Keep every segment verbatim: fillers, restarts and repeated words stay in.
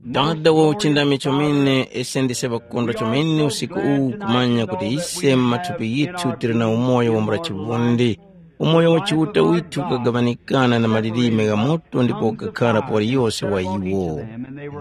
Dada wa uchindami chomene, ise ndise ŵakondwa chomene usiku uwu kumanya kuti ise mu mathupi ghithu tili na umoyo wambula chivundi. Umoyo wa Chiuta withu ukagaŵanikana na malilime gha moto ndipo ukakhara pa waliyose wa iwo.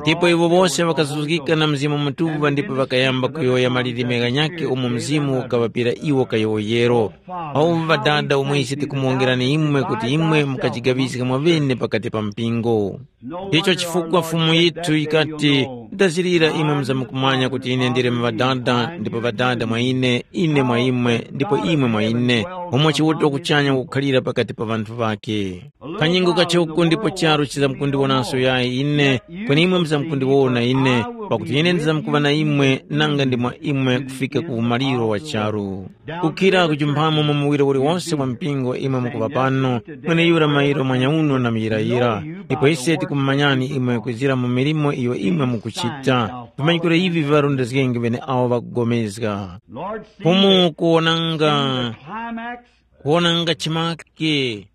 Ndipo iwo wose ŵakazuzgika na Mzimu Mutuŵa ndipo ŵakayamba kuyowoya malilime ghanyakhe umo Mzimu ukaŵapira iwo kayowoyero. Pauvi Ŵadada, umwe ise tikumuwongerani imwe kuti imwe mukajigaŵiska mwaŵene pakati pa mpingo. Ndicho chifukwa Fumu yithu yikati, ndazirira imwe muzamkumanya kuti ine ndili mu Ŵadada, ndipo Ŵadada mwa ine, ine mwa imwe, ndipo imwe mwa ine, umo Chiuta kuchanya kukhalira pakati pa ŵanthu ŵakhe. Kanyingo kachoko ndipo charu chizamkundiwonanso yayi ine, kweni imwe muzamkundiwona ine, pakuti ine ndizamkuŵa na imwe nanga ndi mwa imwe kufika ku umaliro wa charu. Kukhira kujumphamo mu muwiro uliwonse wa mpingo imwe mukuŵa pano, mweneyura mairo mwanyauno na muyirayira, ndipo ise tikumumanyani imwe kwizira mu milimo iyo imwe mukuchita. Vimanyikiro ivi viŵarondezgenge ŵeneawo ŵakugomezga. Fumu kuwonanga, kuwonanga chimake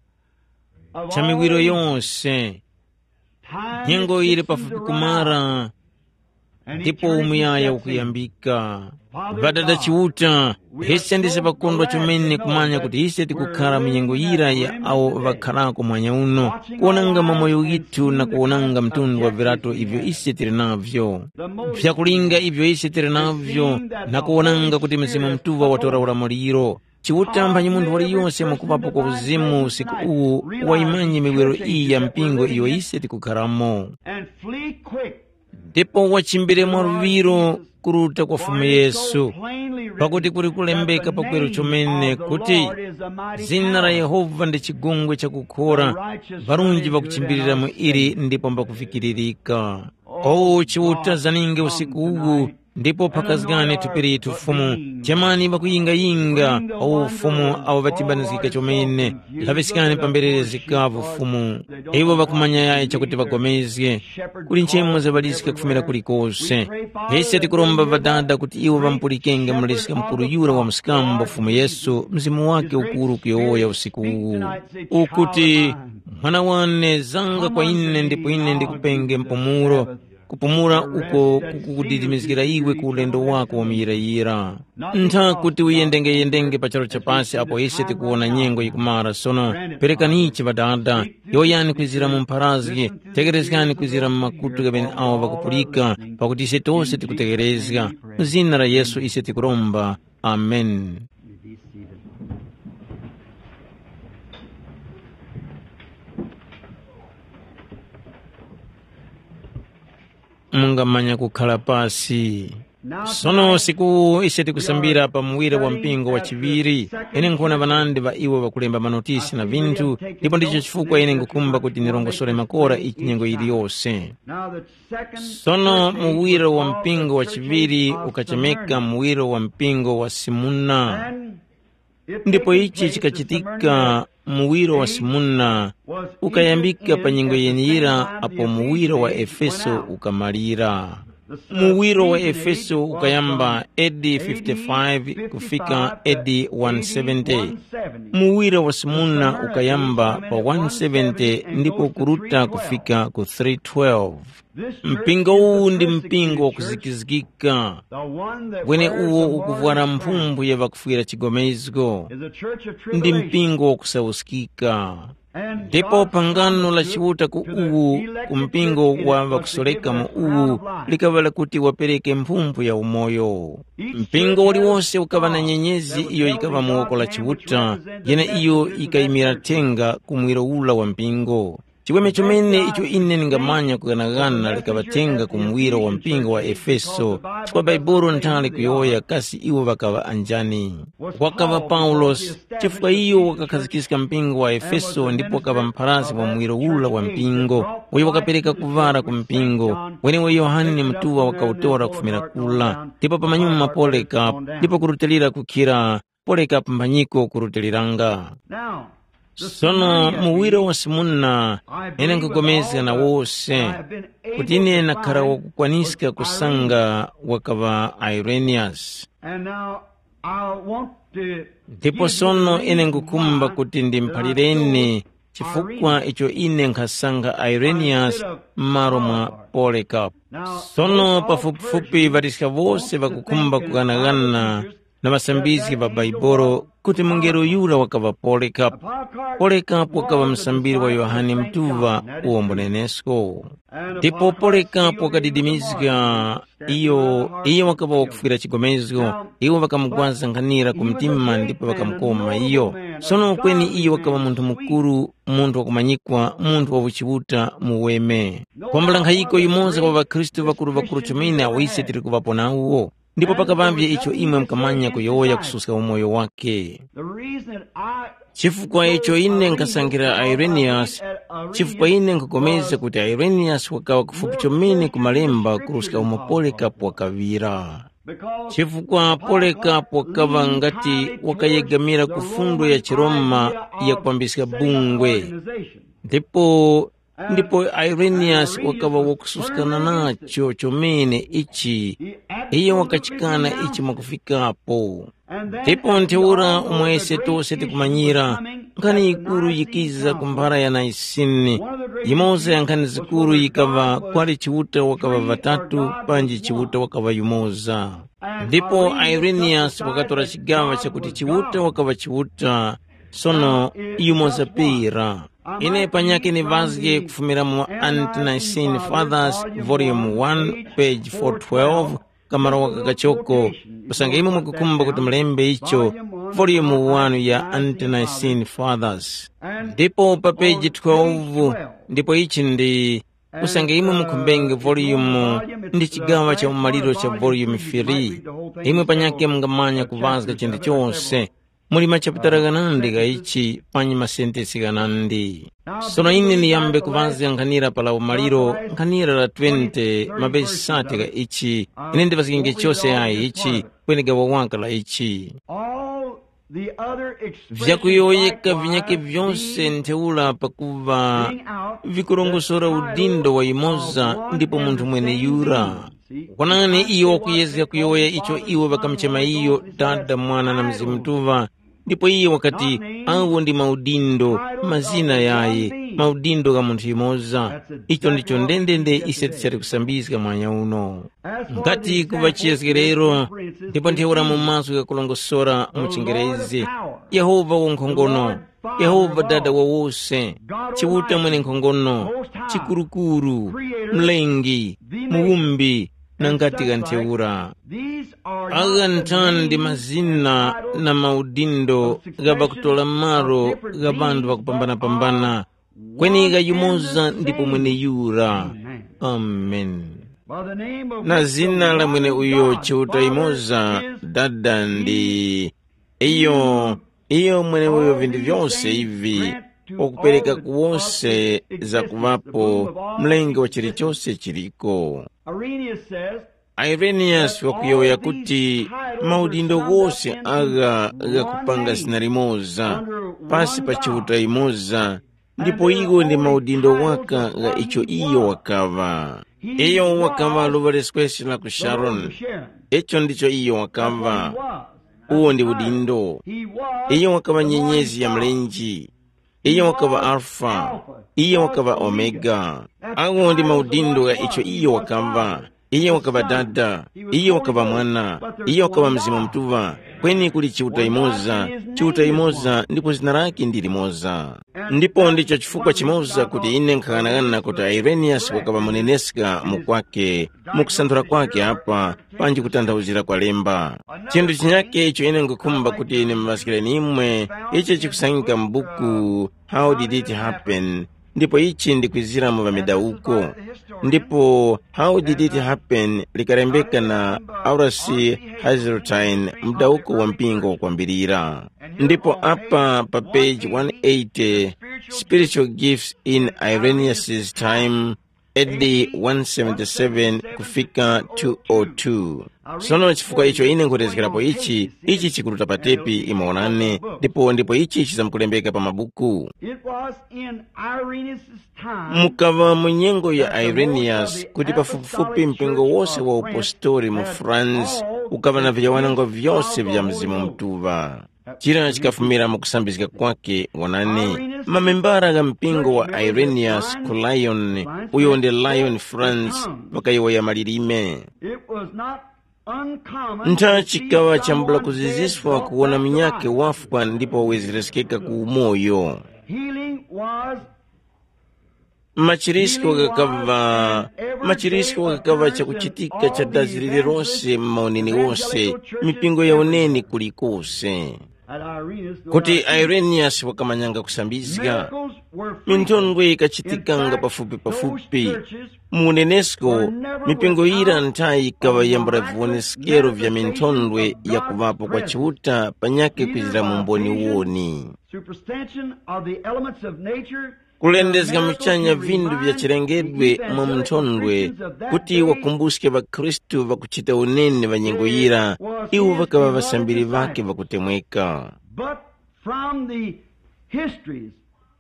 cha miwiro yose. Nyengo ili pafupi kumara, ndipo umuyaya ukuyambika. Ŵadada Chiuta, ise ndise ŵakondwa chomene kumanya kuti ise tikukhara mu nyengo yira ya awo ŵakharako mwanya uno, kuwonanga mamoyo ghithu na kuwonanga mtundu wa virato ivyo ise tili navyo, vyakulinga ivyo ise tili navyo, na kuwonanga kuti Mzimu Mutuŵa watora ulamuliro. Chiuta mphanyi munthu waliyose mwakuŵapo kwa uzimu usiku uwu, wayimanye miwiro iyi ya mpingo iyo ise tikukharamo. And flee quick. Ndipo wachimbire mwaluŵiro kuruta kwa Fumu Yesu, pakuti kuli kulembeka pakweru chomene kuti, zina la Yehova ndi chigungwe chakukhora, ŵarunji ŵakuchimbilira mu ili ndipo mbakuvikiririka. O Chiuta, zaninge usiku uwu, ndipo phakazgani thupi lithu Fumu. Chemani ŵakuyingayinga, o Fumu, awo ŵatibanizgika chomene. Laŵiskani pamberere zikavu Fumu. Iwo ŵakumanya yayi chakuti ŵagomezge. Kuli nchemo zaŵaliska kufumira kulikose. Ise tikuromba Ŵadada kuti iwo ŵamupulikenge Muliska Mukuru yura wa mskambo Fumu Yesu, Mzimu wake ukuru kuyowoya usiku uwu, ukuti, mwana wane, zanga kwa ine ndipo ine ndikupenge mpumulo, kupumula uko kukukudilimizgira iwe ku ulendo wako wa muyirayira. Ntha kuti uyendengeyendenge pa charu cha pasi apo ise tikuwona nyengo yikumara sono, perekanichi Ŵadada, yowoyani kwizira mu mpharazgi, tegherezgani kwizira mu makutu gha ŵeneawo ŵakupulika, pakuti ise tose tikutegherezga. Mu zina la Yesu ise tikuromba. Amen. Mungamanya kukhala pasi. Sono usiku ise tikusambira pa muwire wa mpingo wa chiŵiri. Ine nkhona ŵanandi ŵa iwo ŵakulemba manotisi na vinthu, ndipo ndicho chifukwa ine ngukhumba kuti nirongosore makora ichi nyengo yiliyose. Sono muwiro wa mpingo wa chiŵiri ukachemeka muwiro wa mpingo wa Simuna. Ndipo ichi chikachitika, muwiro wa Simuna ukayambika pa nyengo yeniyira apo muwiro wa Efeso ukamalira. Muwiro wa Efeso ukayamba A D fifty-five kufika A D one seventy. Muwiro wa Simuna ukayamba pa one seventy ndipo kuruta kufika ku three twelve. Mpingo uwu ndi mpingo wakuzikizgika, wene uwo ukuvwara mphumbu ya ŵakufwira chigomezgo. Ndi mpingo wakusauskika. Ndipo pangano la Chiuta ku uwu, ku mpingo wa ŵakusoreka mu uwu, likaŵa lakuti wapereke mphumbu ya umoyo. Mpingo uliwose ukaŵa na nyenyezi iyo yikaŵa mu woko la Chiuta, yeneiyo yikayimira thenga ku mwiro ula wa mpingo. Chiweme chomene icho ine ndingamanya kughanaghana likaŵa thenga ku muwiro wa mpingo wa Efeso, chifukwa Bhaibuli nthali kuyowoya kasi iwo ŵakaŵa anjani. Wakaŵa Paulosi, chifukwa iyo wakakhazikiska mpingo wa Efeso ndipo wakaŵa mpharasi wa muwiro ula wa mpingo, uyo wakapereka kuvara ku mpingo, wenewo Yohane ni Mutuŵa wakawutora kufumira kula, ndipo pamanyuma Polekapu, ndipo kurutilira kukhira Polekapu mphanyiko kurutiliranga. Sono muwiro wa Simuna, ine nkupulikana na wose kuti ine nakhara wakukwaniska kusanga wakaŵa Ireniyasi. Ndipo sono ine ngukhumba kuti ndimuphalireni chifukwa icho ine nkhasankha Ireniyasi m'malo mwa Polekapu. Sono pafupifupi ŵaliska wose ŵakukhumba kughanaghana na ŵasambizgi ŵa Bhaibuli kuti mungelo yura wakaŵa Polekapu. Polekapu wakaŵa musambiri wa Yohane Mutuŵa uwo mbunenesko. Ndipo Polekapu wakadidimizga iyo, iyo wakaŵa wakufwira chigomezgo, iwo ŵakamugwaza nkhanira ku mtima ndipo ŵakamukoma iyo. Sono kweni iyo wakaŵa munthu mukuru, munthu wakumanyikwa, munthu wa uchiuta muweme. Kwambula nkhayiko yimoza kwa ŵakhristu ŵakuru-ŵakuru chomene awo ise tili kuŵapo nawo. Ndipo pakaŵavye icho imwe mukamanya kuyowoya kususka umoyo wake. The reason I Chifukwa icho ine nkhasankhira Ireniyasi, chifukwa ine nkhupulikana kuti Ireniyasi wakaŵa kufupi chomene ku malemba kuruska umo Polekapu wakaŵira. Chifukwa Polekapu wakaŵa ngati wakayegamira ku fundo ya chiRoma ya kwambiska bungwe. Ndipo ndipo Ireniyasi wakaŵa wakususkana nacho chomene ichi, iyo wakachikana ichi mwakufikapo. Ndipo ntheura umo ise tose tikumanyira, nkhani yikuru yikiza ku mphara ya Naisini. Yimoza ya nkhani zikuru yikaŵa kwali Chiuta wakaŵa ŵatatu panji Chiuta wakaŵa yumoza. Ndipo Ireniyasi wakatora chigaŵa chakuti Chiuta wakaŵa Chiuta, sono yumoza pera. Ine panyakhe nivazge kufumira mu Ante-Nicene Fathers, Volume one, page four twelve, kamaro waka kachoko, usange imwe mukukhumba kuti mulembe icho, Volume one ya Ante-Nicene Fathers. Ndipo pa peji twelve, ndipo ichi ndi, usange imwe mukhumbenge volume ndi chigawa cha umaliro cha volume three, imwe panyakhe mungamanya kuvazga chinthu chose. Muli machapitala ghanandi gha ichi panyi masentesi ghanandi. Sono ine ndiyambe kuŵazga nkhanira pa la umaliro, nkhanira la twenty mavesi sate gha ichi. Ine ndiŵazgenge chose yayi ichi, kweni gawa waka la ichi. All the other expressions vyakuyowoyeka vinyake likewise vyose being ntheura pakuva being out vikurongosora the udindo wa imoza of one ndipo munthu and the mwene same yura being. See? Kwanani iyo wakuyezga kuyowoya icho iwo ŵakamuchema iyo Dada, Mwana na Mzimu Mutuŵa, ndipo iye wakati, awo ndi maudindo, mazina yayi, maudindo gha munthu yumoza. Icho ndicho ndendende ise tichali kusambizga mwanya uno. Ngati kuŵa chiyezgerero, ndipo ntheura mu mazgu ghakulongosora mu chingerezi, Yehova wankhongono, Yehova Dada wa wose, Chiuta mwenenkhongono, chikurukuru, mlengi, muwumbi, na ngati gha ntheura. Agha nthani ndi mazina na maudindo gha ŵakutora malo gha ŵanthu ŵakupambanapambana, kweni gha yumoza ndipo mweneyura. Amen. Na zina la mwene uyo Chiuta yumoza, Dada ndi iyo, iyo mwene uyo vinthu vyose ivi wakupereka ku wose zakuŵapo, mlengi wa chilichose chiliko. Irenaeus says, Irenaeus wakuyowoya kuti maudindo ghose agha ghakupanga zina limoza, pasi pa Chiuta yimoza, ndipo iwo ndi maudindo waka gha icho iyo wakaŵa. Iyo wakaŵa luŵa leskwesi la ku Sharoni. Icho ndicho iyo wakaŵa. Uwo ndi udindo. Iyo wakaŵa nyenyezi ya mlenje. Iyo wakaŵa Alfa, iyo wakaŵa Omega. Agho ndi maudindo gha icho iyo wakaŵa. Iyo wakaŵa Dada, iyo wakaŵa Mwana, iyo wakaŵa Mzimu Mutuŵa. Kweni kuli Chiuta yumoza, Chiuta yumoza ndipo zina lake ndi limoza. Ndipo ndicho chifukwa chimoza kuti ine nkhaghanagana kuti Irenaeus wakaŵa muneneska mukwake, mu kusanthula kwake apa, panji kutanthauzira kwa lemba. Chinthu chinyake icho ine nkhukhumba kuti ndimuŵaskireni imwe, ichi chikusangika mu buku How Did It Happen? Ndipo ichi ndikwizira mu ŵamidawuko. Ndipo How Did It Happen likalembeka na Horace Hazeltine, mudawuko wa mpingo wakwambirira. Ndipo apa pa peji one eighty, Spiritual Gifts in Irenaeus' Time, A D one seventy-seven kufika two oh two. Sono chifukwa icho ine nkhutezgerapo ichi, ichi chikuruta pa tepi, imwe wonani, ndipo ndipo ichi chizamkulembeka pa mabuku. It was in Irenaeus' time. Mukaŵa mu nyengo ya Irenaeus kuti pafupifupi mpingo wose wa upostori mu France ukaŵa na vijawanangwa vyose vya Mzimu Mutuŵa. Chira chikafumira mu kusambizga kwake, wonani, mamembara gha mpingo wa Irenaeus ku Lyon, uyo ndi Lyon, France, ŵakayowoya malilime. It was not uncommon Ntha to see chikaŵa chambula someone kuziziswa dead kuwona but munyakhe alive. Wafwa ndipo wawezereskeka ku umoyo. Healing was Machirisko ghakaŵa machirisko ghakaŵa chakuchitika cha dazi lililose m'mauneni wose, mipingo ya uneni kulikose. Kuti Ireniyasi wakamanyanga kusambizga, minthondwe yikachitikanga pafupi-pafupi. Mu unenesko, mipingo yira nthayi yikaŵa yambula viwoneskero vya minthondwe ya kuŵapo kwa Chiuta panyakhe kwizira mu mboni woni. Superstition of the elements of nature Kulendezga muchanya vindu vya chilengedwe mwa munthondwe, kuti wakumbuske ŵakhristu ŵakuchita unene ŵa nyengo yira, iwo ŵakaŵa ŵasambiri ŵakhe ŵakutemweka. But from the histories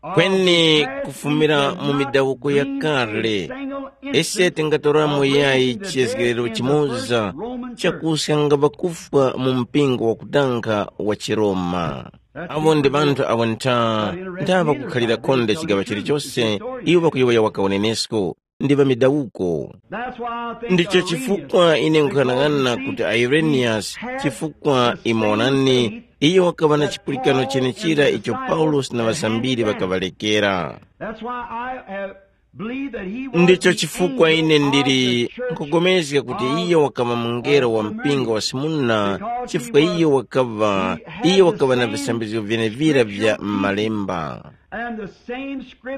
of Kweni the past, kufumira we mu cannot midawuko ya bring kale, a single ise instance tingatoramo of yayi racism chiyezgerero in the chimoza first Roman church. Chakuskanga ŵakufwa mu mpingo wakudanga wa chiRoma. Avo ndi ŵanthu awo ntha, ntha ŵakukhalira khonde chigaŵa chilichose, iwo ŵakuyowoya waka unenesko, ndi ŵa midawuko. Ndicho chifukwa ine nkhanang'ana kuti Ireniyasi, chifukwa imoonani, iyo wakaŵa na chipulikano chenechira icho Paulosi na ŵasambiri ŵakaŵalekera. Ndicho chifukwa ine ndili nkugomezga kuti iyo wakaŵa mungelo wa mpingo wa Simuna, chifukwa iyo wakaŵa iyo wakaŵa na visambizgo vyenevira vya m'Malemba.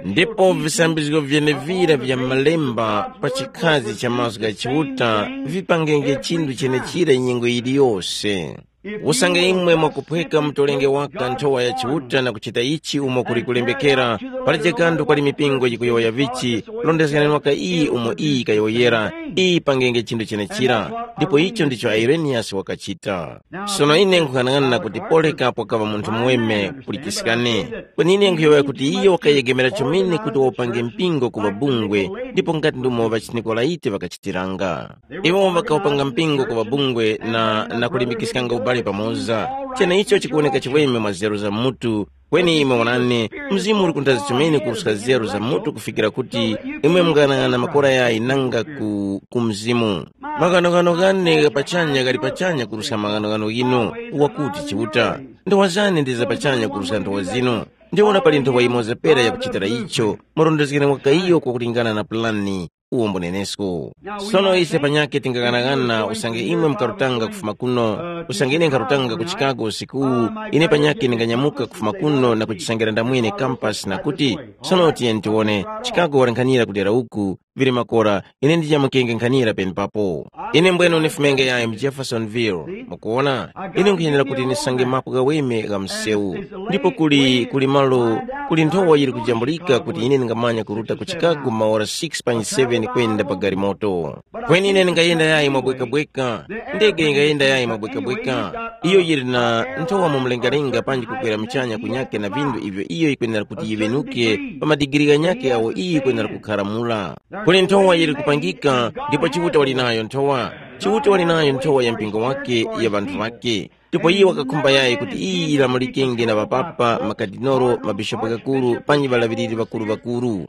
Ndipo visambizgo vyenevira vya m'Malemba pa chikhazi cha mazgu gha Chiuta vipangenge chinthu chenechira nyengo yiliyose. Usange imwe mwakuphweka mutolenge waka nthowa ya Chiuta na kuchita ichi umo kuli kulembekera, pali chikando kwali mipingo yikuyowoya vichi, rondezgani waka iyi umo iyi kayowoyera, iyi pangenge chinthu chenechira. Ndipo icho ndicho Ireniyasi wakachita. Sono ine nkung'anang'ana kuti Polekapu wakaŵa munthu muweme kulikiskani. Kweni ine nkhuyowoya kuti iyo wakayegemera chomene kuti waupange mpingo kuŵa bungwe, ndipo ngati ndumo ŵachiNikolaiti ŵakachitiranga. Iwo ŵakawupanga mpingo ku ŵabungwe na, na kulimbikiskanga ubale pamoza. Cheneicho chikuwoneka chiweme mwa nzeru za mutu, kweni imwe wonani, Mzimu uli kunthazi chomene kuruska nzeru za mutu kufikira kuti imwe mungayang'ana makora yayi nanga ku, ku Mzimu. Maghanoghano ghane gha pachanya ghali pachanya kuruska maghanoghano ghinu, wakuti Chiuta. Nthowa zane ndi za pachanya kuruska nthowa zinu. Ndiwona pali nthowa yimoza pera yakuchitira icho, murondezgere mwaka iyo kwakulingana na pulani. Uwo mbunenesko. Sono ise panyakhe tingaghanagana usange imwe mukarutanga kufuma kuno, usange ine nkharutanga ku Chicago usiku uwu, ine panyakhe ndinganyamuka kufuma kuno na kuchisangira ndamwene kampasi na kuti, sono tiyeni tiwone, Chicago wali nkhanira kudera uku, vili makora, ine ndijamukenge nkhanira penepapo. Ine mbwene unifumenge yayi mu Jeffersonville, mukuwona, ine nkhuyenera kuti ndisange mapu ghaweme gha msewu. Ndipo kuli, kuli malo, kuli nthowa yili kujambulika kuti ine ndingamanya kuruta ku Chicago maora six panyi seven kwenda pa galimoto. Kweni ine ndingayenda yayi mwabwekabweka, ndege yingayenda yayi mwabwekabweka. Iyo yili na nthowa mu mlengalenga panji kukwera muchanya kunyake na vindu ivyo iyo yikwenera kuti yiŵenuke pa madigiri ghanyake awo iyo yikwenera kukharamula. Kuli nthowa yili kupangika, ndipo Chiuta wali nayo nthowa. Chiuta wali nayo nthowa ya mpingo wake, ya ŵanthu ŵake. Ndipo iye wakakhumba yayi kuti iyi yilamulikenge na ŵapapa, makadinolo, mabishopu ghakuru, panji ŵalaŵiriri ŵakuru-ŵakuru.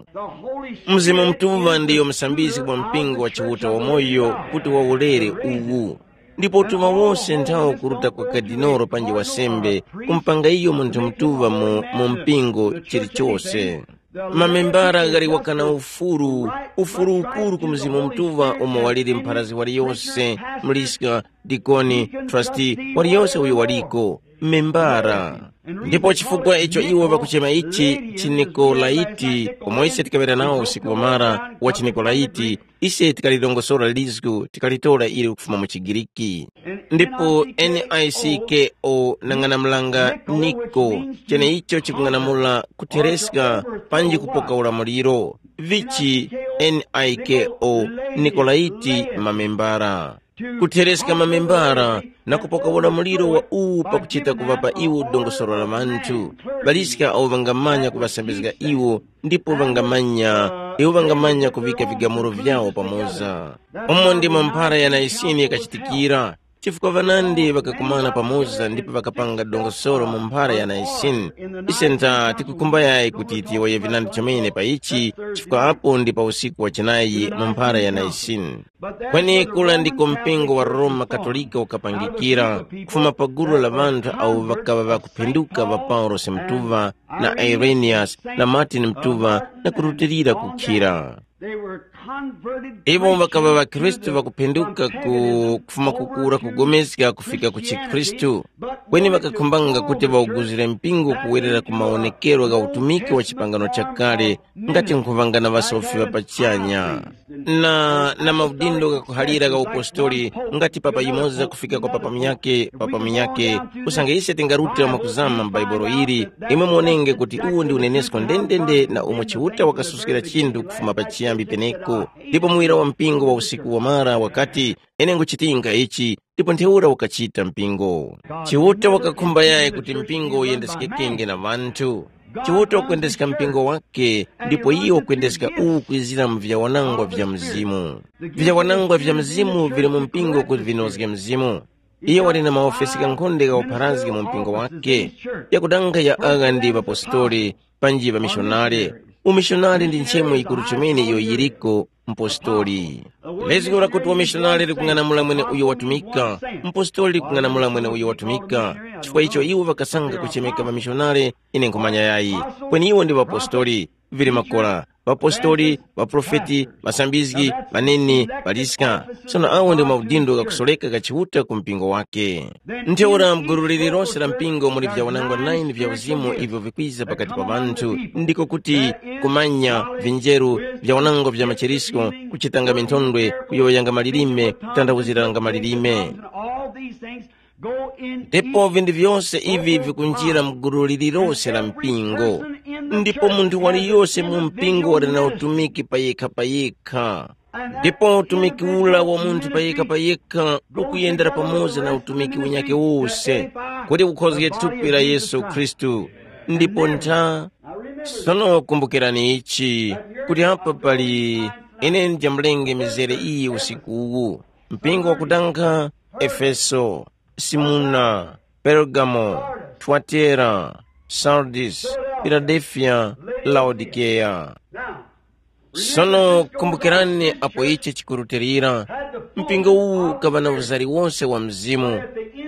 Mzimu Mutuŵa ndiyo musambizgi wa mpingo wa Chiuta wamoyo kuti wawolere uwu. Ndipo utuma wose nthawo kuruta kwa kadinolo panji wasembe, kumpanga iyo munthu mutuŵa mu, mu mpingo chilichose. Mamembara ghali wakana ufuru, ufuru ukuru ku Mzimu Mutuŵa umo waliri mpharazi waliyose, mliska, dikoni, trasti, waliyose uyo waliko, membara. Ndipo chifukwa icho iwo ŵakuchema ichi chiNikolaiti, umo ise tikaŵera nawo usiku wamara wa chiNikolaiti, ise tikalirongosora lizgu tikalitora ili kufuma mu chiGiriki. Ndipo N I C K O nang'anamulanga Niko, cheneicho chikung'anamula kuthereska panji kupoka ulamuliro. Vichi N I K O, Nikolaiti mamembara. Kuthereska mamembara na kupoka ulamuliro wa uwu pakuchita kuŵapa iwo dongosolo la ŵanthu, ŵaliska awo ŵangamanya kuŵasambizga iwo ndipo ŵangamanya, iwo ŵangamanya kuŵika vigamulo vyawo pamoza. Umo ndimo mphara ya Naisini yakachitikira, Chifukwa ŵanandi ŵakakumana pamoza ndipo ŵakapanga dongosolo mu mphara ya Naisini. Ise nta tikukhumba yayi kuti tiyowoye vinandi chomene pa ichi, chifukwa apo ndi pa usiku wa chinayi mu mphara ya Naisini. Kweni kula ndiko mpingo wa Roma Katolika ukapangikira, kufuma pa gulu la ŵanthu awo ŵakaŵa ŵakuphinduka ŵa Paulosi Mtuŵa, na Ireniyasi, na Martini Mtuŵa, na kurutilira kukhira. Iwo ŵakaŵa ŵakhristu ŵakuphinduka ku kufuma kukura kugomeska kufika ku chikhristu, kweni ŵakakhumbanga kuti ŵawuguzire mpingo kuwerera ku mawonekero gha utumiki wa chipangano chakale, ngati nkhuŵanga na ŵasofi ŵa pachanya, na na maudindo ghakuhalira gha upostoli, ngati papa yumoza kufika kwa papa munyakhe papa munyakhe. Usange ise tingarutira mwakuzama m'Baibulo ili, imwe muwonenge kuti uwo ndi unenesko ndendende na umo Chiuta wakasuskira chinthu kufuma pachiyambi peneko. Ndipo muwira wa mpingo wa usiku wamara wakati, ine nguchitinga ichi, ndipo ntheura ukachita mpingo. Chiuta wakakhumba yayi kuti mpingo uyendeskekenge na ŵanthu. Chiuta ukwendeska mpingo wake, ndipo iyo ukwendeska uwu kwizira mu vyawanangwa vya mzimu. Vyawanangwa vya mzimu vili mu mpingo kuti vinozge mzimu. Iyo wali na maofesi ghankhonde ghawupharazge mu mpingo wake, yakudanga ya agha ndi ŵapostoli, panji ŵamishonari. Umishonari ndi nchemo yikuru chomene iyo yiriko, mpostoli. Lezgo lakuti wamishonari likung'anamula mwene uyo watumika, mpostoli likung'anamula mwene uyo watumika. Chifukwa icho iwo ŵakasanga kuchemeka ŵamishonari, ine nkhumanya yayi. Kweni iwo ndi ŵapostoli, vili makora, ŵapostoli, ŵaprofeti, ŵasambizgi, ŵaneni, ŵaliska. Sono awo ndi maudindo ghakusoreka gha Chiuta ku mpingo wake. Ntheura m'gulu lililose la mpingo muli vyawanangwa nine vya uzimu ivyo vikwiza pakati pa ŵanthu, ndiko kuti kumanya, vinjeru, vyawanangwa vya macherisko, kuchitanga minthondwe, kuyowoyanga malilime, kutanthauziranga malilime. Ndipo vinthu vyose ivi vikunjira mu gulu lililose la mpingo. Ndipo munthu waliyose mu mpingo wali na utumiki payekha-payekha. Ndipo utumiki ula wa munthu payekha-payekha ukuyendera pamoza na utumiki unyake wose, kuti ukhozge thupi la Yesu Khristu. Ndipo ntha, sono kumbukirani ichi, kuti apa pali, ine ndijamulenge mizere iyi usiku uwu. Mpingo wakudanga, Efeso, Simuna, Pergamo, Twatera, Sardis, Filadelfiya, Laodikeya. Sono kumbukirani apo ichi chikurutilira, mpingo uwu ukaŵa na uzari wose wa mzimu,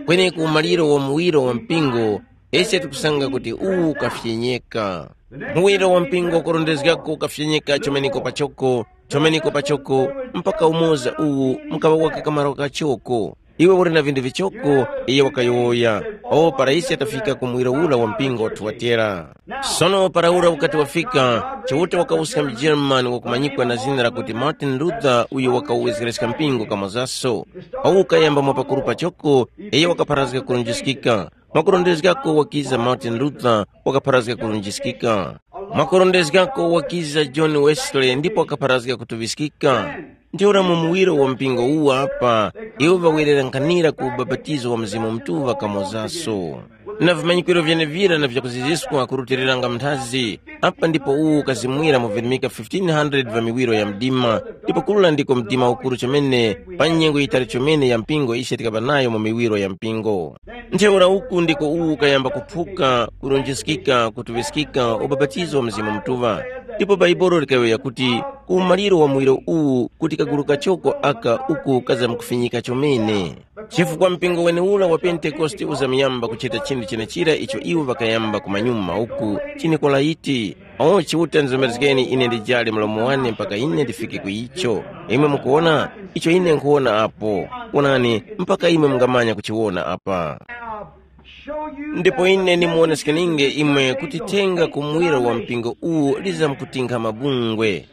kweni ku umaliro wa muwiro wa mpingo, ise tikusanga kuti uwu ukafyenyeka. Muwiro wa mpingo ukurondezgako ukafyenyeka chomeneko pachoko, chomeneko pachoko, mpaka umoza uwu mukaŵa waka kamaro kachoko. Iwe uli na vinthu vichoko, iye wakayowoya. O para ise tafika ku muwiro ura wa mpingo wa Tuwatera. Sono para ura ukati wafika, Chiuta wakawuska mujirmani wakumanyikwa na zina lakuti Martin Luther, uyo wakawezgereska mpingo kamozaso. Awu ukayamba mwa pakuru pachoko, iye wakapharazga kurunjiskika. Mwakurondezgako wakiza Martin Luther, wakapharazga kurunjiskika. Mwakurondezgako wakiza John Wesley ndipo wakapharazga kutuŵiskika. Ntheura mu muwiro wa mpingo uwu apa, iwo ŵawerera nkhanira ku ubapatizo wa Mzimu Mutuŵa kamozaso. Na vimanyikiro vyenevira na vyakuziziskwa kurutiliranga mnthazi, apa ndipo uwu ukazimwira mu virimika fifteen hundred va miwiro ya mdima, ndipo kula ndiko mdima ukuru chomene pa nyengo yitali chomene ya mpingo ise tikaŵa nayo mu miwiro ya mpingo. Ntheura uku ndiko uwu ukayamba kuphuka, kulunjiskika, kutuŵiskika ubapatizo wa Mzimu Mutuŵa. Ndipo Baibolo likayowoya kuti, ku umaliro wa muwiro uwu kuti kagulu kachoko aka uku kazamkufinyika chomene. Chifukwa mpingo wenewura wa Pentekoste uzamuyamba kuchita chinthu chenechira icho iwo ŵakayamba kumanyuma uku, chiNikolaiti. O Chiuta, ndizomerezgeni ine ndijale mlomo wane mpaka ine ndifike ku icho. Imwe mukuwona icho ine nkhuwona apo. Wonani, mpaka imwe mungamanya kuchiwona apa. Ndipo ine ndimuwoneskeninge imwe kuti thenga ku muwiro wa mpingo uwu lizamkutinkha mabungwe.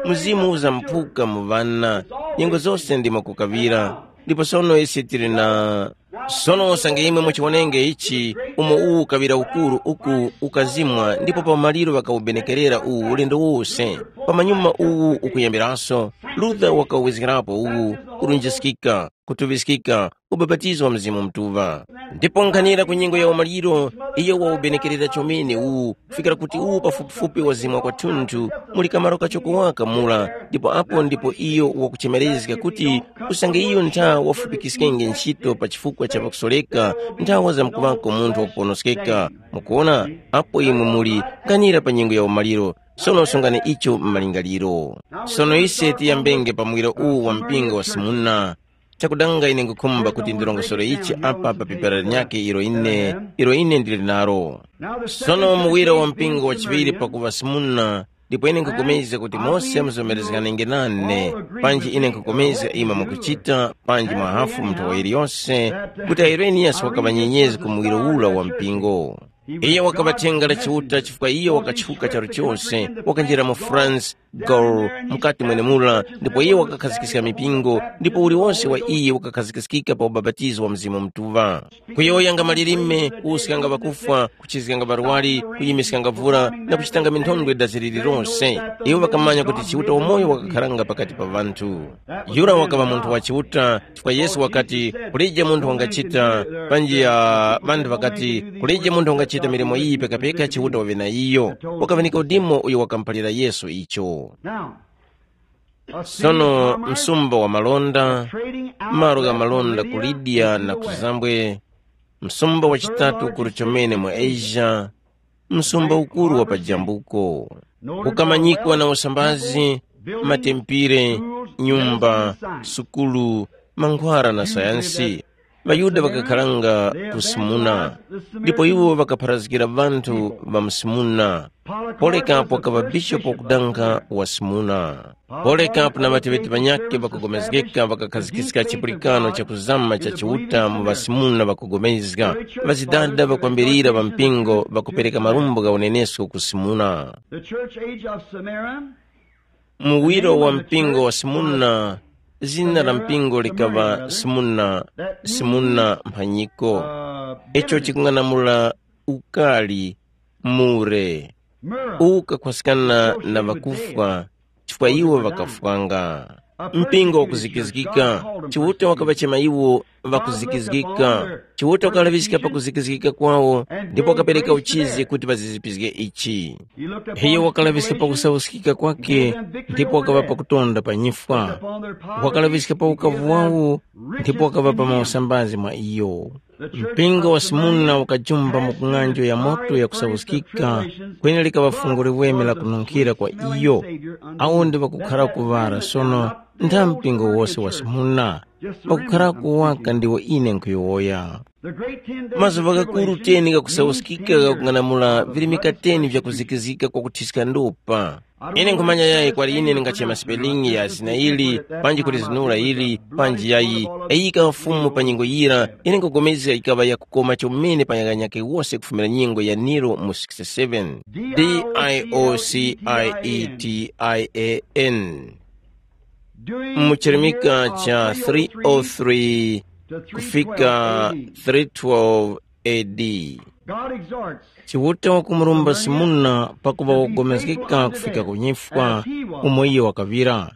Mzimu uzamphuka mu ŵana, nyengo zose ndimo kukaŵira. Ndipo sono ise tili na Sono usange imwe muchiwonenge ichi, umo uwu ukaŵira ukuru uku ukazimwa ndipo pa umaliro ŵakawubenekerera uwu ulendo wose. Pamanyuma uwu ukuyambiraso, Luther wakawezgerapo uwu, kulunjiskika, kutuŵiskika, ubapatizo wa Mzimu Mutuŵa. Ndipo nkhanira ku nyengo ya umaliro, iyo waubenekerera chomene uwu, kufikira kuti uwu pafupifupi wazimwa kwathunthu, muli kamaro kachoko waka mura, ndipo apo ndipo iyo wakuchemerezga kuti usange iyo ntha wafupikiskenge ntchito pa chifukwa cha pakusoreka nthawa zamkuŵako munthu wakuponoskeka. Mukuona, apo imwe muli, nkhanira pa nyengo ya umaliro, sono sungani icho m'malingaliro. Sono ise tiyambenge pa muwiro uwu wa mpingo wa Simuna. Chakudanga ine nkhukhumba kuti ndilongosore ichi apa pa pepera linyakhe ilo ine, ilo ine ndili nalo. Sono muwiro wa mpingo wa chiŵiri pakuŵa Simuna, ndipo ine nkhupulikana kuti mose muzomerezganenge nane, panji ine nkhupulikana imwe mukuchita, panji mwahafu munthu wa yiliyose, kuti Ireniyasi wakaŵa nyenyezi ku muwiro ula wa mpingo. Iyo wakaŵa thenga la Chiuta chifukwa iyo wakatchuka charu chose, wakanjira mu France, Gaul, mukati mwenemura, ndipo iyo wakakhazikiska mipingo, ndipo uliwonse wa iyo wakakhazikiskika pa ubapatizo wa Mzimu Mutuŵa. Kuyowoyanga malilime, kuwuskanga ŵakufwa, kuchizganga ŵarwari, kuyimiskanga vura, na kuchitanga minthondwe dazi lililonse. Iwo ŵakamanya kuti Chiuta wamoyo wakakharanga pakati pa ŵanthu. Yura wakaŵa munthu wa Chiuta, chifukwa Yesu wakati, kulije munthu wangachita, panji ya ŵanthu ŵakati, kulije munthu wangachita milimo iyi pekapeka Chiuta waŵe na iyo. Wakaŵanika udimo uyo wakamuphalira Yesu icho. Now, a city Sono of commerce, msumba wa malonda, trading out malo gha malonda ku Lydia na ku Zambwe, msumba wachitatu ukuru chomene mu Asia, msumba ukuru wa pajambuko, ukamanyikwa na usambazi, matempire, nyumba, sukulu, mankhwara na sayansi. །ŵaYuda ŵakakharanga ku Simuna, ndipo iwo ŵakapharazgira ŵanthu ŵa mu Simuna. Polekapo wakaŵa bishopu wakudanga wa Simuna. Polekapo na ŵateŵeti ŵanyakhe ŵakugomezgeka ŵakakhazikiska chipulikano chakuzama cha Chiuta mu ŵaSimuna ŵakugomezga, ŵazidada ŵakwambirira ŵa mpingo ŵakupereka marumbo gha unenesko ku Simuna. The church age of Smyrna, Muwiro wa mpingo wa Simuna, zina la mpingo likaŵa Simuna, Simuna mphanyiko. Icho chikung'anamula ukali, mure, ukakhwaskana na ŵakufwa, chifukwa iwo ŵakafwanga. Mpingo wakuzikizgika, Chiuta wakaŵachema iwo ŵakuzikizgika. Chiuta wakalaŵiska pakuzikizgika kwawo, ndipo wakapereka uchizi kuti ŵazizipizge ichi. Iyo wakalaŵiska pakusauskika kwakhe, ndipo wakaŵa pakutonda pa nyifwa. Wakalaŵiska pa ukavu wawo, ndipo wakaŵa pa mausambazi mwa iyo. Mpingo wa Simuna ukajumba mu kung'anjo ya moto yakusauskika, kweni likaŵa fungo liweme la kununkhira kwa iyo. Awo ndi ŵakukhara kuŵara sono, ntha mpingo wose wa Simuna, ŵakukhara kuwaka ndiwo ine nkhuyowoya. Mazuŵa ghakuru teni ghakusauskika ghakung'anamula virimika teni vyakuzikizika kwakuthiska ndopa. Ine nkhumanya yayi kwali ine ndingachema sipelingi ya zina ili, panji kulizinura ili, panji yayi, yayika Fumu pa nyengo yira, ine nkupulikana yikaŵa yakukoma chomene pa nyakanyake wose kufumira nyengo ya Nero mu sixty-seven. D I O C I E T I A N. Mu chirimika cha three oh three kufika three twelve A D. Chiuta wakumurumba Simuna pakuŵa wogomezgeka kufika ku nyifwa umo iyo wakaŵira.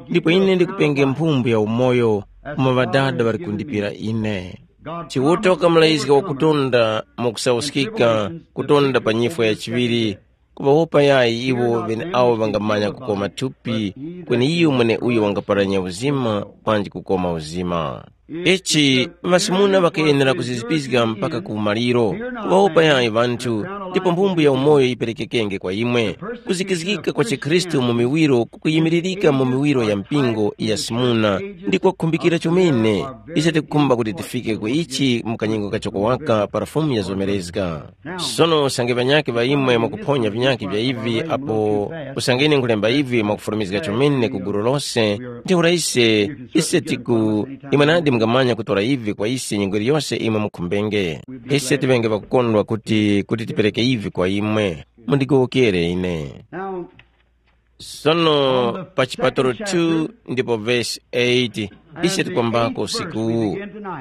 Ndipo ine ndikupenge mphumbu ya umoyo umo Ŵadada ŵali kundipira ine. Chiuta wakamulayizga wakutonda mwakusauskika, kutonda pa nyifwa ya chiŵiri, kuŵawopa yayi iwo ŵeneawo ŵangamanya kukoma thupi, kweni iyo mweneuyo wangaparanya uzima panji kukoma uzima. Ichi ŵasimuna ŵakayenera kuzizipizga mpaka ku umaliro, kuŵawopa yayi ŵanthu, ndipo mphumbu ya umoyo yiperekekenge kwa imwe. Kuzikizgika kwa chikhristu mu miwiro kukuyimiririka mu miwiro ya mpingo ya simuna, ndi kwakhumbikira chomene. Ise tikukhumba kuti tifike ku ichi mu kanyengo kachoko waka para Fumu yazomerezga. Sono usange ŵanyakhe ŵa imwe mwakuphonya vinyakhe vya ivi apo, usange ine nkhulemba ivi mwakufurumizga chomene ku gulu lose, ntheura ise, ise tiku, imwe nadi mungamanya kutora ivi kwa ise nyengo iliyose imwe mukhumbenge. Ise tiŵenge ŵakukondwa kuti, kuti tipereke ivi kwa imwe. Mundigowokere ine. Sono pa chipatalo two ndipo vesi eight, ise tikwambako usikuwu.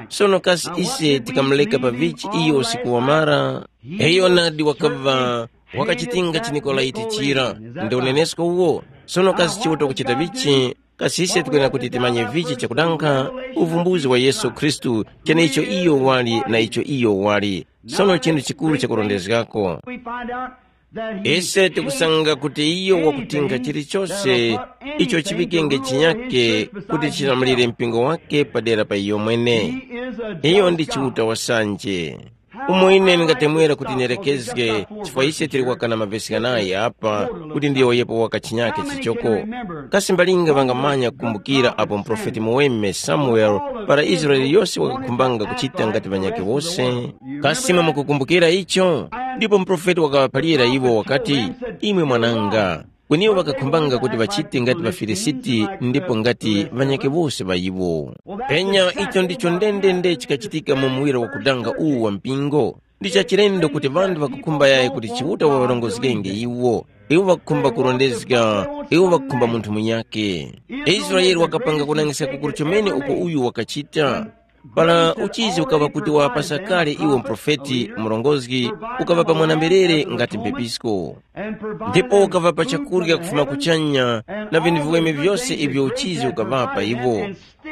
Sono kasi ise tikamuleka pa vichi iyo usiku wamara? Iyo nadi wakava wakachitinga chiNikolaiti chira, ndi unenesko uwo? Sono kasi Chiuta kuchita vichi? Kasi ise tikwenera kuti timanye vichi chakudanga? Uvumbuzi wa Yesu Khristu, cheneicho iyo wali na icho iyo wali. Sono chinthu chikuru chakurondezgako. Ise tikusanga kuti iyo wakutinga chilichose icho chiŵikenge chinyake kuti chilamulire mpingo wake padera pa iyo mwene. Iyo ndi Chiuta wasanje. Umo ine ndingatemwera kuti nerekezge, chifukwa ise tili kwakana mavesi ghanayi apa, kuti ndiyowoyepo waka chinyake chichoko. Kasi mbalinga ŵangamanya kukumbukira apo muprofeti muweme Samuele, para Israele yose wakakhumbanga kuchita ngati ŵanyakhe wose? Kasi imwe mukukumbukira icho? Ndipo muprofeti wakaŵaphalira iwo wakati, imwe mwananga, kweni iwo ŵakakhumbanga kuti ŵachite ngati ŵaFilisiti ndipo ngati ŵanyakhe wose ŵa iwo. Penya icho ndicho ndendende chikachitika mu muwiro wakudanga uwu wa mpingo. Ndi chachilendo kuti ŵanthu ŵakukhumba yayi kuti Chiuta waŵarongozgenge iwo. Iwo ŵakukhumba kurondezga, iwo ŵakukhumba munthu munyakhe. Israele wakapanga kunangiska kukuru chomene uko uyu wakachita. Para uchizi ukaŵa kuti wapasa kale iwo muprofeti, murongozgi, ukaŵa pa mwana-mberere ngati mphepisko. Ndipo ukaŵapa chakurya kufuma kuchanya na vinthu viweme vyose ivyo uchizi ukaŵapa iwo.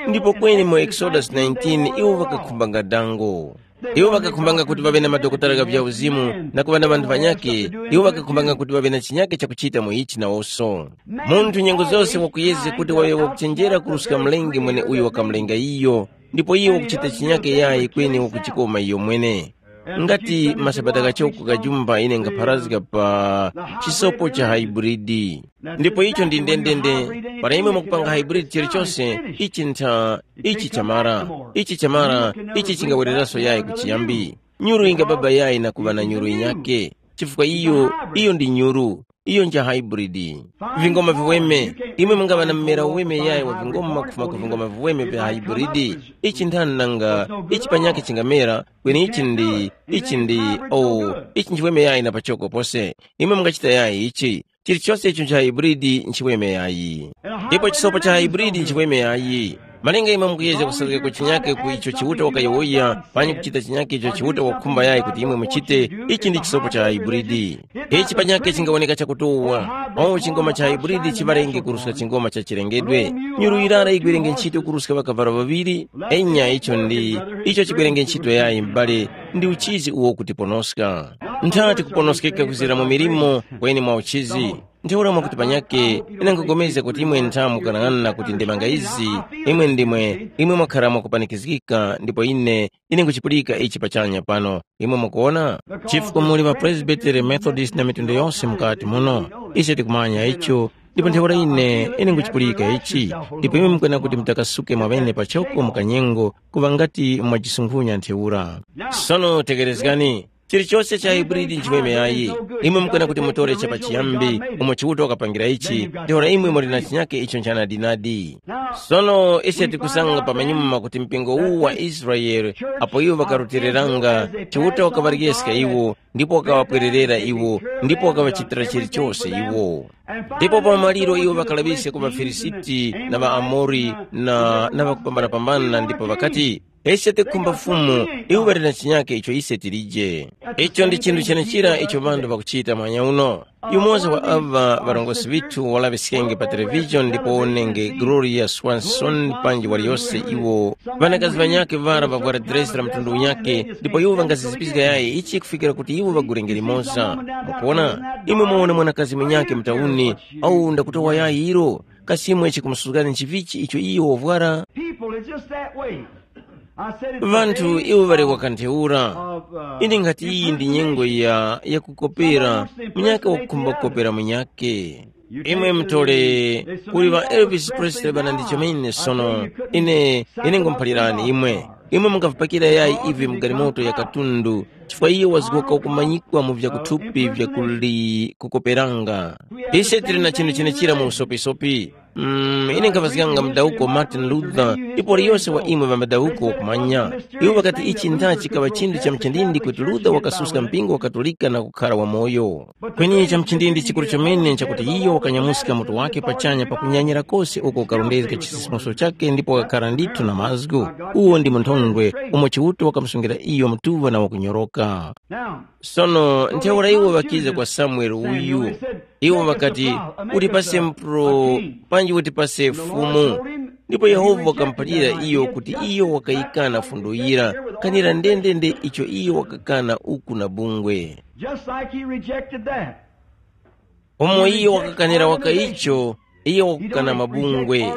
Ndipo kweni mu Exodus nineteen iwo ŵakakhumbanga dango. Iwo ŵakakhumbanga kuti ŵaŵe na madokotala gha vyauzimu na kuŵa na ŵanthu ŵanyakhe. Iwo ŵakakhumbanga kuti ŵaŵe na chinyakhe chakuchita mu ichi nawonso. Munthu nyengo zose wakuyezge kuti waŵe wakuchenjera kuruska mlengi mweneuyo wakamulenga iyo, ndipo iyo wakuchita chinyake yayi kweni wakuchikoma iyo mwene. Ngati masabata ghachoko kajumba ine ngapharazga pa chisopo cha haiburidi. Ndipo icho ndi ndendende, para imwe mukupanga haiburidi chilichose, ichi ntha, ichi chamara, ichi chamara, ichi chingawereranso yayi kuchiyambi. Nyuru ingababa yayi na kuŵa na nyuru yinyake, chifukwa iyo, iyo ndi nyuru. Iyo nja hybrid. Vingoma viweme. Imwe mungaŵa na mmera uweme yayi wa vingoma kufuma ku vingoma viweme vya hybrid. Ichi nthani nanga ichi panyakhe chingamera, kweni ichi ndi, ichi ndi, oh, ichi nchiweme yayi na pachoko pose. Imwe mungachita yayi ichi. Chilichose icho ncha hybrid nchiweme yayi. Ndipo chisopo cha hybrid nchiweme yayi. Malinga imwe mukuyezga kusazgeka chinyake ku icho Chiuta wakayowoya, panyi kuchita chinyake icho Chiuta wakukhumba yayi kuti imwe muchite, ichi ndi chisopo cha haiburidi. Ichi panyakhe chingawoneka chakutuwa. Awo chingoma cha haiburidi chiŵarenge kuruska chingoma cha chilengedwe. Nyuru yirara yigwerenge ntchito kuruska ŵakavalo ŵaŵiri? Enya icho ndi, icho chigwerenge ntchito yayi m'bale, ndi uchizi uwo kutiponoska. Ntha tikuponoskeka kuzira mu milimo, kweni mwa uchizi. Ntheura mwakuti panyakhe, ine nkhupulikana kuti imwe ntha mukanang'ana kuti ndemanga izi, imwe ndimwe, imwe mwakhara mwakupanikizgika, ndipo ine, ine nkuchipulika ichi pachanya pano, imwe mukuwona? Chifukwa muli ŵapresbiteri, Methodist na mitundu yose mukati muno. Ise tikumanya icho, ndipo ntheura ine, ine nkuchipulika ichi, ndipo imwe mukwena kuti mutakasuke mwaŵene pachoko mu kanyengo, kuŵa ngati mwajisunkhunya ntheura. Sono tekerezgani, chilichose cha hybrid nchiweme yayi. Imwe mukwena kuti mutore chapachiyambi, umo Chiuta wakapangira ichi, ntheura imwe muli na chinyake icho nchanadinadi. Sono ise tikusanga pamanyuma kuti mpingo uwu wa Israele, apo iwo ŵakarutiliranga, Chiuta wakaŵaryeska iwo, ndipo wakaŵapwererera iwo, ndipo wakaŵachitira chilichose iwo. Ndipo pa maliro iwo ŵakalaŵiska ku ŵaFilisiti na ŵaAmori na, na ŵakupambanapambana ndipo ŵakati, ise tikukhumba Fumu, iwo ŵali na chinyake icho ise tilije. Icho ndi chinthu chenechira icho ŵanthu ŵakuchita mwanya uno. Yumoza wa aŵa ŵarongozgi ŵithu walaŵiskenge pa television ndipo wonenge Gloria Swanson panji waliyose iwo ŵanakazi ŵanyakhe ŵara ŵavwara dresi la mtundu unyakhe ndipo iwo ŵangazizipiska yayi ichi kufikira kuti iwo ŵagulenge limoza. Mukuwona? Imwe muwona mwanakazi munyakhe mutauni, au ndakutowa yayi ilo, kasi imwe chikumusuzgani nchivichi icho iyo wavwara? People is just that way. I said it's the Vanthu day iwo ŵali of, wakantheura. Of, uh, Ine nkhati iyi ndi nyengo ya, ya kukopera, munyakhe wakukhumba kukopera munyakhe. Imwe mutole, kuli ŵa Elvis Presley ŵana ndi chomene sono, ine, ine ngumuphalirani imwe. Imwe mungavipakira yayi ivi mu galimoto ya katundu, chifukwa iyo wazgoka kumanyikwa mu vyakuthupi vya kuli kukoperanga. Ise tili na chinthu chenechira mu usopisopi. Mm, ine nkhavazganga mudawuko Martin Luther, ndipo liyose wa imwe ŵa mudawuko wakumanya. Iwo ŵakati ichi ntha chikaŵa chinthu cha mchindindi kuti Luther wakasuska mpingo wa Katolika na kukhara wamoyo. Kweni cha mchindindi chikuru chomene nchakuti iyo wakanyamuska mutu wake pachanya pakunyanyira kose uko ukarondezga chisisimuso chake ndipo wakakhara ndithu na mazgu. Uwo ndi munthondwe umo Chiuta wakamusungila iyo mutuŵa na wakunyoroka. Sono ntheura iwo ŵakiza kwa Samuele uyu. Iwo ŵakati, "Utipase mpro, panji utipase fumu." Ndipo Yehova wakamuphalira iyo kuti iyo wakayikana fundo yira, kanira ndendende icho iyo wakakana uku na bungwe. Just like he rejected that. Umo iyo wakakanira waka icho, iyo wakukana mabungwe,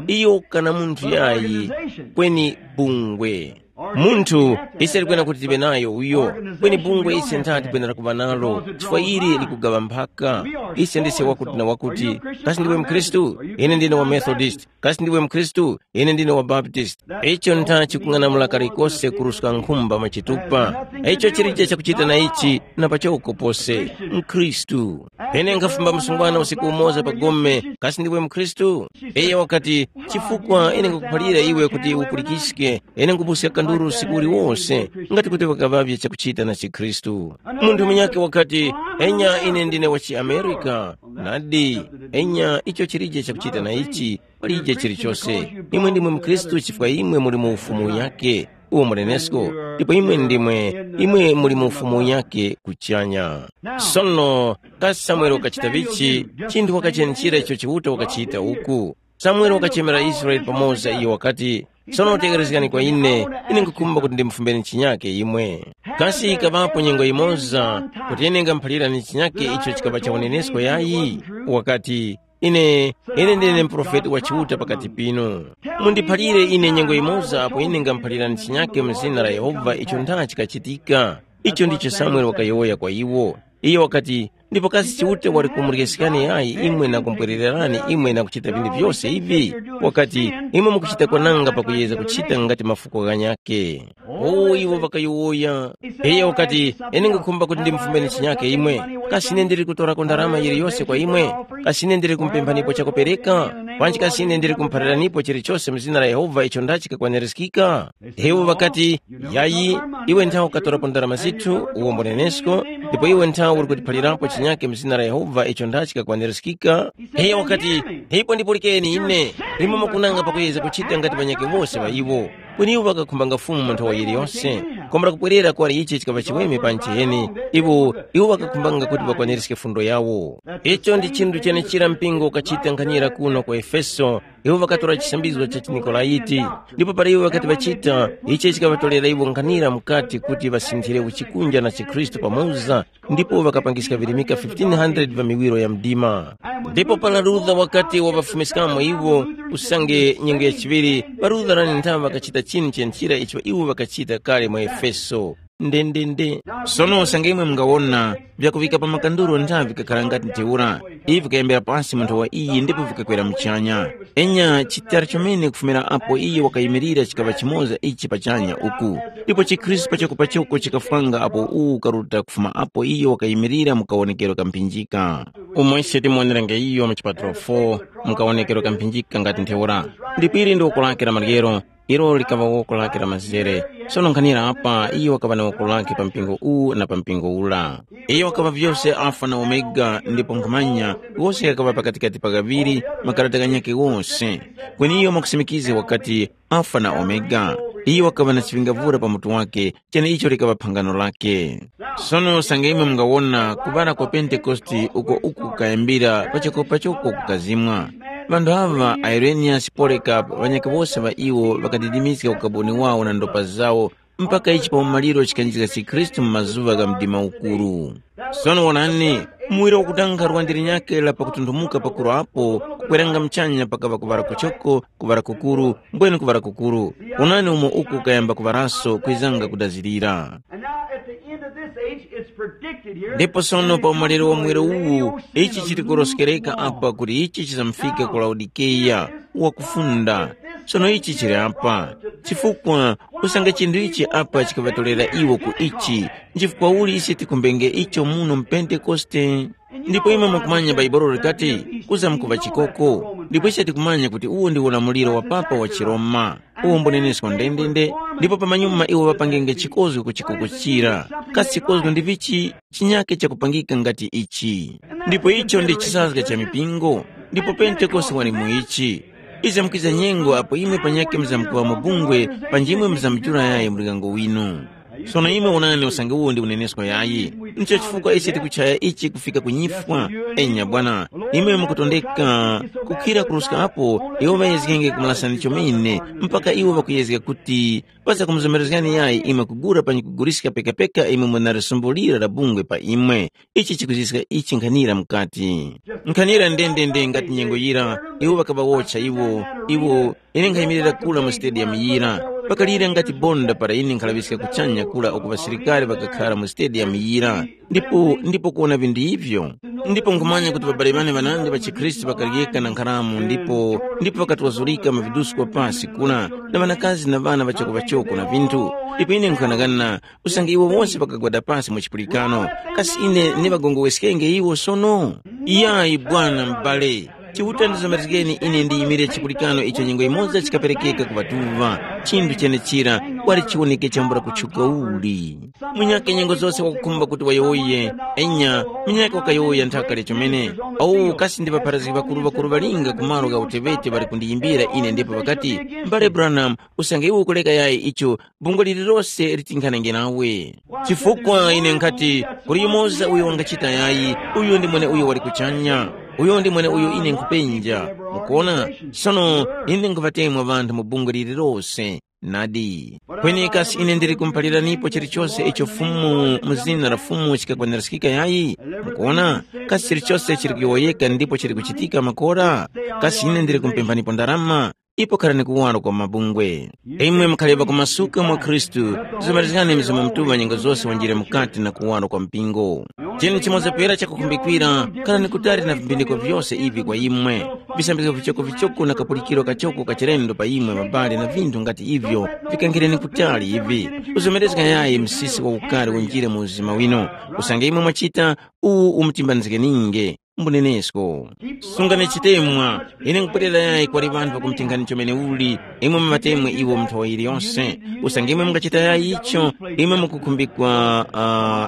iyo wakukana munthu yayi, kweni bungwe. Munthu ise tikwena kuti tiŵe nayo uyo, kweni bungwe ise ntha tikwenera kuŵa nalo, chifukwa ili likugaŵa mphaka. Ise ndise wakuti na wakuti. Kasi ndiwe mkhristu? Ine ndine wa Methodist. Kasi ndiwe mkhristu? Ine ndine wa Baptist. Icho ntha chikung'anamula kalikose kuruska nkhumba machitupa. Icho chilije chakuchita na ichi, na pachoko pose. Mkhristu. Ine nkhafumba msungwana usiku umoza pa gome. Kasi ndiwe mkhristu? Iye wakati, chifukwa ine nkukuphalira iwe kuti upulikiske, ine nkupuska kanduru usiku uliwose, ngati kuti wakaŵavye chakuchita na chikhristu. Munthu munyakhe wakati, enya ine ndine wa chiamerika. Nadi, enya icho chilije chakuchita na ichi, palije chilichose. Imwe ndimwe mkhristu chifukwa imwe muli mu ufumu yake, uwo mulenesko, ndipo imwe ndimwe, imwe muli mu ufumu yake kuchanya. Sono, kasi Samuele wakachita vichi? Chinthu wakachenechera icho Chiuta wakachita uku. Samuele wakachemera Israele pamoza iyo wakati, sono tekerezgani kwa ine, ine nkukhumba kuti ndimufumbeni chinyake imwe. Kasi ikaŵapo nyengo yimoza kuti ine ngamuphalirani chinyake icho chikaŵa cha unenesko yayi? Wakati, ine, ine ndine muprofeti wa Chiuta pakati pinu. Mundiphalire ine nyengo yimoza apo ine ngamuphalirani chinyake mu zina la Yehova icho ntha chikachitika. Icho ndicho Samuele wakayowoya kwa iwo. Iyo wakati, ndipo kasi Chiuta wali kumuryesekani yayi imwe na kumpwerererani imwe na kuchita vinthu vyose ivi? Wakati, imwe mukuchita kwananga pakuyeza kuchita ngati mafuko ghanyakhe. O iwo ŵakayowoya. Iye wakati, ine ngukhumba kuti ndimufumbeni chinyake imwe. Kasi ine ndili kutorako ndarama yiliyose kwa imwe? Kasi ine ndili kumpemphanipo chakupereka? Panji kasi ine ndili kumuphaliranipo chilichose mu zina la Yehova icho ndachi kakwanirizikika? Iwo ŵakati, yayi, iwe nthawe ukatorapo ndarama zithu, uwombo nenesko, ndipo iwe nthawe uli kutiphalirapo chinyake mu zina la Yehova icho ndachi kakwanirizikika? Iye wakati, ndipo ndipulikeni ine, imwe mukunanga pakuyeza kuchita ngati ŵanyakhe wose ŵa iwo. Kweni iwo ŵakakhumbanga Fumu mu nthowa yiliyose, kwambula kupwerera kuwali ichi chikaŵa chiweme pa ncheni, iwo, iwo ŵakakhumbanga kuti ŵakwaniriske fundo yawo. Icho ndi chinthu chenechira mpingo ukachita nkhanyira kuno ku Efeso, iwo ŵakatora chisambizgo cha chiNikolaiti, ndipo para iwo ŵakati ŵachita, ichi chikaŵatorera iwo nkhanira mukati kuti ŵasinthire uchikunja na chikhristu pamoza, ndipo ŵakapangiska virimika fifteen hundred va miwiro ya mdima. Ndipo para Luther wakati waŵafumiskamo iwo, usange nyengo ya chiŵiri, ŵaLutherani nthawe ŵakachita chinu chenchira icho iwo ŵakachita kale mu Efeso. Ndendende. Sono usange imwe mungawona vyakuŵika pa makanduro nthawe vikakhala ngati ntheura, ivi vikayambira pasi mu nthowa iyi ndipo vikakwera muchanya. Enya chitara chomene kufumira apo iyo wakayimirira chikaŵa chimoza ichi pachanya uku, ndipo chikhristu pachoko pachoko chikafwanga apo uwu ukaruta kufuma apo iyo wakayimirira mu kawonekero ka mphinjika. Umo ise timuwonerenge iyo mu chipatulo four, mu kawonekero ka mphinjika ngati ntheura. Ndipo ili ndi woko lake la maryero, ilo likaŵa woko lake la mazere. Sono nkhanira apa, iyo wakaŵa na woko lake pa mpingo uwu na pa mpingo ura. Iyo wakaŵa vyose Alfa na Omega, ndipo nkhumanya, wose ghakaŵa pakatikati pa ghaŵiri, makarata ghanyakhe ghose. Kweni iyo mwakusimikiza wakati, Alfa na Omega. Iyo wakaŵa na chiŵingavura pa mutu wake, cheneicho likaŵa phangano lake. Sono usange imwe mungawona kuŵala kwa Pentekoste uko uku kukayambira pachoko pachoko kukazimwa. Ŵanthu aŵa, Ireniyasi, Polekapu, ŵanyakhe wose ŵa iwo ŵakadidimiska ukaboni wawo na ndopa zawo, mpaka ichi pa umaliro chikanjizga chikhristu mu mazuŵa gha mdima ukuru. Sono wonani, muwiro wakutankha lwandi linyakhe la pakutunthumuka pakuru apo, kukweranga muchanya pakaŵa kuŵala kuchoko, kuŵala kukuru, mbwene kuŵala kukuru. Wonani umo uku kayamba kuŵalaso kwizanga kudazirira. And now at the end of this age, it's predicted here. Ndipo sono pa umaliro wa muwiro uwu, ichi chili kuroskereka apa kuti ichi chizamufika ku Laodikeya, wakufunda. Sono ichi chili apa, chifukwa usange chinthu ichi apa chikaŵatolera iwo ku ichi, nchifukwa uli ise tikumbenge icho muno mu Pentekoste? Ndipo imwe mukumanya Bhaibuli likati, kuzamkuŵa chikoko. Ndipo ise tikumanya kuti uwo ndi ulamuliro wa papa wa chiRoma, uwo mbunenesko ndendende, ndipo pamanyuma iwo ŵapangenge chikozgo ku chikoko chira. Kasi chikozgo ndi vichi chinyakhe chakupangika ngati ichi? Ndipo icho ndi chisazga cha mipingo, ndipo Pentekoste wali mu ichi. Ize mukwiza nyengo apo imwe panyakhe muzamkuŵa mu bungwe, panji imwe muzamujula yayi mlikango winu. Sono imwe wonani usange uwo ndi unenesko yayi. Ndicho chifukwa ise tikuchaya ichi kufika ku nyifwa. Enya bwana, imwe mukutondeka kukhira kuruska apo iwo ŵayezgenge kumulasani chomene, mpaka iwo ŵakuyezga kuti ŵazakumuzomerezgani yayi imwe kugura panyi kuguliska pekapeka imwe munali sumbo lira la bungwe pa imwe. Ichi chikuziska ichi nkhanira mukati. Nkhanira ndendende ngati nyengo yira, iwo ŵakaŵawotcha iwo, iwo ine nkhayimirira kula mu stadium yira. Pakalira ngati bonda para ine nkhalaŵiska kuchanya kula uku ŵasilikari ŵakakhara mu stadium yira. Ndipo ndipo kuwona vinthu ivyo. Ndipo nkhumanya kuti ŵabale ŵane ŵanandi ŵa chikhristu ŵakaryeka na nkharamu ndipo ndipo ŵakatwazurika mu vidusko pasi kula, na ŵanakazi na ŵana ŵachoko-ŵachoko na vinthu. Ndipo ine nkhanakana usange iwo wose ŵakagwada pasi mu chipulikano, kasi ine ndiŵagongoweskenge iwo sono? Iyayi bwana m'bale. Chiuta ndizomerezgeni ine ndiyimire chipulikano icho nyengo imodzi chikaperekeka ku ŵatuŵa. Chinthu chenechira wali chiwoneke chambula kutchuka uli. Munyakhe nyengo zose wakukhumba kuti wayowoye. Enya, munyakhe wakayowoya nthaka lya chomene. Awo kasi ndi ŵapharazgi ŵakuru ŵakuru ŵalinga ku malo gha utewete ŵali kundiyimbira ine ndipo ŵakati, mbale Branham, usange iwe ukuleka yayi icho bungwe lililose litinkhanenge nawe. Chifukwa ine nkhati, kuli yumoza uyo wangachita yayi, uyo ndi mweneuyo wali kuchanya. Uyo ndi mweneuyo ine nkhupenja. Mukuona? Sono ine nkhuŵatemwa ŵanthu mu bungwe lililose. Nadi. Kweni kasi ine ndili kumuphaliranipo chilichose icho Fumu mu zina la Fumu chikakwanirizgika yayi? Mukuona? Kasi chilichose chili kuyowoyeka ndipo chili kuchitika makora? Kasi ine ndili kumupemphanipo ndarama? Ipo kharani kuwaro kwa mabungwe. Imwe mukhalepa kumasuka mwa Khristu, zizomerezgani Mzimu Mutuŵa nyengo zose wanjire mukati na kuwaro kwa mpingo. Chinu chimoza pera chakukhumbikira, kharani kutali na vimbindiko vyose ivi kwa imwe. Visambizgo vichokovichoko na kapulikiro kachoko ka chilendo pa imwe mabale na vinthu ngati ivyo, vikangireni kutali ivi. Uzomerezga yayi msisi wa ukari unjire mu uzima wino. Usange imwe mwachita, uwu umutimbanizge ninge. Mbunenesko. Sungani chitemwa. Ine nkupwerera yayi kwali ŵanthu ŵakumutingani chomene uli, imwe muŵatemwe iwo mu nthowa yiliyonse. Usange imwe mungachita yayi icho, imwe mukukhumbikwa,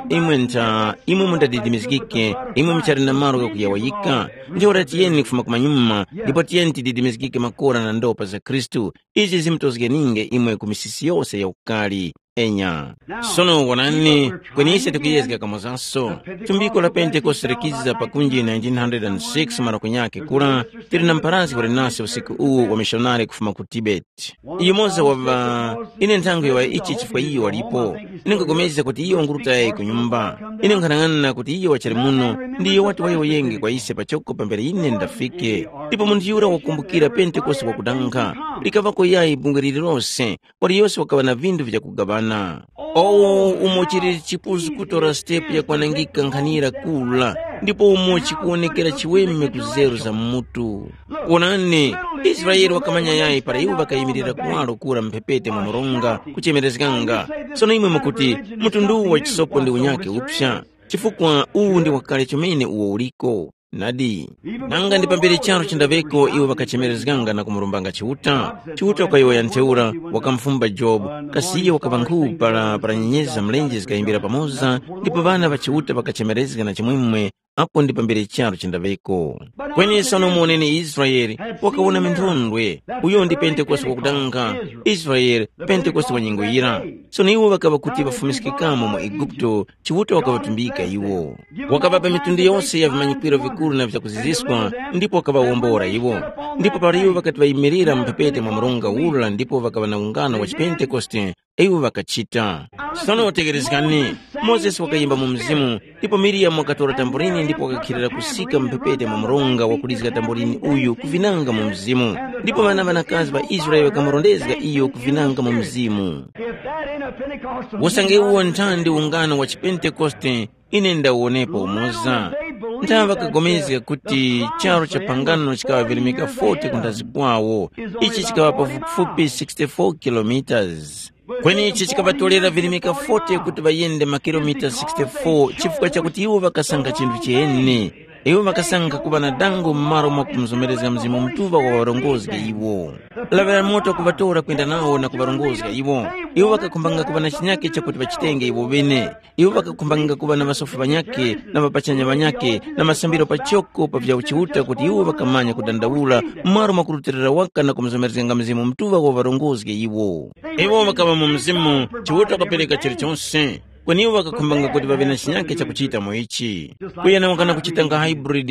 uh, imwe ntha, imwe mundadidimizgike, imwe muchali na malo ghakuyawayika. Ntheura tiyeni kufuma kumanyuma, ndipo tiyeni tididimizgike makora na ndopa za Khristu. Izi zimutozgeninge imwe ku misisi yose ya ukali. Enya. Sono wonani, kwenise tikuyezga kamozanso. Tumbiko la Pentekoste likiza pakunji nineteen hundred six mara kunyake kura, tili na mpharazgi wali nase usiku uwu wa mishonari kufuma ku Tibet. Yumoza wa ŵa, ine nthango ya ichi chifukwa iyo walipo. Ine nkugomezga kuti iyo wangurutayi ku nyumba. Ine nkhanang'ana kuti iyo wachali muno, ndiyo wati wayowoyenge kwa ise pachoko pambere ine ndafike. Ndipo munthu yura wakumbukira Pentekoste wakudanga. Likaŵako yayi bungwe lililose, waliyose wakaŵa na vinthu vyakugaŵana. Owo umo chili chipuzu kutora sitepu yakwanangika nkhanira kula, ndipo umo chikuwonekera chiweme ku zeru za mutu. Wonani, Israele wakamanya yayi para iwo ŵakayimirira kuwaro kura mphepete mwa mronga kuchemerezganga. Sono imwe mukuti, mtundu uwu wa chisopo ndi unyakhe upsa, chifukwa uwu ndi wakale chomene uwo uliko. Nadi, nanga ndi pambere charu chindaŵeko iwo ŵakachemerezganga na kumurombanga Chiuta? Chiuta wakayowoya ntheura, wakamufumba Jobu, kasi iyo wakaŵa nkhu para para nyenyezi za mlenje zikayimbira pamoza, ndipo ŵana ŵa Chiuta ŵakachemerezga na chimwemwe, apo ndi pambere charu chindaŵeko. Kweni sono muwoneni Israele, wakawona minthondwe, uyo ndi Pentekoste wakudanga, Israele, Pentekoste wa nyengo yira. Sono iwo ŵakaŵa kuti ŵafumiskikamo mu Eguputo, Chiuta wakaŵatumbika iwo. Wakaŵapa mitundu yose ya vimanyikwiro vikuru na vyakuziziswa, ndipo wakaŵawombora iwo. Ndipo para iwo ŵakati ŵayimirira mu mphepete mwa mronga ura ndipo ŵakaŵa na ungano wa chipentekoste, iwo ŵakachita. Sono tegherezgani, Mozesi wakayimba mu mzimu, ndipo Miriyamu wakatora tamborini ndipo wakakhilira kusika mu mphepete mwa mronga wakulizga tamborini uyu kuvinanga mu mzimu. Ndipo ŵana ŵanakazi ŵa Israele ŵakamurondezga iyo kuvinanga mu mzimu. If that ain't a Pentecostal Usange uwo nthandi ungano wa chipentekoste, ine ndawuwonepo umoza. Nthawi ŵakapulikana kuti charu cha phangano chikaŵa virimika forty kunthazi kwawo. Ichi chikaŵa pafupifupi sixty-four kilometers. Kweni ichi chikaŵatolera virimika forty kuti ŵayende makilomita sixty-four chifukwa chakuti iwo ŵakasankha chinthu chiheni. Iwo ŵakasankha kuŵa na dango m'malo mwa kumuzomerezga Mzimu Mutuŵa wa ŵarongozge iwo. Laŵira moto kuŵatora kwenda nawo na kuŵarongozga iwo. Iwo ŵakakhumbanga kuŵa na chinyake chakuti ŵachitenge iwo ŵene. Iwo ŵakakhumbanga kuŵa na ŵasofi ŵanyakhe na ŵapachanya ŵanyakhe na masambiro pachoko pa vya Chiuta kuti iwo ŵakamanya kudandaula m'malo mwa kurutilira waka na kumuzomerezganga Mzimu Mutuŵa wa ŵarongozge iwo. Iwo ŵakaŵa mu Mzimu, Chiuta wakapereka chilichonse. Kweni iwo ŵakakhumbanga kuti ŵaŵe na chinyake chakuchita mu ichi. Kuyana wakana kuchita nga hybrid.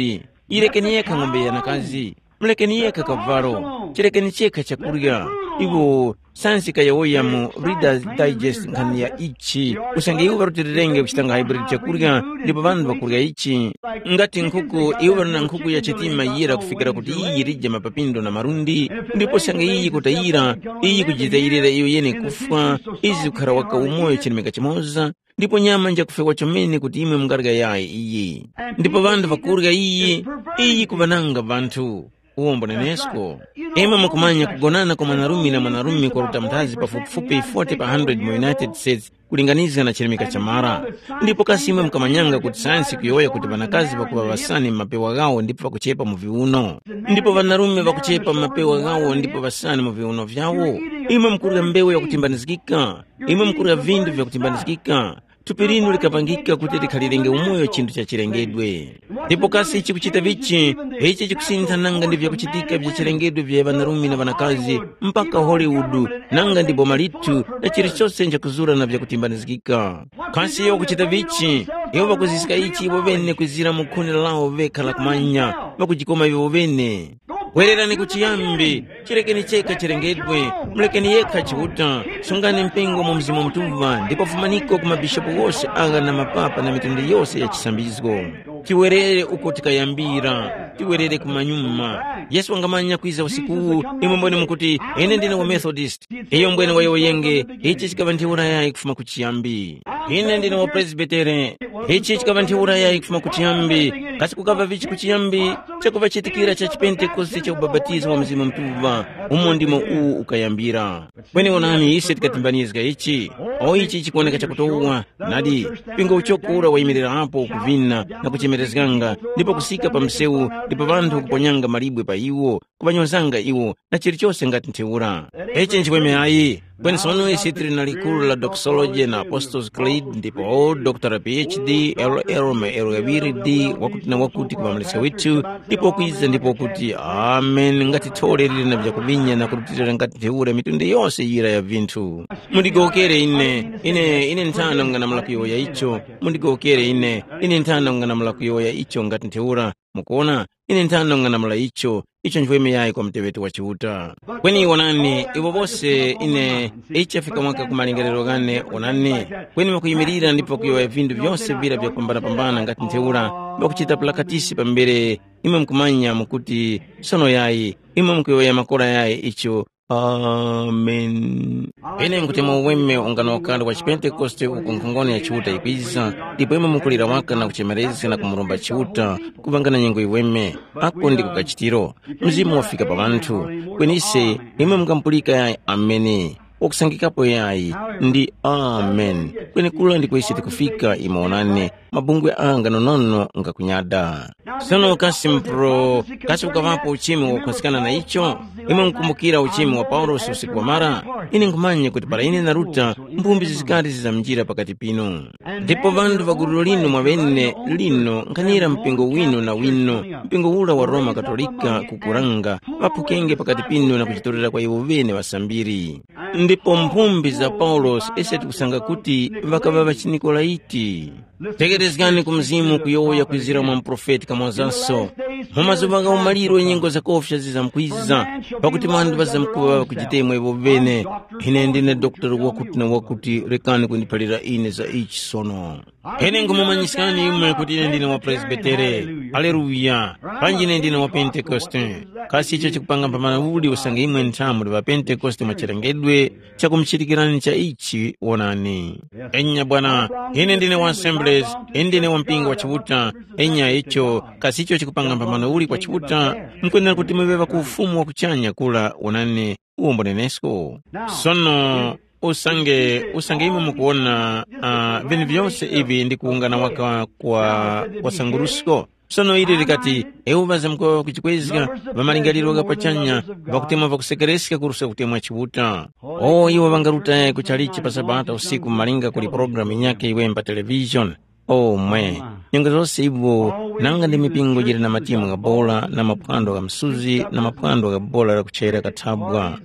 Yirekeni yekha ng'ombe yanakazi. Mulekeni yekha kavalo. Chirekeni chekha chakurya. Iwo sansi kayawoya mu Reader's Digest nkhani ya ichi. Usange iwo ŵarutilirenge kuchita nga hybrid chakurya, ndipo ŵanthu ŵakurya ichi. Ngati nkhuku, iwo ŵali na nkhuku ya chitima yira kufikira kuti iyi yirije mapapindo na malundi, ndipo usange iyi kutayira, iyi kujitayirira iyo yene kufwa, izi kukhara waka umoyo chilemeka chimoza, ndipo nyama njakufewa chomene kuti imwe mungarya yayi iyi. Ndipo ŵanthu ŵakurya iyi, iyi kuŵananga ŵanthu. Uwombo nenesko. Imwe mukumanya kugonana kwa mwanarume na mwanarume kwaruta mnthazi pafupifupi forty pa hundred mu United States kulinganizga na chilemeka cha mara. Ndipo kasi imwe mukamanyanga kuti sayansi kuyowoya kuti ŵanakazi ŵakuŵa ŵasani m'mapewa ghawo ndipo ŵakuchepa mu viuno? Ndipo ŵanarume ŵakuchepa m'mapewa ghawo ndipo ŵasani mu viuno vyawo? Imwe mukurya mbewu yakutimbanizgika. Imwe mukurya vinthu vyakutimbanizgika. Thupi linu likapangika kuti likhalirenge umoyo chinthu cha chilengedwe. Ndipo kasi chikuchita vichi? Ichi chikusintha nanga ndi vyakuchitika vya chilengedwe vya ŵanarume na ŵanakazi, mpaka Hollywood, nanga ndi boma lithu, na chilichose nchakuzura na vyakutimbanizgika. Kasi iwo kuchita vichi? Iwo ŵakuziska ichi iwo ŵene kwizira mu khuni lawo vekha la kumanya, ŵakujikoma iwo ŵene. Wererani ku chiyambi, chirekeni chekha chilengedwe, mulekeni yekha Chiuta, sungani mpingo mu Mzimu Mutuŵa ndipo fumaniko ku mabishopu wose agha na mapapa na mitundu yose ya chisambizgo. Tiwerere uko tikayambira, tiwerere kumanyuma. Yesu wangamanya kwiza usikuwu, imwe mbwene mukuti, ine ndine wa Methodist. Iyo mbwene wayowoyenge, ichi chikaŵa ntheura yayi kufuma ku chiyambi. Ine ndine wa Presbytere, ichi chikaŵa ntheura yayi kufuma ku chiyambi. Kasi kukaŵa vichi ku chiyambi? Chakuŵachitikira cha chipentekoste cha ubapatizo wa Mzimu Mutuŵa, umo ndimo uwu ukayambira. Kweni onani, ise tikatimbanizga ichi. O ichi chikuwoneka chakutowa, nadi, mpingo uchoko ura wayimirirapo kuvina na kuchemerezganga, ndipo kusika pa msewu, ndipo ŵanthu kuponyanga malibwe pa iwo, kuŵanyozanga iwo, na chilichose ngati ntheura. Ichi nchikweme ayi. Kweni sono isi tili na likuru la doxology na Apostles Creed, ndipo Doctor P H D, L L ma L ghaŵiri D, wakuti na wakuti kuŵamaliska withu, ndipo kwiza ndipo kuti, amen, ngati thole lili na vyakuvinya na kurutilira ngati ntheura mitundu yose yira ya vinthu. Mundigowokere ine, ine, ine nthano nganamula kuyowoya icho, mundigowokere ine, ine nthano nganamula kuyowoya icho ngati ntheura, mukuona, ine nthano nganamula icho, icho nchweme yayi kwa muteŵeti wa Chiuta. Kweni wonani, iwo bose ine, ichi chafika mwaka ku malingaliro ghane, wonani, kweni ŵakuyimirira ndipo ŵakuyowoya vinthu vyose vira vyakupambanapambana ngati ntheura, ŵakuchita pulakatisi pambere, imwe mukumanya mukuti, sono yayi, imwe mukuyowoya makora yayi icho, Amen. Ine nkuti mu uweme ungano wakale wa chipentekoste uku nkhongono ya Chiuta ikwiza, ndipo imwe mukulira waka na kuchemerezga na kumuromba Chiuta, kupangana nyengo iweme, ako ndiko kachitiro. Mzimu wafika pa ŵanthu. Kwenise, imwe mungampulika yayi ameni. Wakusangikapo yayi, ndi amen. Kwenekura ndiko ise tikufika, imwe onani, mabungwe anga nonono ngakunyada. Sono kasi mpro, kasi ukaŵapo uchimi wakukhunzikana na icho? Imwe mukumbukira uchimi wa Paulosi usiku wamara? Ine nkhumanya kuti para ine naruta, mphumbi zizikari zizamjira pakati pinu. Ndipo ŵanthu ŵa gulu linu mwaŵene lino nkhanira mpingo winu na winu, mpingo ura wa Roma Katolika kukuranga, ŵaphukenge pakati pinu na kuchitorera kwa iwo ŵene ŵasambiri. Ndipo mphumbi za Paulosi ise tikusanga kuti ŵakaŵa ŵachiNikolaiti. Tegherezgani ku Mzimu kuyowoya kwizira mwa muprofeti kamwazaso. Mu mazuŵa gha umaliro nyengo zakofya zizamkwiza, pakuti ŵanthu ŵazamkuŵa ŵakujitemwa iwo ŵene. Ine ndine dokotala wakuti na wakuti, rekani kundiphalira ine za ichi sono. Ine nkumumanyiskani imwe kuti ine ndine wa Presbitere. Aleluya! Panji ine ndine wa Pentekoste. Kasi icho chikupanga mphamana uli usange imwe nthamu muli ŵa Pentekoste mwa chilengedwe, chakumuchitikirani cha ichi, wonani. Enya bwana, ine ndine wa Assemblies, ine ndine wa mpingo wa Chiuta, enya icho, kasi icho chikupanga mpambano uli kwa Chiuta, mukwenera kuti muŵe ku ufumu wa kuchanya kula, wonani, uwombo nenesko. Sono, usange, usange imwe mukuwona, uh, vinthu vyose ivi ndi kuwungana waka kwa, kwa sangurusko. Sono ili likati, ewo ŵazamkuŵa ŵakuchikwezga, ŵamalingaliro gha pachanya, ŵakutemwa ŵakusekereska kuruska kutemwa Chiuta. O iwo ŵangaruta ku chalichi pa Sabata usiku malinga kuli programu yinyakhe iwe pa television. O mwe, nyengo zose iwo, nanga ndi mipingo yili na matimu gha bola na maphwando gha msuzi na maphwando gha bola la kuchera kathabwa.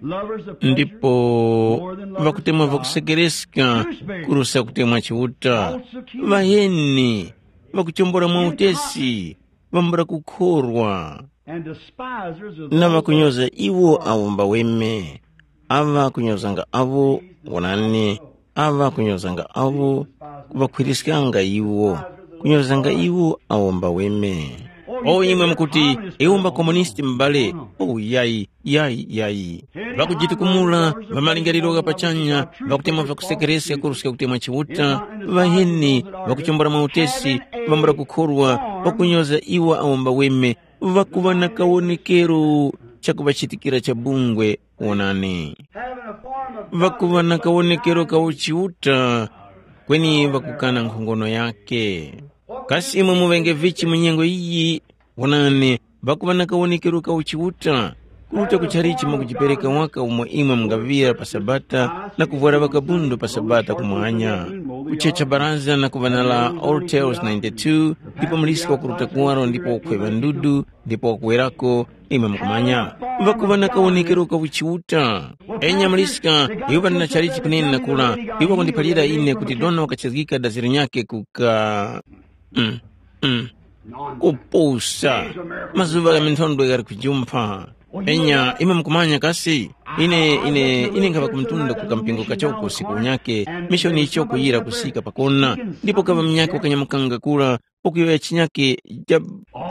Lovers of pleasure, ndipo more than lovers vakutemwa of God. Vakusekereska Douchebags, kuruska kutemwa chiuta. False accusers. Vaheni vakuchombora mwa utesi, vambula kukhorwa. And despisers of na those vakunyoza iwo awo mbaweme. Ava kunyozanga avo, wonani, ava kunyozanga avo, kuŵakhwiriskanga iwo, kunyozanga iwo awo mbaweme. O imwe mukuti, iwo mbakomunisti m'bale. O yayi, yayi, yayi. Ŵakujitukumula, ŵamalingaliro gha pachanya, ŵakutemwa vyakusekereska kuruska kutemwa Chiuta, ŵaheni, ŵakuchombora mwa utesi, ŵambula kukhorwa, ŵakunyoza iwo awo mbaweme, ŵakuŵa na kawonekero chakuŵachitikira cha bungwe. Wonani, ŵakuŵa na kawonekero ka uchiuta, kweni ŵakukana nkhongono yake. Kasi imwe muŵenge vichi mu nyengo iyi? Wonani, ŵakuŵa na kawonekero ka uchiuta, kuruta ku chalichi mwakujipereka waka umo imwe mungaŵira pa Sabata na kuvwara ŵakabundu pa Sabata kumwanya, kuchecha baraza na kuŵanala Ortels ninety-two, ndipo muliska wakuruta kuwaro ndipo wakhweŵa ndudu, ndipo wakuwerako, imwe mukumanya, ŵakuŵa na kawonekero ka uchiuta. Enya muliska, iwo ŵali na chalichi kunene na kula, iwo ŵakundiphalira ine kuti dona wakachizgika daziro nyake kuka mm, mm, kupusa. Mazuŵa gha minthondwe ghali kujumpha. Enya imwe mukumanya kasi, ine ine ine nkhaŵa kumtunda ku kampingo kachoko usiku unyake, mishoni icho kuyira kusika pakona, ndipo kaŵa munyakhe wakanyamukanga kula, pakuyowoya chinyakhe cha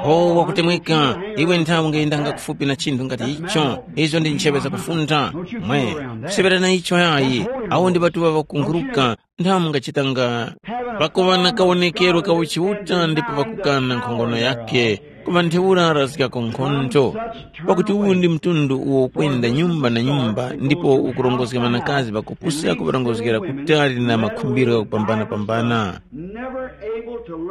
pho wakutemweka. Iwe nthawi ungayendanga kufupi na chinthu ngati icho. Izo ndi ncheŵe zakufuntha. Mwe, kuseŵera na icho yayi. Awo ndi ŵatuŵa ŵakunkhuruka. Nthawi mungachitanga pakuŵa na kawonekero ka uchiuta ndipo pakukana nkhongono yake, kuŵa ntheura razgako nkhondo. Pakuti uwu ndi mtundu uwo ukwenda nyumba na nyumba ndipo ukurongozga ŵanakazi ŵakupusa kuŵarongozgera kutali na makhumbiro ghakupambana-pambana.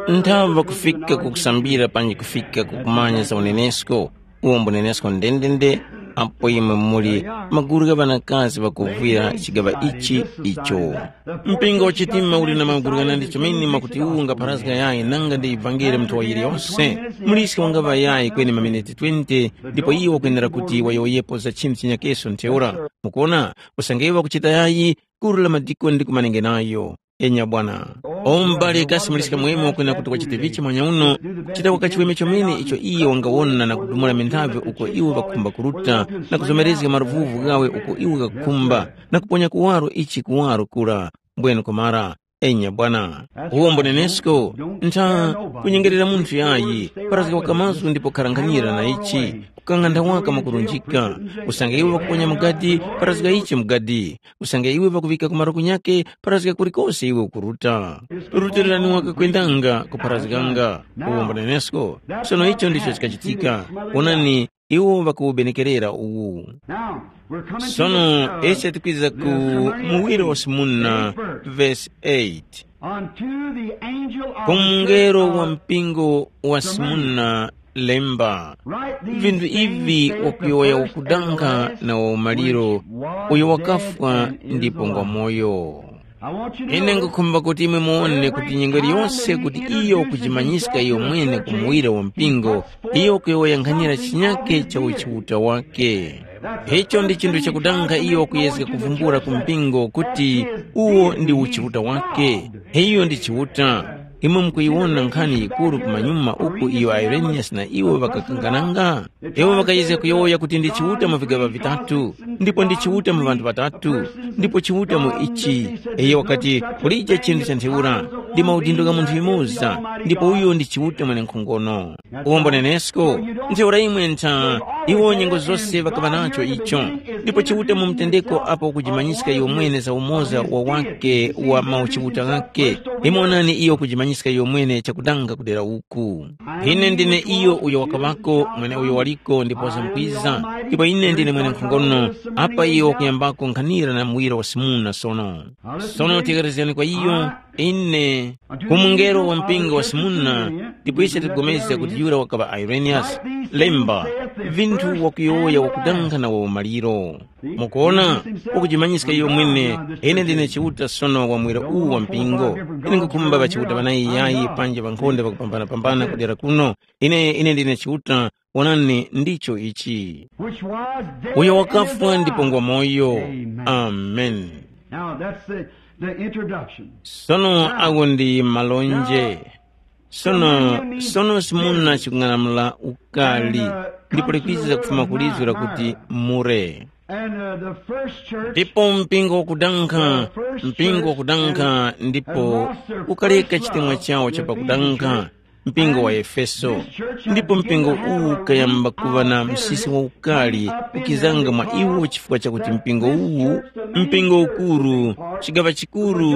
Nthaŵa kufika ku kusambira panji kufika ku kumanya za unenesko, uwo mbunenesko ndendende, apo imwe muli magulu gha ŵanakazi ŵakuvwira chigaŵa ichi icho. Mpingo wa chitima uli na magulu ghanandi chomene mwakuti uwu ungapharazga yayi nanga ndi ivangeli mnthu wa yiliyose. Muliske wangaŵa yayi kweni maminiti twenty, ndipo iwo wakwenera kuti wayowoyepo za chinthu chinyakeso ntheura. Mukuona, usange iwo wakuchita yayi, gulu la madikoni likumanenge nayo. Enya bwana. O m'bale kasi muliska mwemo kwena kuti wachite vichi mwanya uno, chita wakachiweme chomene icho iye wangawona na kudumula minthavi uko iwo ŵakhumba kuruta, na kuzomerezga maluvuvu ghawe uko iwo ghakukhumba, na kuponya kuwaro ichi kuwaro kura. Mbwenu kumara, enya bwana. Uwo mbonenesko, ntha kunyengerera munthu yayi, parazga waka mazgu ndipo kharanganyira na ichi, kukang'anda waka mwakurunjika. Usange iwe wakuponya mugadi, parazga ichi mugadi. Usange iwe pakuŵika ku maluku nyakhe, pharazga kulikose iwe ukuruta. Rutilirani wakakwendanga kupharazganga. Uwombo nenesko. Sono icho ndicho chikachitika. Wonani, iwo ŵakuwubenekerera uwu. Sono ise tikwiza ku muwiro wa Simuna, vesi eight. Ku mungelo wa mpingo wa Simuna, lemba. Vinthu ivi wakuyowoya wakudankha na waumaliro, uyo wakafwa ndipo ngwa moyo. Ine ngukhumba kuti imwe muwone kuti nyengo iliyose kuti iyo kujimanyiska iyo mwene ku muwira wa mpingo, iyo kuyowoya nkhanyira chinyake cha uchiuta wake. Icho ndi chinthu chakudankha iyo kuyezga kuvumbula ku mpingo kuti uwo ndi uchiuta wake. Iyo ndi chiuta. Imwe mukuyiwona nkhani yikuru kumanyuma uku iyo Ireniyasi na iwo ŵakakangananga? Iwo ŵakayezga kuyowoya kuti ndi Chiuta mu vigaŵa vitatu, ndipo ndi Chiuta mu ŵanthu ŵatatu, ndipo Chiuta mu ichi. Iyo wakati, kulije chinthu cha ntheura, ndi maudindo gha munthu yumoza, ndipo uyo ndi Chiuta mwenenkhongono. Uwombo nenesko, ntheura imwe ntha, iwo nyengo zose ŵakaŵa nacho icho. Ndipo Chiuta mu mtendeko apo kujimanyiska iwo mwene za umoza wa wake wa mauchiuta ghake. Imwe onani iyo kujimanyiska iyo mwene chakudanga kudera uku. Ine ndine iyo uyo wakaŵako, mweneuyo waliko, ndipo wazamkwiza, ndipo ine ndine mwenenkhongono, apa iyo wakuyambako nkhanira na muwira wa Simuna sono. Sono tekerezgani kwa iyo, ine, ku mungelo wa mpingo wa Simuna, ndipo ise tikupulikana kuti yura wakaŵa Ireniyasi, lemba, vinthu wakuyowoya wakudanga na waumaliro. Mukuona, ukujimanyiska iyo mwene, ine ndine Chiuta sono wa mwera uwu wa mpingo. Ine nkhukhumba ŵachiuta ŵanayi yayi panje ŵankhonde ŵakupambanapambana kudera kuno. Ine ine ndine Chiuta, wonani ndicho ichi. Which was dead Uyo and is wakafwa ndipo alive. Ngwa moyo. Amen. Amen. Now that's the, the introduction. Sono awo ndi malonje. Sono sono simuna chikung'anamula ukali, ndipo likwiza kufuma kulizwi lakuti mure. And uh, the first church ndipo mpingo wakudankha, mpingo wakudankha ndipo ukaleka chitemwa chawo chapakudankha, mpingo wa Efeso. Ndipo mpingo uwu ukayamba kuŵa na msisi waukali ukizanga mwa iwo, chifukwa chakuti mpingo uwu, mpingo ukuru, chigaŵa chikuru,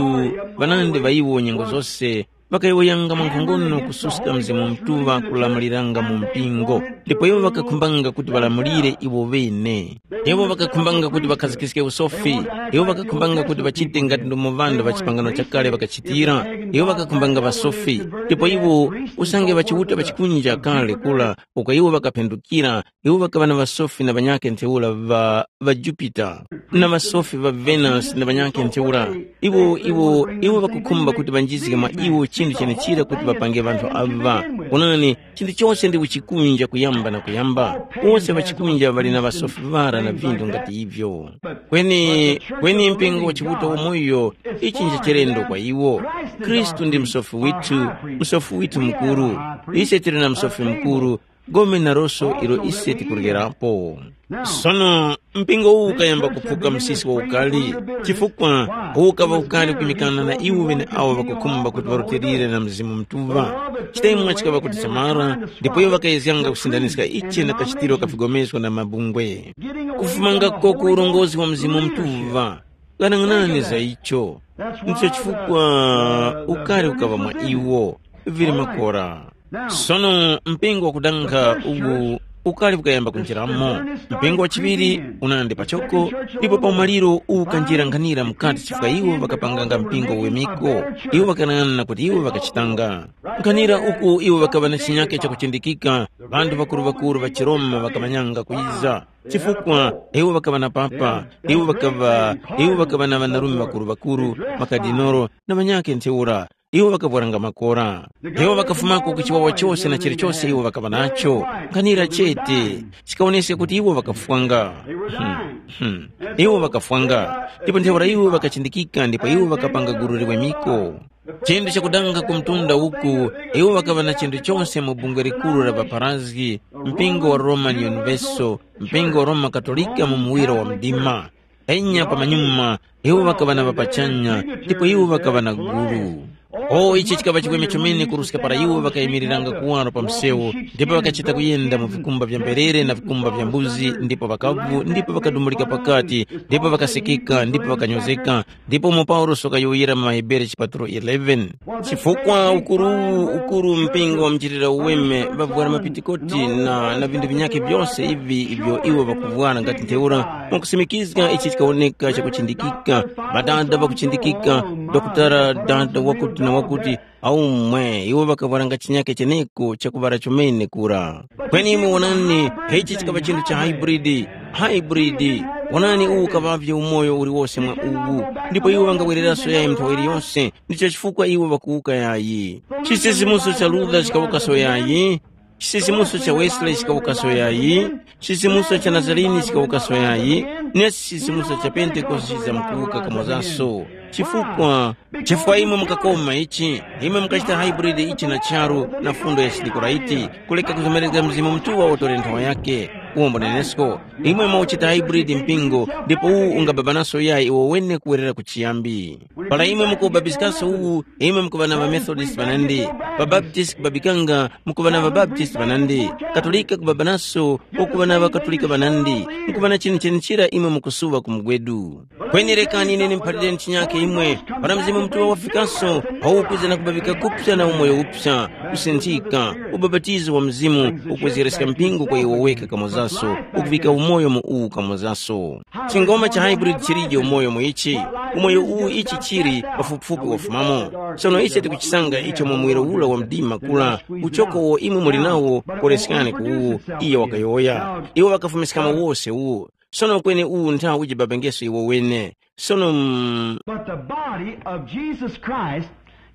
ŵanandi ŵa iwo nyengo zose, ŵakayowoyanga mwankhongono kususka Mzimu Mutuŵa kulamuliranga mu mpingo, ndipo iwo ŵakakhumbanga kuti ŵalamulire iwo ŵene. Iwo ŵakakhumbanga kuti ŵakhazikiske usofi. Iwo ŵakakhumbanga kuti ŵachite ngati ndomo ŵanthu ŵa chipangano chakale ŵakachitira. Iwo ŵakakhumbanga ŵasofi. Ndipo iwo, usange ŵachiuta ŵachikunja kale kura, uko iwo ŵakaphendukira, iwo ŵakaŵa na ŵasofi na ŵanyakhe ntheura ŵa ŵa Jupita, na ŵasofi ŵa Venus na ŵanyakhe ntheura. Iwo iwo iwo ŵakukhumba kuti ŵanjizge mwa iwo chinthu chenechira kuti ŵapange ŵanthu aŵa. Onani, chinthu chose ndi uchikunja kuyamba na kuyamba. Wose ŵachikunja ŵali na ŵasofi ŵara na vinthu ngati ivyo. Kweni kweni mpingo wa Chiuta wamoyo, ichi nje chilendo kwa iwo. Khristu ndi msofi withu, msofi withu mukuru. Ise tili na msofi mukuru, gome na roso ilo ise tikuryerapo. Sono mpingo uwu ukayamba kuphuka msisi wa ukali, chifukwa ukaŵa ukali kwimikana na iwo ŵeneawo ŵakukhumba kuti ŵarutilire na Mzimu Mutuŵa. Chitemwa chikaŵa kuti chamara, ndipo iwo ŵakayezganga kusindaniska ichi na kachitiro ka vigomezgo na mabungwe. Kufumanga koko urongozi wa Mzimu Mutuŵa, ghanag'anani za icho. Ndicho chifukwa ukali ukaŵa mwa iwo, vili makora. Sono mpingo wakudankha uwu ukali ukayamba kunjiramo. Mpingo wachiŵiri unandi pachoko, ndipo pa umaliro ukanjira nkhanira mukati chifukwa iwo ŵakapanganga mpingo wemiko. Iwo ŵakanang'ana na kuti iwo ŵakachitanga. Nkhanira uku iwo ŵakaŵa na chinyake chakuchindikika, ŵanthu ŵakuru-ŵakuru ŵa chiRoma ŵakamanyanga kuyiza. Chifukwa iwo ŵakaŵa na papa, iwo ŵakaŵa iwo ŵakaŵa na ŵanarume ŵakuru-ŵakuru, makadinolo na ŵanyakhe ntheura. Iwo ŵakavwaranga makora. Iwo ŵakafumako ku chiwawa chose na chilichose iwo ŵakaŵa nacho. Nkhanira chete, chikawoneska kuti iwo ŵakafwanga. Hmm, hmm. Iwo ŵakafwanga, ndipo ntheura iwo ŵakachindikika ndipo iwo ŵakapanga gulu liwemiko. Chinthu chakudanga ku mtunda uku, iwo ŵakaŵa na chinthu chose mu bungwe likuru la ŵaparazgi, mpingo wa Roman Universal, mpingo wa Roma Katolika mu muwiro wa mdima. Enya pamanyuma, iwo ŵakaŵa na ŵapachanya, ndipo iwo ŵakaŵa na gulu. O ichi chikaŵa chiweme chomene kuruska para iwo ŵakayimiriranga kuwaro pa msewu, ndipo ŵakachita kuyenda mu vikumba vya mberere na vikumba vya mbuzi, ndipo ŵakavu, ndipo ŵakadumulika pakati, ndipo ŵakasekeka, ndipo ŵakanyozeka, ndipo umo Paulosi wakayowoyera mu maHebere chipatulo eleven. Chifukwa ukuru uwu ukuru mpingo wa mchitira uweme ŵavwara mapitikoti na, na vinthu vinyakhe vyose ivi ivyo iwo ŵakuvwara ngati ntheura, mwakusimikizga ichi chikawoneka chakuchindikika, ŵadada ŵakuchindikika, dokotala dada wakuti na wakuti, aumwe iwo ŵakavwara nga chinyakhe cheneko chakuŵara chomene kura. Kweni imwe wonani, ichi chikaŵa chinthu cha hybrid. Hybrid. Wonani uwu ukaŵavye umoyo uliwose mwa uwu, ndipo iwo ŵangawereraso yayi nthawi iliyose. Ndicho chifukwa iwo ŵakuwuka yayi. Chisisimuso cha Luther chikawukaso yayi, chisisimuso cha Wesley chikawukaso yayi, chisisimuso cha Nazarene chikawukaso yayi, ne chisisimuso cha Pentekoste chizamkuwuka kamozaso. Chifukwa, chifukwa imwe mukakoma ichi, imwe mukachita hybrid ichi na charu na fundo ya chidikuraiti, kuleka kuzomerezga Mzimu Mutuŵa wotore nthowa yake. Uwo mbunenesko, imwe mwauchita hybrid mpingo, ndipo uwu ungababanaso yayi iwo wene kuwerera ku chiyambi. Para imwe mukubabiskaso uwu, imwe mukuŵa na ŵaMethodist ŵanandi, ŵaBaptist kubabikanga mukuŵa na ŵaBaptist ŵanandi, Katolika kubabanaso ukuŵa na ŵaKatolika ŵanandi, mukuŵa na chinthu chenichira imwe mukusuŵa ku mugwedu. Kweni rekani ine ndimuphalireni chinyakhe imwe, para Mzimu Mutuŵa wafikaso, awo ukwiza na kubabika kupsa na umoyo upsa, kusinthika, ubapatizo wa Mzimu, ukwezgereska mpingo kwa iwo weka kamozaso, ukuvika umoyo mu uwu kamozaso. Chingoma cha hybrid chilije umoyo mu ichi. Umoyo uwu ichi chili pafupifupi wafumamo. Sono ise tikuchisanga icho mu muwiro ula wa mdima kula, uchoko uwo imwe muli nawo, koleskani ku uwu, iye wakayowoya. Iwo ŵakafumiskamo wose uwu. Sono kweni uwu nthawi ujibapengeso iwo wene. Sono mm, But the body of Jesus Christ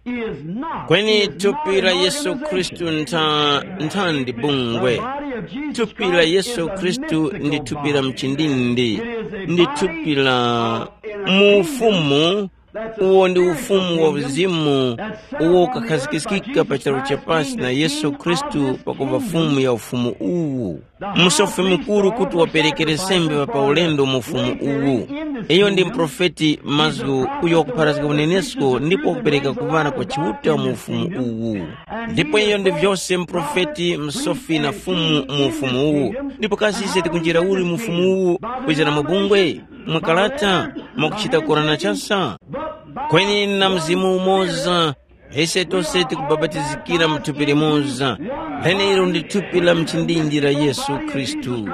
is not, kweni is not thupi la an Yesu Khristu organization. Ntha, ntha ndi The bungwe. Body of Jesus thupi la Christ Yesu is a Khristu ndi mystical thupi la body. Mchindindi. It is a ndi body thupi la of, in a mu kingdom ufumu that's a uwo ndi spiritual ufumu wa kingdom uzimu that's set uwo upon the earth by ukakhazikikika pa Jesus charu cha Christ pasi being na the Yesu King of Khristu this pakuva kingdom. Fumu ya ufumu uwu. Musofi mukuru kuti wapereke nsembe pa ulendo mu ufumu uwu. Iyo ndi mprofeti mazgu uyo wakupharazga unenesko ndipo wakupereka kuŵana kwa Chiuta mu ufumu uwu. Ndipo iyo ndi vyose mprofeti, msofi na fumu mu ufumu uwu. Ndipo kasi ise tikunjira uli mu ufumu uwu? Kwizira mabungwe, mwakalata, mwakuchita korana chasa? Kweni na mzimu umoza, ise tose tikubapatizikira mu thupi limoza, lenelo ndi thupi la mchindindi la Yesu Khristu.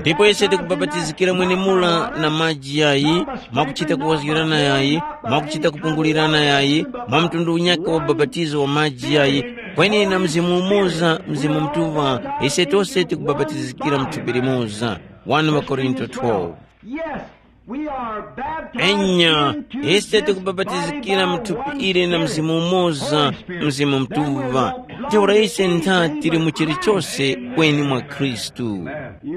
Ndipo ise tikubapatizikira mwenemula na maji yayi, mwakuchita kuwazgirana yayi, mwakuchita kupungulirana yayi, mwa mtundu unyaka wa bapatizo wa maji yayi, kweni na mzimu umoza, Mzimu Mutuŵa, ise tose tikubapatizikira mu thupi limoza. One wa Korinto twelve. Yes, we are baptized enya into ise this tikubapatizikira body mu thupi one ili na Spirit, mzimu umoza, Holy Spirit. Mzimu Then we Mutuŵa. Won't be Ntheura ise ntha tili mu chilichonse kweni mwa Khristu.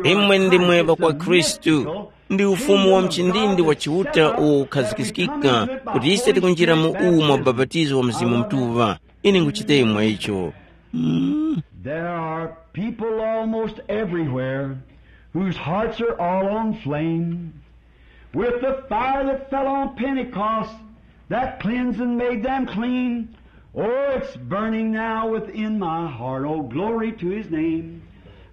Imwe ndimwe ŵa kwa Khristu. Ndi ufumu wa mchindindi wa Chiuta uwo ukhazikikika kuti ise tikunjira mu uwu mwa ubapatizo wa Mzimu Mutuŵa. Ine nguchita imwe icho. Mm. There are people almost everywhere whose hearts are all on flame. With the fire that fell on Pentecost, that cleansed and made them clean. Oh, it's burning now within my heart. Oh, glory to his name.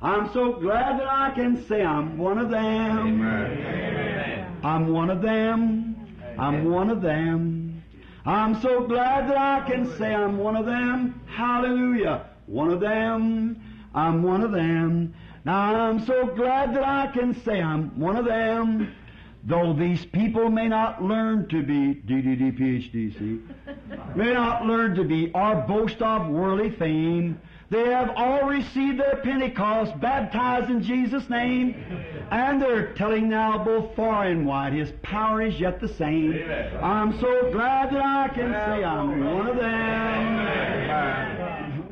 I'm so glad that I can say I'm one of them. Amen. I'm one of them. I'm one of them. I'm so glad that I can say I'm one of them. Hallelujah. One of them. I'm one of them. Now I'm so glad that I can say I'm one of them. Though these people may not learn to be D D D P H D C, may not learn to be or boast of worldly fame, they have all received their Pentecost, baptized in Jesus' name, and they're telling now both far and wide, his power is yet the same. I'm so glad that I can say I'm one of them.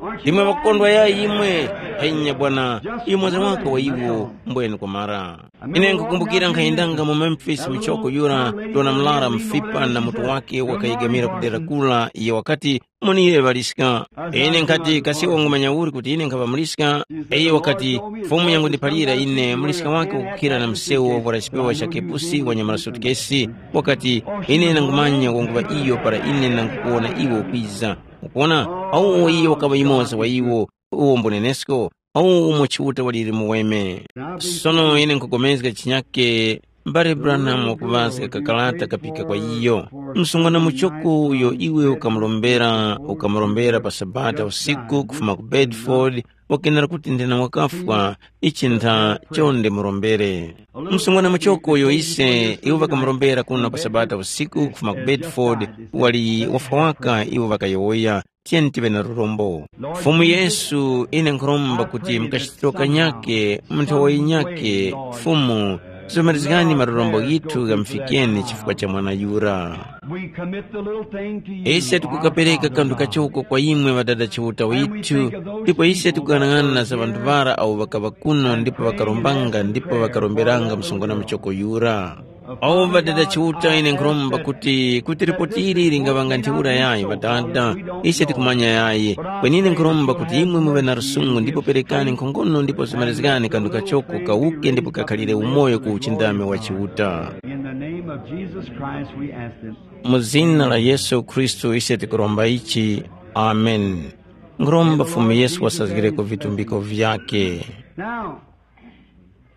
Aren't you imwe glad? Makondwa ya imwe, henya bwana, imwe za waka wa iwo, mbwene kumara. Ine nkukumbukira nkhayendanga mu Memphis muchoko yura, dona mlara mfipa na mutu wake wakayegamira ku dera kula, iye wakati, munire ŵaliska. Ine nkhati, kasi wangumanya uli kuti ine nkhaŵa muliska? Iye wakati, fumu yangundiphalira ine, muliska wake wakukhira na msewu wovwara chipewa cha kepusi wanyamala sutukesi. Wakati, ine nangumanya wanguŵa iyo para ine nangukuwona iwe ukwiza. Ukuwona, awo iyo wakaŵa yumoza wa iwo, uwo mbunenesko, awo umo Chiuta waliri muweme. Sono ine nkupulikana chinyake, mbale Branham wakuŵazga kakarata kapika kwa iyo. Msungwana muchoko uyo iwe ukamurombera, ukamurombera pa Sabata usiku kufuma ku Bedford, wakenera kuti ndina wakafwa, ichi ntha chonde murombere. Msungwana muchoko uyo ise iwo ŵakamurombera kuno pa Sabata usiku kufuma ku Bedford, wali wafwa waka iwo ŵakayowoya, tiyeni tiŵe na lurombo. Fumu Yesu, ine nkhuromba kuti mukachitiro kanyake, mu nthawi yinyake, Fumu, somerezgani malurombo ghithu ghamufikeni chifukwa cha mwana yura. We commit the little thing to you, ise tikukapereka kanthu kachoko kwa imwe ŵadada Chiuta withu, ndipo ise tikuyang'ana za ŵanthu ŵara awo ŵakaŵa kuno ndipo ŵakarombanga ndipo ŵakaromberanga msungwana muchoko yura. Awo ŵadada Chiuta, ine nkhuromba kuti, kuti lipoti ili lingaŵanga ntheura yayi ŵadada, ise tikumanya yayi. Kweni ine nkhuromba kuti imwe muŵe na lusungu ndipo perekani nkhongono ndipo zemerezgani kanthu kachoko kawuke ndipo kakhalire umoyo ku uchindami wa Chiuta. In the name of Jesus Christ, we ask this. Mu zina la Yesu Khristu ise tikuromba ichi. Amen. Nkhuromba Fumu Yesu wasazgireko vitumbiko vyake. Now,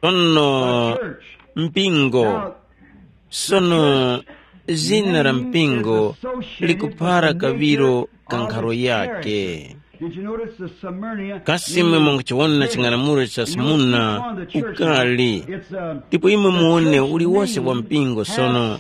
sono, church, mpingo. Now, sono, zina la mpingo likuphara kaŵiro ka nkharo yake. Did you notice the Smyrna? Kasi imwe mwanguchiwona ching'anamulo cha Smurna ukali? Ndipo imwe muwone uliwose wa mpingo sono.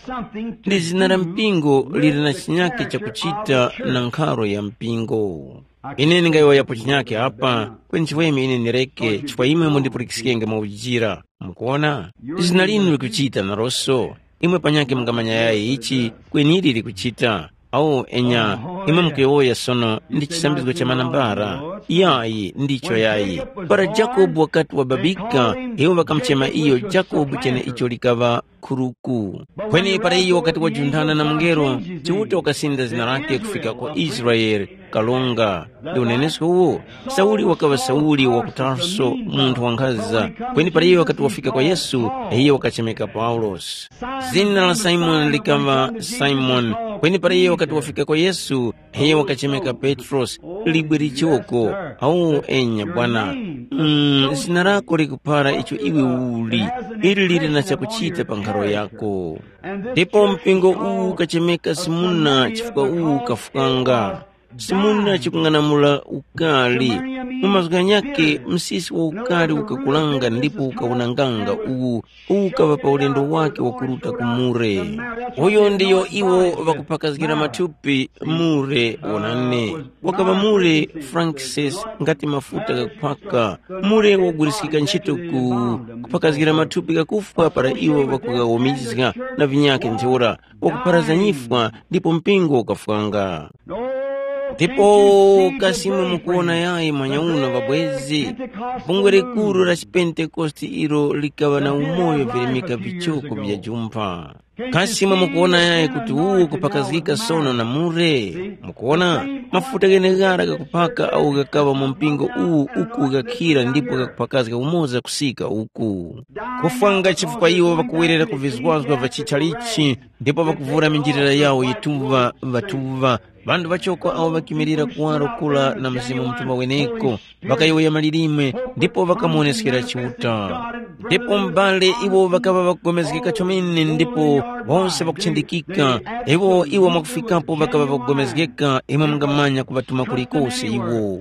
Ndi zina la mpingo lili na chinyake chakuchita na nkharo ya mpingo. Ine ndingayowoyapo chinyake apa, kweni chifukwa ine ndireke, chifukwa imwe mundipulikiskenge mwaujira. Mukuona? Zina linu likuchita naroso. Imwe panyakhe mungamanya yayi ichi kweniri likuchita. Awo enya, imwe mukuyowoya sono ndi chisambizgo cha manambara. Yayi, ndicho yayi. Para Jakobu wakati wababika, iwo ŵakamuchema iyo Jakobu chene icho likaŵa khuruku. Kweni para iyo wakati wajunthana na mungelo, Chiuta wakasinda zina lake kufika kwa Israele, kalonga. Ndi unenesko uwo, Sauli wakaŵa Sauli wa ku Tarso, munthu wankhaza. Kweni para iyo wakati wafika kwa Yesu, iyo wakachemeka Paulosi. Zina la Simoni likaŵa Simoni, kweni para iyo wakati wafika kwa Yesu, iyo wakachemeka Petrosi, libwe lichoko. Awu enya bwana, mm, zina lako likuphara icho iwe uli, ili lili na chakuchita pa nkharo yako. Ndipo mpingo uwu ukachemeka Simuna chifukwa uwu ukafukanga. Simuna chikung'anamula ukali. Mu mazgu ghanyakhe, msisi wa ukali ukakulanga ndipo ukawunanganga uwu, uwu ukaŵa pa ulendo wakhe wakuruta ku mure. Uyo ndiyo iwo ŵakuphakazgira mathupi mure wonane. Wakaŵa mure Francis ngati mafuta ghakuphaka. Mure wakuguliskika ntchito ku kuphakazgira mathupi ghakufwa para iwo ŵakughawomizga na vinyakhe ntheura. Wakupharazanyifwa ndipo mpingo ukafwanga. Ndipo kasi imwe mukuwona yayi mwanyauno ŵabwezi, bungwe likuru la chipentekoste ilo likaŵa na umoyo virimika vichoko vya jumpha. Kasi imwe mukuwona yayi kuti uwu kupakazgika sono na mure? Mukuwona, mafuta gheneghara ghakuphaka awo ghakaŵa mu mpingo uwu uku ghakhira ndipo ghakuphakazga umoza kusika uku. Kufwanga chifukwa iwo ŵakuwerera ku vizwazwa vya chitchalichi ndipo ŵakuvura minjilira yawo yituŵa ŵatuŵa. Ŵanthu ŵachoko awo ŵakimilira kuwaro kura na Mzimu Mutuŵa weneko, ŵakayowoya malilime ndipo ŵakamuwoneskera Chiuta. Ndipo m'bale iwo ŵakaŵa ŵakugomezgeka chomene ndipo wose ŵakuchindikika, iwo iwo mwakufikapo ŵakaŵa ŵakugomezgeka imwe mungamanya kuŵatuma kulikose iwo.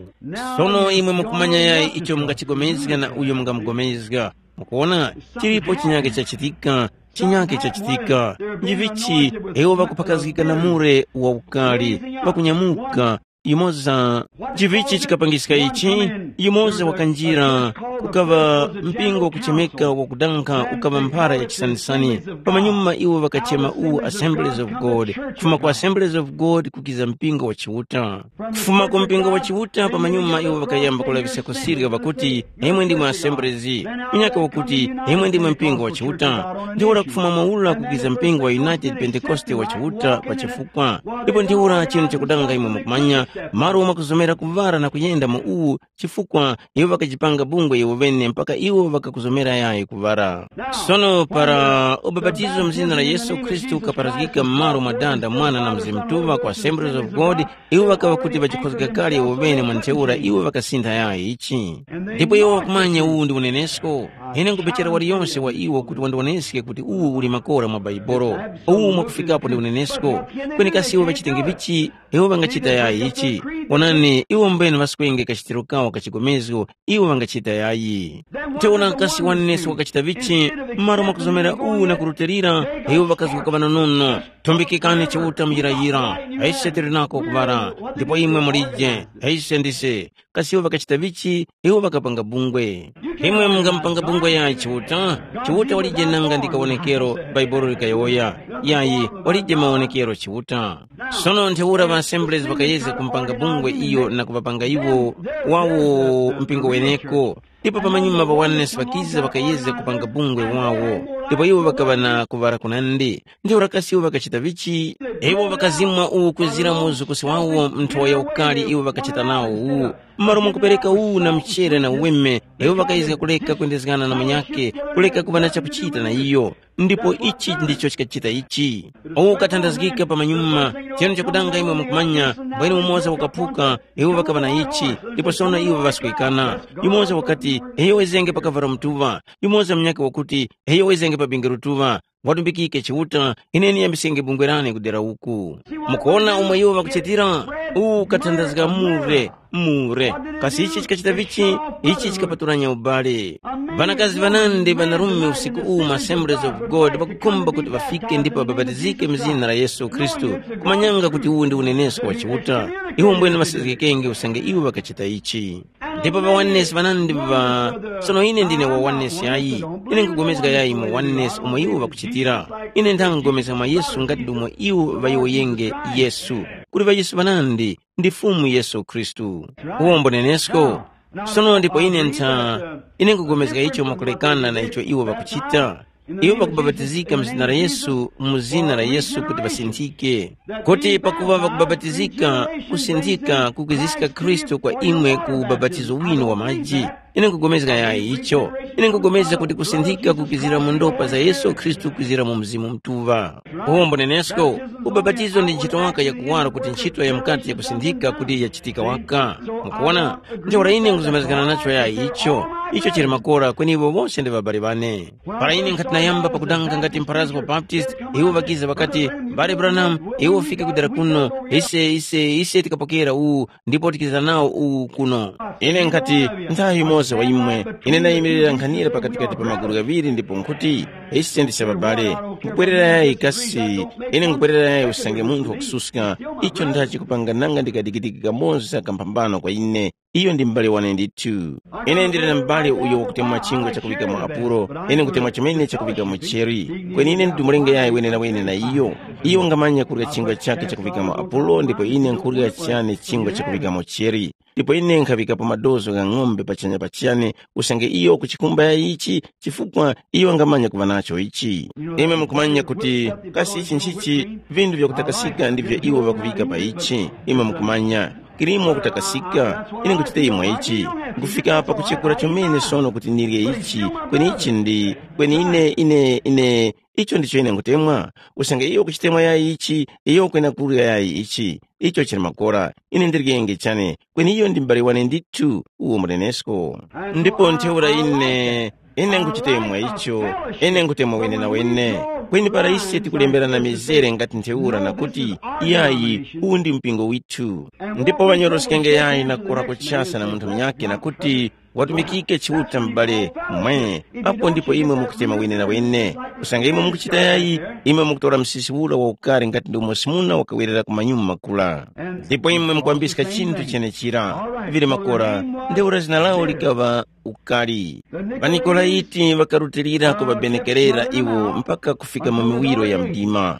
Sono imwe mukumanya yayi icho mungachigomezga na uyo mungamugomezga. Mukuona, chilipo chinyake chachitika, chinyake chachitika. Njivichi iwo ŵakuphakazgika na mure wa ukali, ŵakunyamuka, yumoza. Njivichi chikapangiska ichi? Yumoza wakanjira, kukaŵa mpingo wakuchemeka wakudankha ukaŵa mphara ya chisanisani. Pamanyuma iwo ŵakachema uwu Assemblies of God, kufuma ku Assemblies of God kukiza mpingo wa Chiuta. Kufuma ku mpingo wa Chiuta pamanyuma iwo ŵakayamba kulaŵiska kusirya ŵakuti, imwe ndimwe Assemblies. Munyaka wakuti, imwe ndimwe mpingo wa Chiuta. Ntheura kufuma mwaula kukiza mpingo wa United Pentecoste wa Chiuta pa chifukwa. Ndipo ntheura chinu chakudanga imwe mukumanya, malo omwe kuzomera kuŵara na kuyenda mu uwu, chifukwa iwo ŵakajipanga bungwe iwo ŵene mpaka iwo ŵakakuzomera yayi kuŵara. Sono para ubapatizo mu zina la Yesu Khristu ukaparazgika m'malo mwa Dada, Mwana na Mzimu Mutuŵa ku Assemblies of God, iwo ŵakaŵa kuti ŵachikhozga kale iwo ŵene mwa ntheura iwo ŵakasintha yayi ichi. Ndipo iwo ŵakumanya uwu ndi unenesko. Ine nkupechera waliyonse wa iwo kuti wandiwoneske kuti uwu uli makora mwa Baibolo. Uwu mwakufikapo ndi unenesko. Kweni kasi iwo ŵachitenge vichi? Iwo ŵangachita yayi ichi. Onani, iwo mbwene ŵaswenge kachitiro kawo ka chigomezgo, iwo ŵangachita yayi. Ntheura kasi wanenesko wakachita vichi? M'malo mwakuzomera uwu na kurutilira, iwo ŵakazguka ŵanonono. Tumbikikani Chiuta muyirayira, ise tili nako kuŵala, ndipo imwe mulije, ise ndise. Kasi iwo ŵakachita vichi? Iwo ŵakapanga bungwe. Imwe mungamupanga bungwe yayi Chiuta? Chiuta walije nanga ndi kawonekero Bhaibuli likayowoya. Yayi, walije mawonekero Chiuta. Sono ntheura ŵa Assemblies ŵakayezga kumpanga bungwe iyo na kuŵapanga iwo wawo mpingo weneko. Ndipo pamanyuma ŵa Oneness ŵakiza ŵakayezga kupanga bungwe wawo. Ndipo iwo ŵakaŵa na kuŵala kunandi. Ntheura kasi iwo ŵakachita vichi? Iwo ŵakazimwa uwu kwezira mu uzukusi wawo nthowa ya ukali iwo ŵakachita nawo uwu. M'malo mwakupereka uwu na mchere na uweme, iwo ŵakayezga kuleka kwendezgana na munyakhe, kuleka kuŵa na chakuchita na iyo. Ndipo ichi ndicho chikachita ichi. Uwu ukathandazgika pamanyuma, chinu chakudanga imwe mukumanya, mbwene umoza ukaphuka, iwo ŵakaŵa na ichi, ndipo sono iwo ŵaswekana. Yumoza wakati, iyo wezenge pakavara mutuŵa, yumoza munyakhe wakuti, iyo wezenge pa binge rutuŵa. Watumbikike Chiuta, ine niyambisenge bungwe lane kudera uku. Mukuwona umo iwo ŵakuchitira? Uwu ukathandazga mure, mure. Kasi ichi chikachita vichi? Ichi chikapaturanya ubale. Ŵanakazi ŵanandi ŵanarume usiku uwu mu Assemblies of God ŵakukhumba kuti ŵafike ndipo ŵabapatizike mu zina la Yesu Khristu, kumanyanga kuti uwu ndi unenesko wa Chiuta. Iwo mbwene ŵasazgikenge usange iwo ŵakachita ichi. Ndipo ŵawanesi ŵanandi ŵa sono ine ndine wawanesi ayi, ine nkugomezga yayi mu wanesi umo iwo ŵakuchitira. Ine nthangugomezga mwa Yesu ngati ndi umo iwo ŵayowoyenge Yesu, kuti ŵa Yesu ŵanandi ndi Fumu Yesu Khristu. Uwombo nenesko. Sono ndipo ine ntha ine nkugomezga icho mwakulekana na icho iwo ŵakuchita. Iwo ŵakubapatizika mu zina la Yesu, mu zina la Yesu kuti ŵasinthike. Kuti pakuŵa ŵakubapatizika, kusinthika kukwiziska Khristu kwa imwe ku ubapatizo winu wa maji. Ine nkugomezga yayi icho. Ine nkugomezga kuti kusinthika kukwizira mu ndopa za Yesu Khristu kwizira mu Mzimu Mutuŵa. Uwombo nenesko, ubapatizo ndi ntchito waka yakuwara kuti ntchito ya mukati yakusinthika kuti yachitika waka. Mukuona, ntheura ine nkuzomezgana nacho yayi icho. Icho chili makora kweni iwo wose ndi ŵabali ŵane. Para ine nkhati nayamba pakudanga ngati mpharazgo wa Baptist, iwo ŵakiza ŵakati, mbale Branham, iwe ufike kudera kuno, ise ise ise tikapokera uwu ndipo tikiza nawo uwu kuno. Ine nkhati, nthawi yimoza wa imwe, ine ndayimirira nkhanira pakatikati pa magulu ghaŵiri ndipo nkhuti, ise ndi sababale. Nkubwerera yayi kasi, ine nkubwerera yayi usange munthu wakususka, icho ndachi kupanga nanga ndikadikidiki kamoza kamphambano kwa ine. Iyo ndi m'bale wane ndithu. Ine ndili na m'bale uyo wakutemwa chingwa chakuŵika mu Apulo, ine nkutemwa chimene chakuŵika mu Cheri. Kweni ine ndimulenge yayi wenenawene na iyo. Iyo wangamanya kurya chingwa chakhe chakuŵika mu Apulo ndipo ine nkhurya chane chingwa chakuŵika mu Cheri. Ndipo ine nkhaŵikapo madozo gha ng'ombe pachanya pachane usange iyo kuchikumba yayi ichi, chifukwa iyo wangamanya kuŵa nacho ichi. Imwe mukumanya kuti kasi ichi nchichi, vinthu vyakutakasika ndivyo iwo ŵakuŵika pa ichi. Imwe mukumanya. Kilimo kutakasika, ine nkuchita imwe ichi, nkufika pa kuchekura chomene sono kuti nirye ichi, kweni ichi ndi, kweni ine, ine, ine, icho ndicho ine nkutemwa. Usange iyo kuchitemwa yayi ichi, iyo kwena kurya yayi ichi, icho chili makora, ine ndiryenge chane, kweni iyo ndi m'bale wane ndithu, uwo munenesko. Ndipo ntheura ine, ine nkuchitemwa icho, ine nkutemwa wene na wene. Kweni para ise tikulemberana mizere ngati ntheura na kuti, iyayi, uwu ndi mpingo withu. Ndipo ŵanyoroskenge yayi na kura kuchasa na munthu munyakhe na kuti, watumikike Chiuta m'bale, mwe, apo ndipo imwe mukuchema wene na wene. Kusanga imwe mukuchita yayi, imwe mukutora msisi ura wa ukari ngati ndi umo simuna wakawerera ku manyuma makula. Ndipo imwe mukwambiska chinthu chenechira. Vili makora, ntheura zina lawo likaŵa ukali. Ŵanikolaiti ŵakarutilira kuŵabenekerera iwo mpaka kufika mu miwiro ya mdima.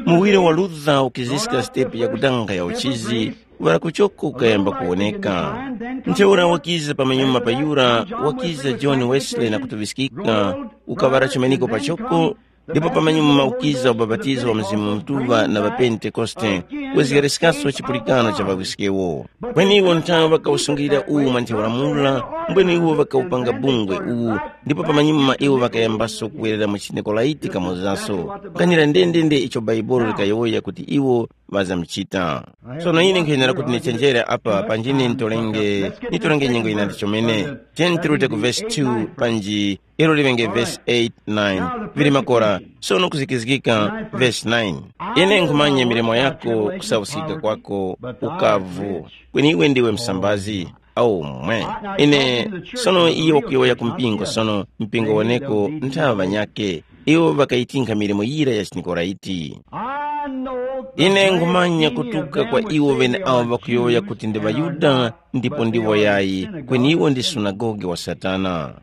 Muwiro wa Luther ukiziska sitepu yakudanga ya uchizi, wala kuchoko ukayamba kuwoneka. Ntheura wakiza pamanyuma pa yura, wakiza John Wesley na kutuŵiskika, ukaŵala chumaniko pachoko, ndipo pamanyuma ukiza ubapatizo wa Mzimu Mutuŵa na ŵaPentekoste, wezgereskaswa chipulikano cha ŵawiskewo. Kweni iwo nthawe ŵakawusungilira uwu mwa ntheura mura, mbwene iwo ŵakawupanga bungwe uwu, ndipo pamanyuma iwo ŵakayambaso kuwerera mu chiNikolaiti kamozaso, kukanira ndendende icho Bhaibuli likayowoya kuti iwo ŵazamuchita. Sono ine nkhenera kuti ndichenjere apa panjine nitolenge, nitolenge nyengo yinandi chomene. Tiyeni tirute ku vesi two panji ilo liŵenge vesi eight, nine. Vili makora, sono kuzikizgika vesi nine. Ine nkhumanya milimo yako, kusauskika kwako, ukavu. Kweni iwe ndiwe msambazi. Aumwe. Ine, sono iye wakuyowoya ku mpingo, sono mpingo woneko nthaŵa ŵanyakhe. Iwo ŵakayitinkha milimo yira ya chiNikolaiti. Ine nkhumanya kutuka kwa iwo ŵeneawo ŵakuyowoya kuti ndi ŵaYuda ndipo ndiwo yayi, kweni iwo ndi sunagoge wa Satana.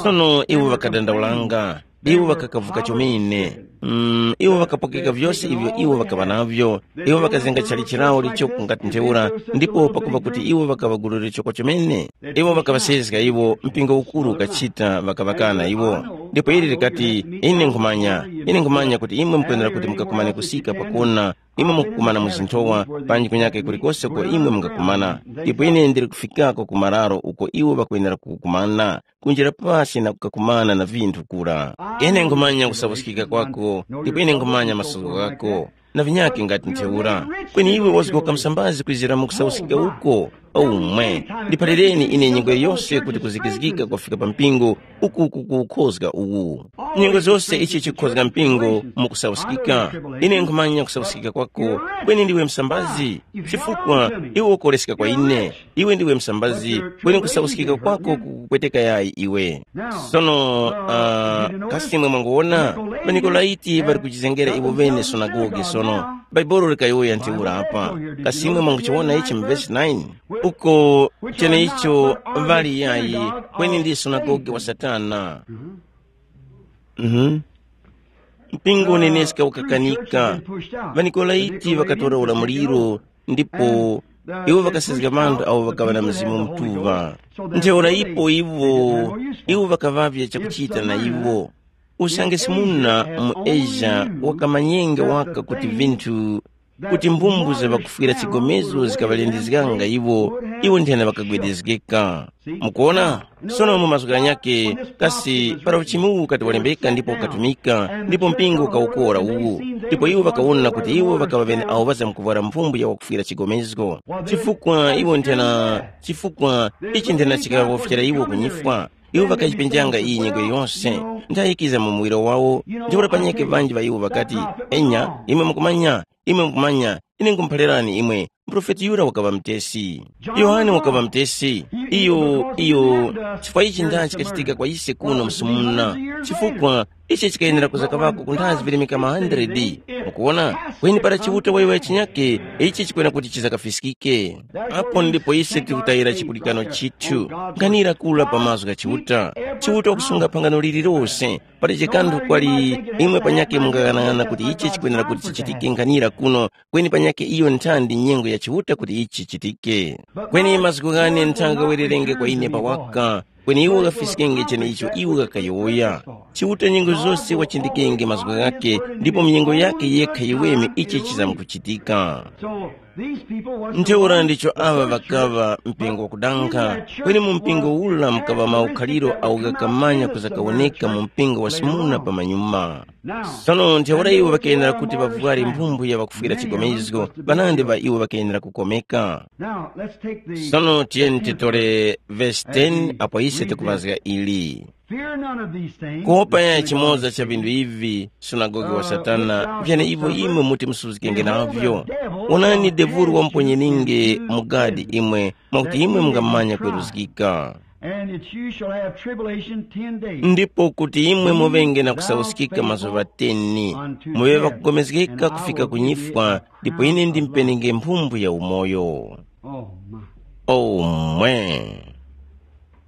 Sono iwo ŵakadandaulanga, iwo ŵakakavuka chomene. Mm, iwo ŵakapokeka vyose ivyo iwo ŵakaŵa navyo. Iwo ŵakazenga chalichi lawo lichoko ngati ntheura, ndipo pakuŵa kuti iwo ŵakaŵagulurira choko chomene, iwo ŵakaŵasezga iwo, mpingo ukuru ukachita, ŵakaŵakana iwo. Ndipo ili likati, ine nkhumanya, ine nkhumanya kuti imwe mukwenera kuti mukakumane kusika pakona, imwe mukukumana mu zinthowa, panji kunyake kulikose uko imwe mungakumana. Ndipo ine ndili kufikako ku mararo uko iwo ŵakwenera kukumana, kunjira pasi na kukakumana na vinthu kura. Ine nkhumanya kusapuskika kwako, ndipo ine nkhumanya masuko ghako, na vinyakhe ngati ntheura. Kweni iwe wazgoka msambazi kwizira mu kusapuskika uko. Umwe, ndiphalireni ine nyengo yose kuti kuzikizikika kwafika pa mpingo uku kukukhozga uwu. Nyengo zose ichi chikhozga mpingo mukusauskika. Ine nkhumanya kusauskika kwako, kweni ndiwe msambazi, chifukwa iwe ukoleska kwa ine. Iwe ndiwe msambazi, kweni kusauskika kwako kukupweteka yayi iwe. Sono uh, kasimwe mwanguwona, ŵaNikolaiti ŵali kuchizengera iwo ŵene sunagoge sono. Bhaibuli likayowoya ntheura apa. Kasimwe mwanguchiwona ichi mu vesi nine, uko cheneicho ŵali yayi, kweni ndi sunagoge wa Satana. Mhm. Mpingo uneneska ukakanika. །Ŵanikolaiti ŵakatora ulamuliro, ndipo iwo ŵakasezga ŵanthu awo ŵakaŵa na Mzimu Mutuŵa. Ntheura ipo iwo, iwo ŵakaŵavya chakuchita na iwo. Usange simuna mu Asia wakamanyenge waka kuti vinthu, kuti mbumbuzga ŵakufwira chigomezo zikaŵalindizganga iwo, iwo nthena ŵakagwedezgeka. Mukuona? Sono mu mazgu ghanyakhe, kasi para uchimu uwu ukati walembeka ndipo ukatumika, ndipo mpingo ukawukora uwu, ndipo iwo ŵakawona kuti iwo ŵakaŵa ŵene awo ŵazamkuvwara mphumbu ya wakufwira chigomezgo. Chifukwa iwo nthena, chifukwa ichi nthena chikaŵafyera iwo kunyifwa. Iwo ŵakayipenjanga iyi nyengo yose, ndayikiza mu muwiro wawo. Ntheura panyakhe ŵanji ŵa iwo ŵakati, enya, imwe mukumanya, imwe mukumanya, ine nkhumuphalirani imwe, muprofeti yura wakaŵa mutesi. Yohane wakaŵa mutesi. Iyo iyo chifukwa ichi ndani chikachitika kwa ise kuno msumuna? Chifukwa ichi chikayenera kuza kaŵako ku nthazi virimika ma hundred. Mukuwona? Kweni para Chiuta wayowoya chinyake, ichi chikwena kuti chizakafiskike. Apo ndipo ise tikutayira chipulikano chithu. Nkhanira kula pa mazgu gha Chiuta. Chiuta wakusunga phangano lililose. Palibe kanthu kwali imwe panyakhe mungaghanag'ana kuti ichi chikwenera kuti chichitike nkhanira kuno, kweni panyakhe iyo nthandi nyengo ya Chiuta kuti ichi chichitike. Kweni mazgu ghane nthanga ghawererenge kwa ine pawaka, kweni iwo ghafiskenge cheneicho iwo ghakayowoya. Chiuta nyengo zose wachindikenge mazgu ghakhe, ndipo mu nyengo yakhe yekha yiweme ichi chizamkuchitika. Ntheura ndicho aŵa ŵakaŵa mpingo wakudankha, kweni mu mpingo ula mukaŵa maukhaliro awo ghakamanya kuza kawoneka mu mpingo wa simuna pamanyuma. Sono ntheura iwo ŵakenera kuti ŵavware mphumbu ya ŵakufwira chigomezgo, ŵanandi ŵa iwo ŵakenera kukomeka. Sono tiyeni titore vesi ten apo ise tikuŵazga ili. Kuwopa ya chimoza cha vinthu ivi, sunagoge wa Satana, vyane ivo imwe muti musuzgikenge navyo. Wonani devulu wamuponyeninge mu gadi imwe, mwakuti imwe mungamanya kweruzgika. And that you shall have tribulation ten days. Ndipo kuti imwe muvenge na kusauskika mazuŵa teni, muŵe ŵakugomezgeka kufika ku nyifwa, ndipo ine ndimpenenge mphumbu ya umoyo. Oh, my. Omwe.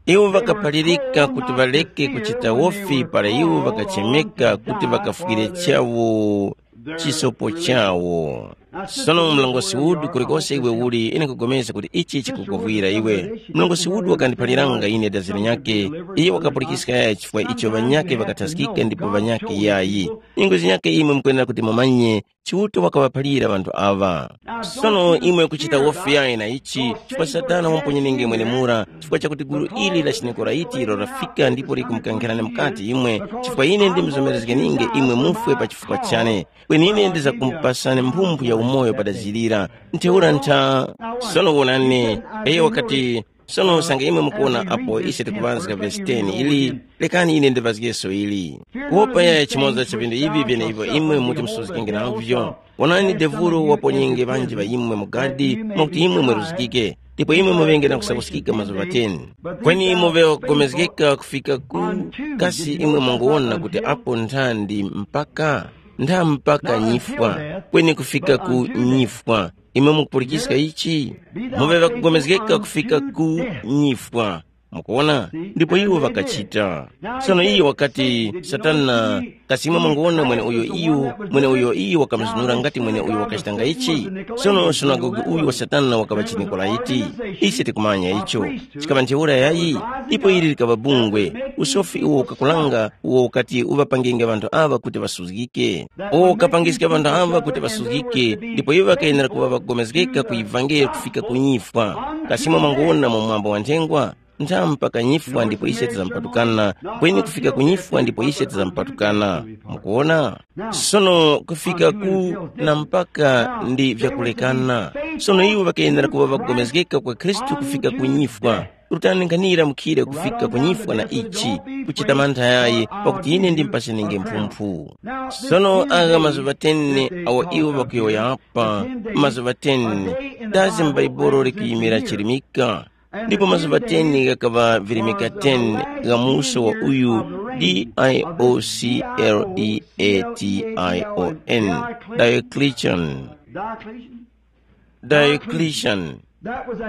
Iwo ŵakaphalirika kuti ŵaleke kuchita wofi para iwo ŵakachemeka kuti ŵakafwire chawo chisopo chawo. Sono mlongosi Wood, kulikose iwe uli, ine nkupulikana kuti ichi chikukuvwira iwe. Mlongosi Wood wakandiphaliranga ine dazi linyakhe, iye wakapulikiska yaya chifukwa icho ŵanyakhe ŵakathaskika ndipo ŵanyakhe yayi. Nyengo zinyakhe imwe mukwenera kuti mumanye, Chiuta wakaŵaphalira ŵanthu aŵa. Sono imwe kuchita wofi yayi na ichi, chifukwa Satana wamponyenenge mwenemura, chifukwa chakuti gulu ili la chiNikoraiti ilo lafika ndipo likumukankhirani mukati imwe, chifukwa ine ndimzomerezgeninge imwe mufwe pa chifukwa chane. Kweni ine ndizakumupasani mphumphu ya umoyo padazirira. Ntheura ntha. Sono wonani, iye wakati, sono usange imwe mukuwona apo ise tikuŵazga vesi ten ili, lekani ine ndiŵazgeso ili. Kuwopa yaya chimoza cha vinthu ivi vyeneivo imwe muti musuzgikenge navyo. Wonani, devuro waponyenge ŵanji ŵa imwe mu gadi, mwakuti imwe mweruzgike, ndipo imwe muŵenge na kusakuskika mazuŵa ten. Kweni muŵe wakugomezgeka kufika ku, kasi imwe munguwona kuti apo nthandi mpaka, ntha mpaka nyifwa, kweni kufika ku nyifwa. Imwe mukupulikiska ichi? Muŵe ŵakugomezgeka kufika ku nyifwa. Mukuwona? Ndipo iwo ŵakachita. Sono iye wakati, Satana, kasi imwe munguwona mwene uyo iyo, mwene uyo iyo wakamuzunura ngati mwene uyo wakachitanga ichi? Sono sunagoge uyu wa Satana wakaŵa chiNikolaiti. Ise tikumanya icho. Chikaŵa ntheura yayi, ipo ili likaŵa bungwe, usofi uwo ukakulanga, uwo ukati uŵapangenge ŵanthu aŵa kuti ŵasuzgike. Uwo ukapangiska ŵanthu aŵa kuti ŵasuzgike, ndipo iwo ŵakayenera kuŵa ŵakugomezgeka ku ivangeli kufika ku nyifwa. Kasi imwe mwanguwona mu mwambo wa nthengwa? Nthamu mpaka nyifwa ndipo ise tizampatukana, kweni kufika ku nyifwa ndipo ise tizampatukana. Mukuona? Sono kufika ku na mpaka ndi vyakulekana. Sono iwo ŵakayenera kuŵa ŵakugomezgeka kwa Khristu kufika ku nyifwa. Rutani nkhanira mukhire kufika ku nyifwa na ichi, kuchita mantha yayi, pakuti ine ndimpasenenge mphumphu. Sono agha mazuŵa teni awo iwo ŵakuyowoya apa, mazuŵa teni, dazi m'Baibolo likuyimira chirimika. Ndipo mazuŵa teni ghakaŵa virimika teni gha muso wa uyu D I O C L E A T I O N, Diocletian. Diocletian.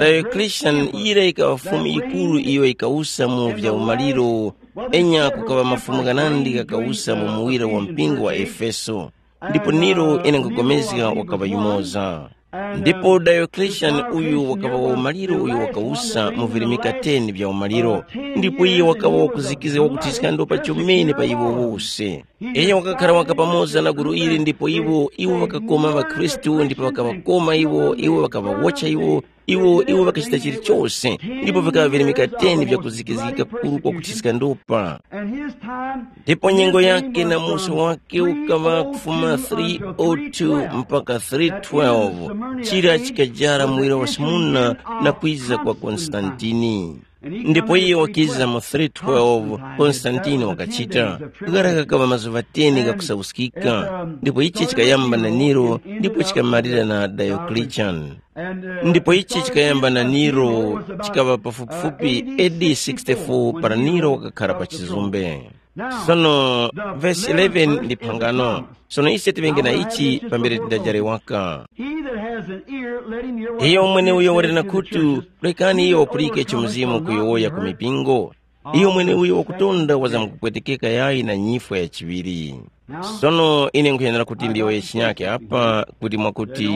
Diocletian yira ikaŵa fumu yikuru iyo ikawusa mu vya umaliro, enya kukaŵa mafumu ghanandi ghakawusa mu muwira wa mpingo wa Efeso. Ndipo Nero ine nkugomezga wakaŵa yumoza. Ndipo Diocletian uyu wakaŵa wa umaliro uyo wakawusa mu virimika teni vya umaliro, ndipo iye wakaŵa wakuzikizga wakuthiska ndopa chomene pa iwo wose. Iyo wakakhara waka pamoza na gulu ili ndipo iwo iwo ŵakakoma ŵakhristu ndipo ŵakaŵakoma iwo iwo ŵakaŵawotcha iwo iwo iwo ŵakachita chilichose, ndipo vikaŵa virimika teni vyakuzikizgika kukuru kwakuthiska ndopa. Ndipo nyengo yake na muso wake ukaŵa kufuma three oh two mpaka three twelve, chira chikajara muwira wa simuna na kwiza kwa Konstantini. Ndipo iye wakiza mu three twelve, Konstantini wakachita. Ghara ghakaŵa mazuŵa teni ghakusauskika, ndipo ichi chikayamba na Nero ndipo chikamalira na Diocletian. Ndipo ichi chikayamba na Nero, chikaŵa pafupifupi A D sixty-four para Nero wakakhara pa chizumbe. Sono vesi eleven ndi phangano. Sono ise tiŵenge na ichi pambere tindajare waka. He that has an ear, let him hear what the Spirit says to the churches. Iyo mweneuyo wali na khutu, lekani iyo wapulike icho Mzimu kuyowoya ku mipingo. Iyo mweneuyo wakutonda wazamkupwetekeka yayi na nyifwa ya chiŵiri. Sono ine nkhuyenera kuti ndiyowoye chinyake apa kuti mwakuti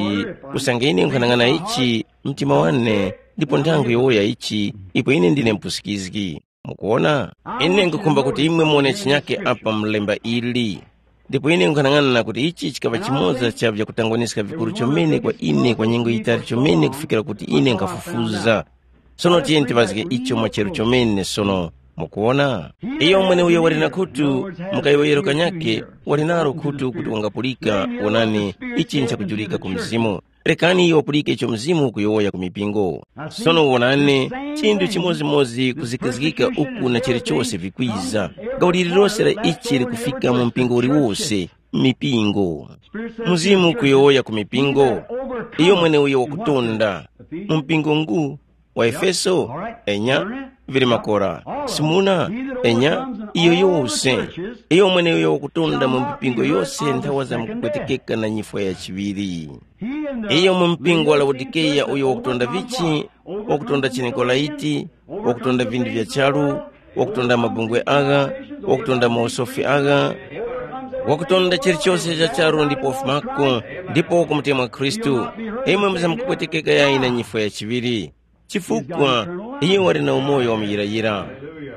usange ine nkhanang'ana ichi mtima wane ndipo nthawi nkhuyowoya ichi ipo ine ndine mpusikizgi. Mukuona? Ine nkhukhumba kuti imwe muwone chinyake apa mlemba ili. Ndipo ine nkhanang'ana kuti ichi chikaŵa chimoza cha vyakutangwaniska vikuru chomene kwa ine kwa nyengo yitali chomene kufikira kuti ine nkhafufuza. Sono tiyeni tiŵazge icho mwacheru chomene sono. Mukuona? Iyo mweneuyo wali na khutu, mukayowoyero kanyakhe, wali nalo khutu kuti wangapulika. Wonani, ichi nchakujulika ku Mzimu. Rekani iyo wapulike icho Mzimu ukuyowoya ku mipingo. Sono wonani, chinthu chimodzimodzi kuzikizgika uku na chilichose vikwiza. Gawo lililose la ichi likufika mu mpingo uliwose, mipingo. Mzimu ukuyowoya ku mipingo, iyo mweneuyo wakutonda. Mu mpingo ngu wa Efeso, enya, vili makora, Simuna, enya, iyo yose, iyo mweneuyo wakutonda mu mipingo yose nthawa zamkupwetekeka na nyifwa ya chiŵiri. Iyo mu mpingo wa Laodikeya uyo wakutonda vichi, wakutonda chinikolaiti, wakutonda vindu vya charu, wakutonda mabungwe agha, wakutonda mausofi agha, wakutonda chilichose cha charu ndipo wafumako, ndipo wakumutemwa Khristu. Imwe muzamkupwetekeka yayi na nyifwa ya chiŵiri. Chifukwa iyo wali na umoyo wa muyirayira.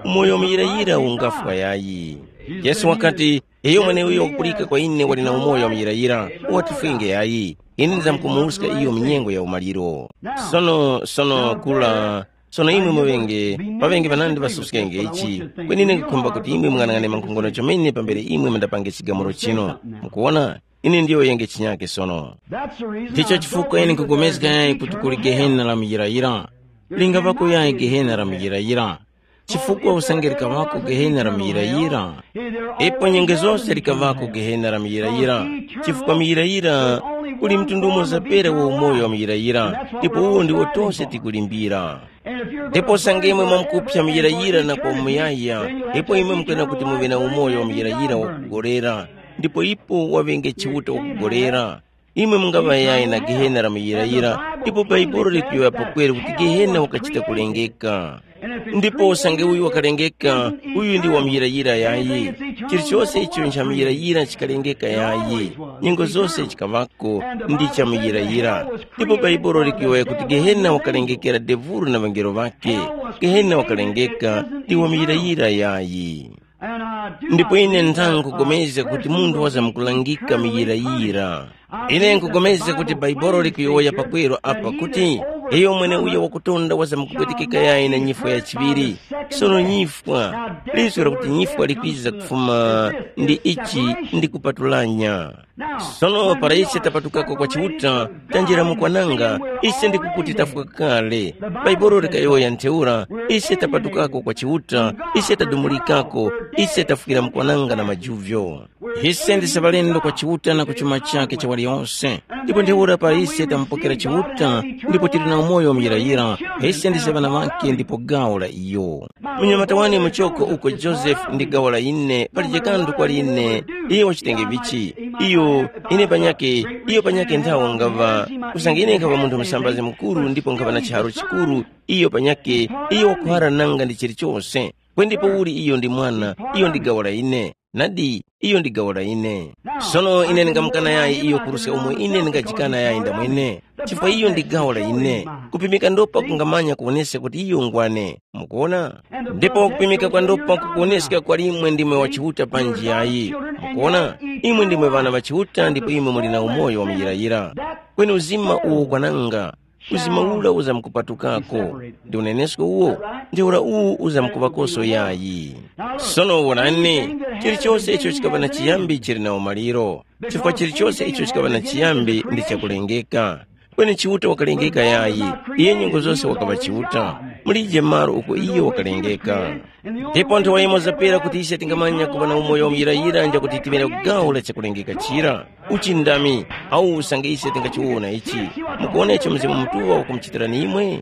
Umoyo wa muyirayira ungafwa yayi. Yesu wakati, iyo mweneuyo wakupulika kwa ine wali na umoyo wa muyirayira, watifwenge yayi. Ine ndizamkumuwuska iyo mu nyengo ya umaliro. Sono sono kula. Sono imwe muŵenge, paŵenge ŵanandi ŵasuskenge ichi. Kweni ine nkhukhumba kuti imwe mung'anang'ane mankhongono chomene pambere imwe mundapange chigamulo chino. Mukuwona? Ine ndiyowoyenge chinyake sono. Ndicho chifukwa ine nkupulikana yayi kuti kuli gehena la muyirayira. Lingaŵako yayi gehena la muyirayira. Chifukwa usange likaŵako gehena la muyirayira, ipo nyengo zose likaŵako gehena la muyirayira. Chifukwa muyirayira kuli mtundu umoza pera wa umoyo wa muyirayira, ndipo uwo ndiwo tose tikulimbira. Ndipo usange imwe mwamkupsa muyirayira na kwa umuyaya, ipo imwe mukwena kuti muŵe na umoyo wa muyirayira wakugolera. Ndipo ipo waŵenge Chiuta wakugolera. Imwe mungaŵa yayi na gehena la muyirayira, ndipo Bhaibuli likuyowoya pakweru kuti gehena wakachita kulengeka. Ndipo usange uyu wakalengeka, uyu ndi wa muyirayira yayi. Chilichose icho nchamuyirayira chikalengeka yayi. Nyengo zose chikaŵako ndi chamuyirayira. Ndipo Bhaibuli likuyowoya kuti gehena wakalengekera devuru na ŵangelo ŵakhe. Gehena wakalengeka ndi wa muyirayira yayi. Ndipo ine nthangukugomezga kuti munthu wazamkulangika muyirayira. Ine nkugomezga kuti Bhaibuli likuyowoya pakweru apa kuti Iyo mweneuyo wakutonda wazamkupwetekeka yayi na nyifwa ya chiŵiri. Sono nyifwa, liso lakuti nyifwa likwiza kufuma ndi ichi ndi kupatulanya. Sono para ise tapatukako kwa Chiuta, tanjira mu kwananga, ise ndikukuti tafwa kale. Bhaibuli likayowoya ntheura, ise tapatukako kwa Chiuta, ise tadumulikako, ise tafwira mu kwananga na majuvyo. Ise ndise ŵalendo kwa Chiuta na ku chuma chakhe cha waliyonse. Ndipo ntheura para ise tamupokera Chiuta, ndipo tili na umoyo muyirayira, ise ndise ŵana ŵakhe ndipo gawo la iyo. Munyamata wane muchoko uko Joseph ndi gawo la ine, palije kanthu kwali ine. Iyo wachitenge vichi? Iyo, ine panyake, iyo panyake nthawo ngaŵa, kusanga ine nkhaŵa munthu musambazi mukuru ndipo nkhaŵa na chiharo chikuru. Iyo panyake, iyo wakuhara nanga ndi chilichose. Kwendi pauли iyo ndi mwana, iyo ndi gawo la ine. Nadi, iyo ndi gawo la ine. Sono ine ndingamukana yayi iyo kuruska umo ine ndingajikana yayi ndamwene, chifukwa iyo ndi gawo la ine. Kupimika ndopa kungamanya kuwoneska kuti iyo ngwane. Mukuona? Ndipo kupimika kwa ndopa kukuwoneska kwa limwe ndimwe wa Chiuta panji yayi. Mukuona? Imwe ndimwe ŵana ŵa Chiuta ndipo imwe muli na umoyo wa muyirayira. Kweni uzima uwo ukwananga, uzima ura uzamkupatukako. Ndi unenesko uwo, ntheura uwu uzamkuŵakoso yayi. Sono wonani, chilichose icho chikaŵa na chiyambi chili na umaliro, chifukwa chilichose icho chikaŵa na chiyambi ndi chakulengeka. Kweni Chiuta wakalengeka yayi, iye nyengo zose wakaŵa Chiuta. Mulije malo uko iye wakalengeka. Ndipo nthawa yimoza pera kuti ise tingamanya kuŵa na umoyo wamuyirayira nja kuti tiŵe na gawo la chakulengeka chira. Uchindami, au usange ise tingachiwona ichi, mukuona icho Mzimu Mutuŵa wakumuchitirani imwe?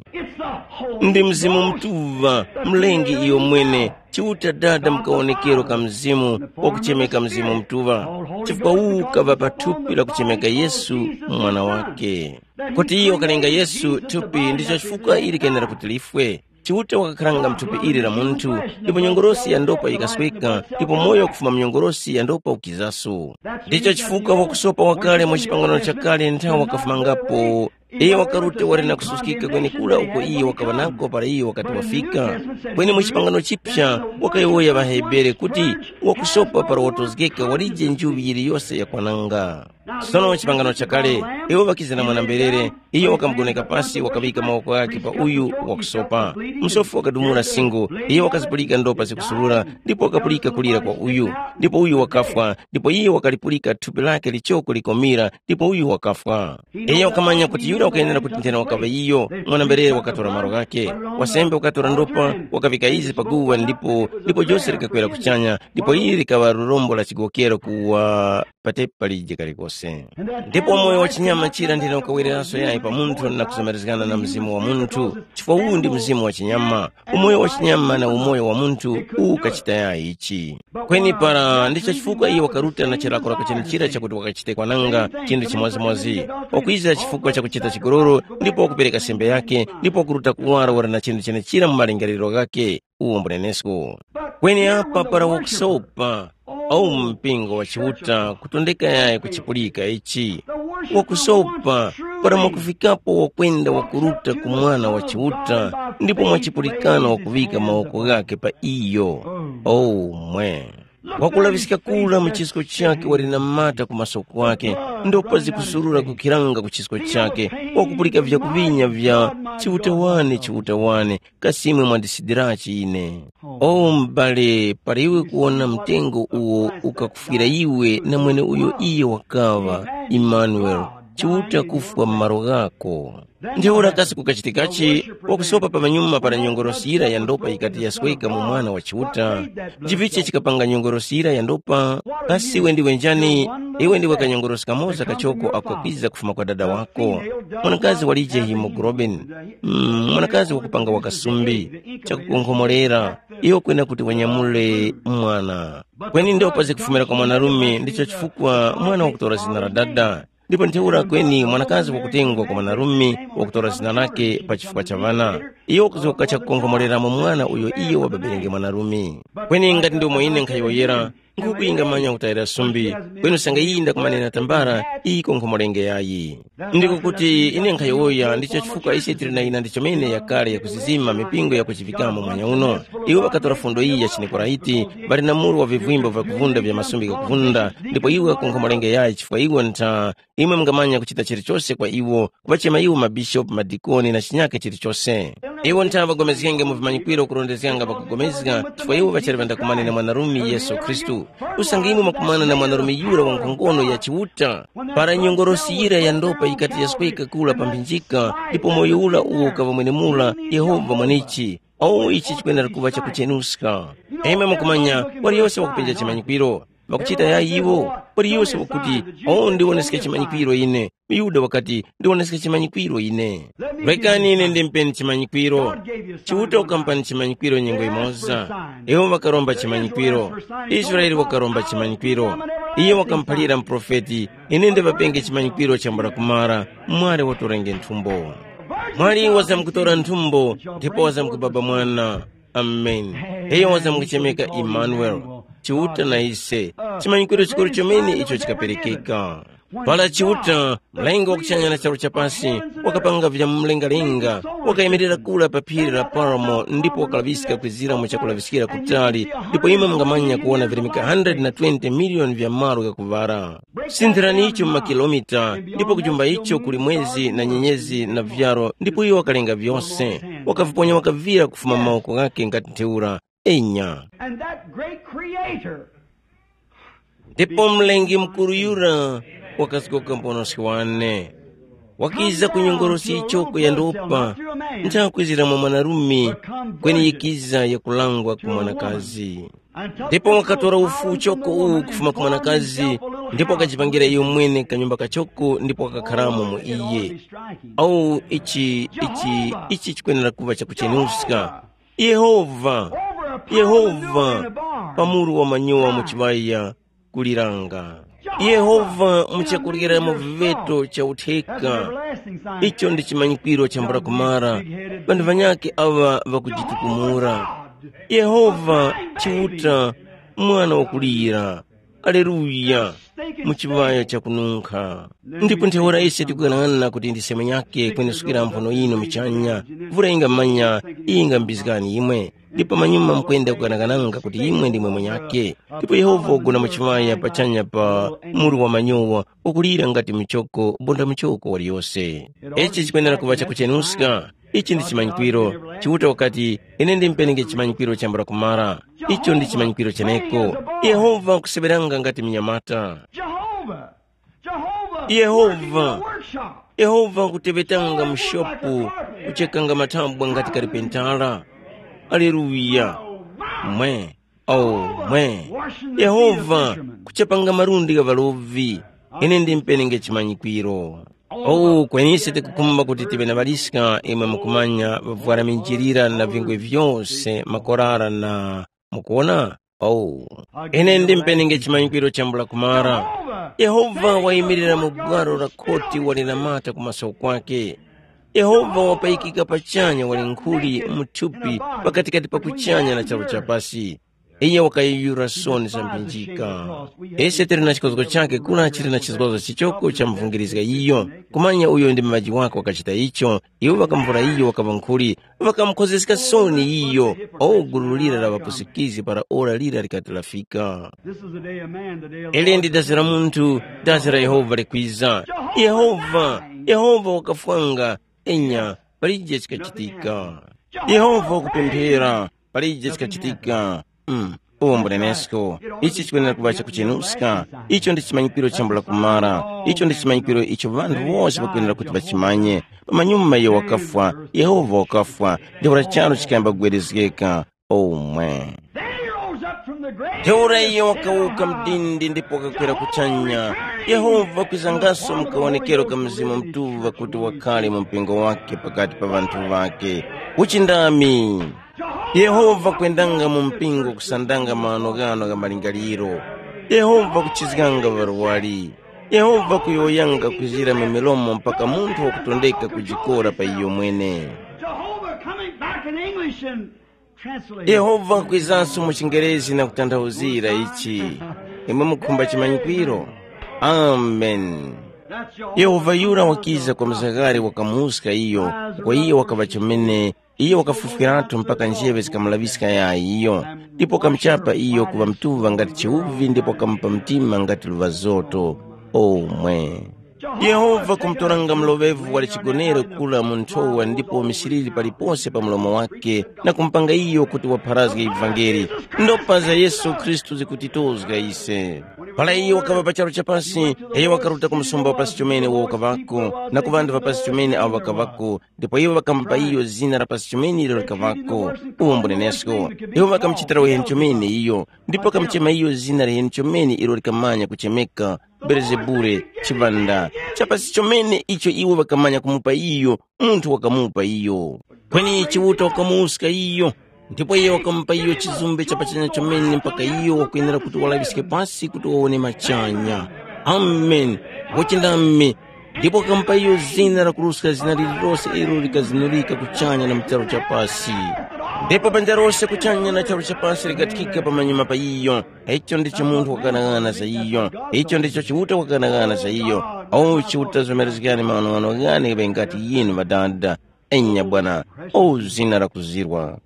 Ndi Mzimu Mutuŵa, Mlengi iyo mwene, Chiuta Dada mu kawonekero ka Mzimu wakuchemeka Mzimu Mutuŵa, chifukwa uwu kaŵa pa thupi la kuchemeka Yesu Mwana wake. Kuti iyo wakalenga Yesu thupi ndicho chifukwa ili kenera kuti lifwe. Chiuta wakakharanga mthupi ili la munthu, ndipo nyongolosi ya ndopa yikasweka, ndipo moyo kufuma mu nyongolosi ya ndopa ukizaso. Ndicho chifukwa wakusopa wakale mu chipangano chakale nthawi wakafumangapo. Iye wakaruta wali na kususkika kwenekura uko iye wakaŵa nako para iye wakati wafika. Kweni mu chipangano chipya, wakayowoya ŵaHebere kuti, wakusopa para watozgeka walije njuŵi yiliyose yakwananga. Sono chipangano chakale, iwo ŵakiza na mwana-mberere, iyo wakamugoneka pasi wakaŵika mawoko ghakhe pa uyu wakusopa. Msofi wakadumula singo, iyo wakazipulika ndopa zikusurura, ndipo wakapulika kulira kwa uyu. Ndipo uyu wakafwa, ndipo iye wakalipulika thupi lake lichoko likomira, ndipo uyu wakafwa. Iyo wakamanya kuti yura wakayenera kuti nthena wakaŵa iyo, mwana-mberere wakatora malo ghakhe. Wasembe wakatora ndopa, wakaŵika izi pa guwa ndipo, ndipo jose likakwera kuchanya, ndipo ili likaŵa lurombo la chigokero kuwa patepa lije kalikose. Ndipo moyo wa chinyama chira ndine ukawereranso yayi pa munthu na kuzomerezgana na mzimu wa munthu, chifukwa uwu ndi mzimu wa chinyama. Umoyo wa chinyama na umoyo wa munthu uwu ukachita yayi ichi. Kweni para ndicho chifukwa iye wakaruta na chilakolako chenichira chakuti wakachite kwananga chinthu chimodzimodzi, wakwizira chifukwa chakuchita chigololo ndipo wakupereka sembe yake, ndipo wakuruta kuwara wali na chinthu chenechira mu malingaliro ghake. Uwo mbunenesko. Kweni apa para wakusopa, au mpingo wa Chiuta kutondeka yayi kuchipulika ichi, wakusopa para mwakufikapo wakwenda wakuruta ku mwana wa Chiuta, ndipo mwachipulikana wakuŵika mawoko ghake pa iyo. Oh mwe! Wakulaŵiska kura mu chisko chakhe wali na mata ku maso kwakhe, ndopa zikusurura kukhiranga ku chisko chakhe, wakupulika vyakuŵinya vya, Chiuta wane, Chiuta wane, kasi imwe mwandisidirachi ine? O m'bale, para iwe kuwona mtengo uwo ukakufwira iwe na mweneuyo iyo wakaŵa, Imanuele, Chiuta kufwa m'malo ghako. Ntheura kasi kukachitikachi? Wakusopa pamanyuma para nyongorosi yira ya ndopa yikati yasweka mu mwana wa Chiuta. Nchivichi chikapanga nyongorosi yira ya ndopa? Kasi iwe ndiwe njani? Iwe ndiwe kanyongorosi kamoza kachoko ako kakwiza kufuma kwa dada wako. Mwanakazi walije hemoglobin. Mm, mwanakazi wakupanga wakasumbi, chakukonkhomorera, iyo kwena kuti wanyamule mwana. Kweni ndopa zikufumira kwa mwanarume, ndicho chifukwa mwana wakutora zina la dada. Ndipo ntheura kweni mwanakazi wakutengwa kwa mwanarume wakutora zina lake pa chifukwa cha ŵana. Iyo wakuzoka chakukonkhomoreramo mwana uyo iyo wababerenge mwanarume. Kweni ngati ndi umo ine nkhayowoyera, Nkhuku yingamanya kutayira sumbi, kweni usange yinda kumanena tambala, iko nkhumulenge yayi. Ndiko kuti ine nkhayowoya ndicho chifukwa ise tili na yina ndichomene yakale yakuzizima mipingo yakuchivikamo mwanya uno. Iwo ŵakatora fundo iyi ya chiNikoraiti, ŵali na muru wa vivwimbo vyakuvunda vya masumbi ghakuvunda, ndipo iwo ŵakunkhomolenge yayi chifukwa iwo ntha imwe mungamanya kuchita chilichose kwa iwo, kuŵachema iwo mabishopu, madikoni na chinyake chilichose. Iwo ntha ŵagomezgenge mu vimanyikwiro kurondezganga ŵakugomezga chifukwa iwo ŵachali ŵandakumane na mwanarume Yesu Khristu. Usange imwe mwakumana na mwanarume yura wa nkhongono ya Chiuta, para nyongorosi yira ya ndopa yikati yasweka kula pa mphinjika, ndipo moyo ura uwo ukaŵa mwenemura Yehova mwenichi, o ichi chikwenera kuŵa chakuchenuska. Imwe mukumanya, waliyose wakupenja chimanyikwiro, ŵakuchita yayi iwo, waliyose wakuti, o ndiwoneske chimanyikwiro ine. Yuda wakati, ndiwoneske chimanyikwiro ine. Rekani ine ndimpeni chimanyikwiro. Chiuta ukampani chimanyikwiro nyengo imoza. Iwo ŵakaromba chimanyikwiro. Israele wakaromba chimanyikwiro. Iye wakamuphalira muprofeti, ine ndiŵapenge chimanyikwiro chambula kumara, mwali watorenge nthumbo. Mwali wazamkutora nthumbo, ndipo wazamkubaba mwana. Amen. Iyo wazamkuchemeka Emmanuel, Chiuta na ise. Chimanyikwiro chikuru chomene icho chikaperekeka. Para Chiuta, mlengi wa kuchanya na charu chapasi, wakapanga vya mlengalenga, wakayimirira kula pa phiri la Paramo ndipo wakalaŵiska kwizira mu chakulaŵiskira kutali, ndipo imwe mungamanya kuwona virimika hundred na twenty miliyoni vya malo ghakuŵara. Sinthirani icho mu makilomita, ndipo kujumba icho kuli mwezi na nyenyezi na vyaro, ndipo iyo wakalenga vyose. Wakaviponya wakavira kufuma mu mawoko ghakhe ngati ntheura. Enya. And that great creator Ndipo mlengi mukuru yura wakazgoka mponoski wane. Wakiza kunyongorosi ichoko ya ndopa, nchakwizira mwa mwanarume, kweni yikiza yakulangwa ku mwanakazi. Ndipo wakatora ufu uchoko uwu kufuma ku mwanakazi, ndipo wakajipangira iyo mwene kanyumba kachoko ndipo wakakharamo mu iye. Awu ichi ichi ichi chikwenera kuŵa chakuchenuska. Yehova, Yehova, pa muru wa manyowa mu chiŵaya kuliranga. Yehova mu chakuryeramo viŵeto cha utheka. Icho ndi chimanyikwiro chambula kumara. Ŵanthu ŵanyakhe aŵa ŵakujitukumura. Yehova, Chiuta, mwana wakulira. Aleluya! Mu chiŵaya chakununkha. Ndipo ntheura ise tikughanaghanana kuti ndi seme yake kwenesukira mphono yinu muchanya, vura ingamanya, iyi ingambizgani imwe. Ndipo pamanyuma mukwenda kughanaghananga kuti imwe ndimwe mwenyake. Ndipo Yehova wagona mu chiŵaya pachanya pa muru wa manyowa, ukulira ngati muchoko, bonda muchoko waliyose. Ichi chikwenera kuŵa chakuchenuska. Ichi ndi chimanyikwiro. Chiuta wakati, ine ndimperenge chimanyikwiro chambula kumara. Icho ndi chimanyikwiro cheneko. Yehova wakuseŵeranga ngati mnyamata. Jehovah, Jehovah, Yehova. Working in the workshop. Yehova wakuteŵetanga mu shopu, kuchekanga mathambwa ngati kalipentala. Aleluya. Mwe, oh, mwe. Yehova kuchepanga malundi gha ŵalovi. Ine ndimperenge chimanyikwiro. Oh, kwenise tikukhumba kuti tive na ŵaliska imwe mukumanya ŵavwara minjilira na vingwe vyose makorara na, mukuwona? Oh, ine ndimpenenge chimanyikwiro chambula kumara. Yehova wayimirira mu gwaro la khoti wali na mata ku maso kwake. Yehova wapayikika pachanya wali nkhuli mu thupi pakatikati pa kuchanya na charu chapasi. Iye wakayuyura soni za mphinjika. Ise tili na chikozgo chake kula chili na chizgozo chichoko cha muvungirizga iyo. Kumanya uyo ndi muŵaji wake wakachita icho, iwo ŵakamuvura iyo wakaŵa nkhuli, ŵakamukhozgeska soni iyo. O gulu lira la ŵapusikizgi para ora lira likati lafika. This is the day of man, the day of the Ili ndi dazi la munthu, dazi la Yehova likwiza. Yehova, Yehova wakafwanga, enya, palije chikachitika. Yehova wakupemphera, palije chikachitika. Mm. Uwo mbunenesko, ichi chikwenera kuŵa chakuchenuska. Icho ndi chimanyikiro chambula kumara. Icho ndi chimanyikiro icho ŵanthu wose ŵakwenera kuti ŵachimanye. Pamanyuma iyo wakafwa, Yehova wakafwa, ntheura charu chikayamba kugwerezgeka. Omwe. Then he rose up from the grave. Ntheura iyo wakawuka mdindi ndipo wakakwera kuchanya. Yehova kwizangaso mukawonekero ka Mzimu Mutuŵa kuti wakhale mu mpingo wake pakati pa ŵanthu ŵake. Uchindami. Yehova kwendanga mu mpingo kusandanga mano ghano gha malingaliro. Yehova kuchizganga ŵarwari. Yehova kuyowoyanga kwizira mu milomo mpaka munthu wakutondeka kujikora pa iyo mwene. Jehovah coming back in English and Yehova wakwizanso mu chingerezi na kutanthauzira ichi. Imwe mukhumba chimanyikwiro? Amen. Yehova yura wakiza kwa mzakare wakamuska iyo, kwa iyo wakaŵa chomene, iyo wakafufwiratu mpaka njeŵe zikamulaŵiska yayi iyo, ndipo wakamuchapa iyo kuŵa mtuŵa ngati chiwuvi ndipo wakamupa mtima ngati luŵazoto. Omwe. Yehova kumutoranga mloŵevu wali chigonere kula mu nthowa ndipo misiriri palipose pa mlomo wake, na kumupanga iyo kuti wapharazge ivangeli. Ndopa za Yesu Khristu zikutitozga ise. Para iyo wakaŵa pa charu cha pasi, iyo wakaruta ku msumba wa pasi chomene uwo ukaŵako, na ku ŵanthu ŵa pasi chomene awo ŵakaŵako, ndipo iwo ŵakamupa iyo zina la pasi chomene ilo likaŵako. Uwo mbunenesko. Iwo ŵakamuchitira uheni chomene iyo, ndipo wakamuchema iyo zina liheni chomene ilo likamanya kuchemeka, Belezebule, chiŵanda, cha pasi chomene icho iwo ŵakamanya kumupa iyo, munthu wakamupa iyo. Kweni Chiuta wakamuska iyo, ndipo iye wakamupa iyo chizumbe cha pachanya chomene mpaka iyo wakwenera kuti walaŵiske pasi kuti wawone machanya. Amen. Wachindami. Ndipo wakamupa iyo zina lakuruska zina lililose ilo likazinurika kuchanya na mu charu cha pasi. Ndipo banja lose kuchanya na charu cha pasi likathikika pamanyuma pa iyo. Icho ndicho munthu wakanaghana za iyo. Icho ndicho Chiuta wakanaghana za iyo. O Chiuta zomerezgani maghanoghano ghane ŵengati yinu ŵadada. Enya bwana, o zina lakuzirwa.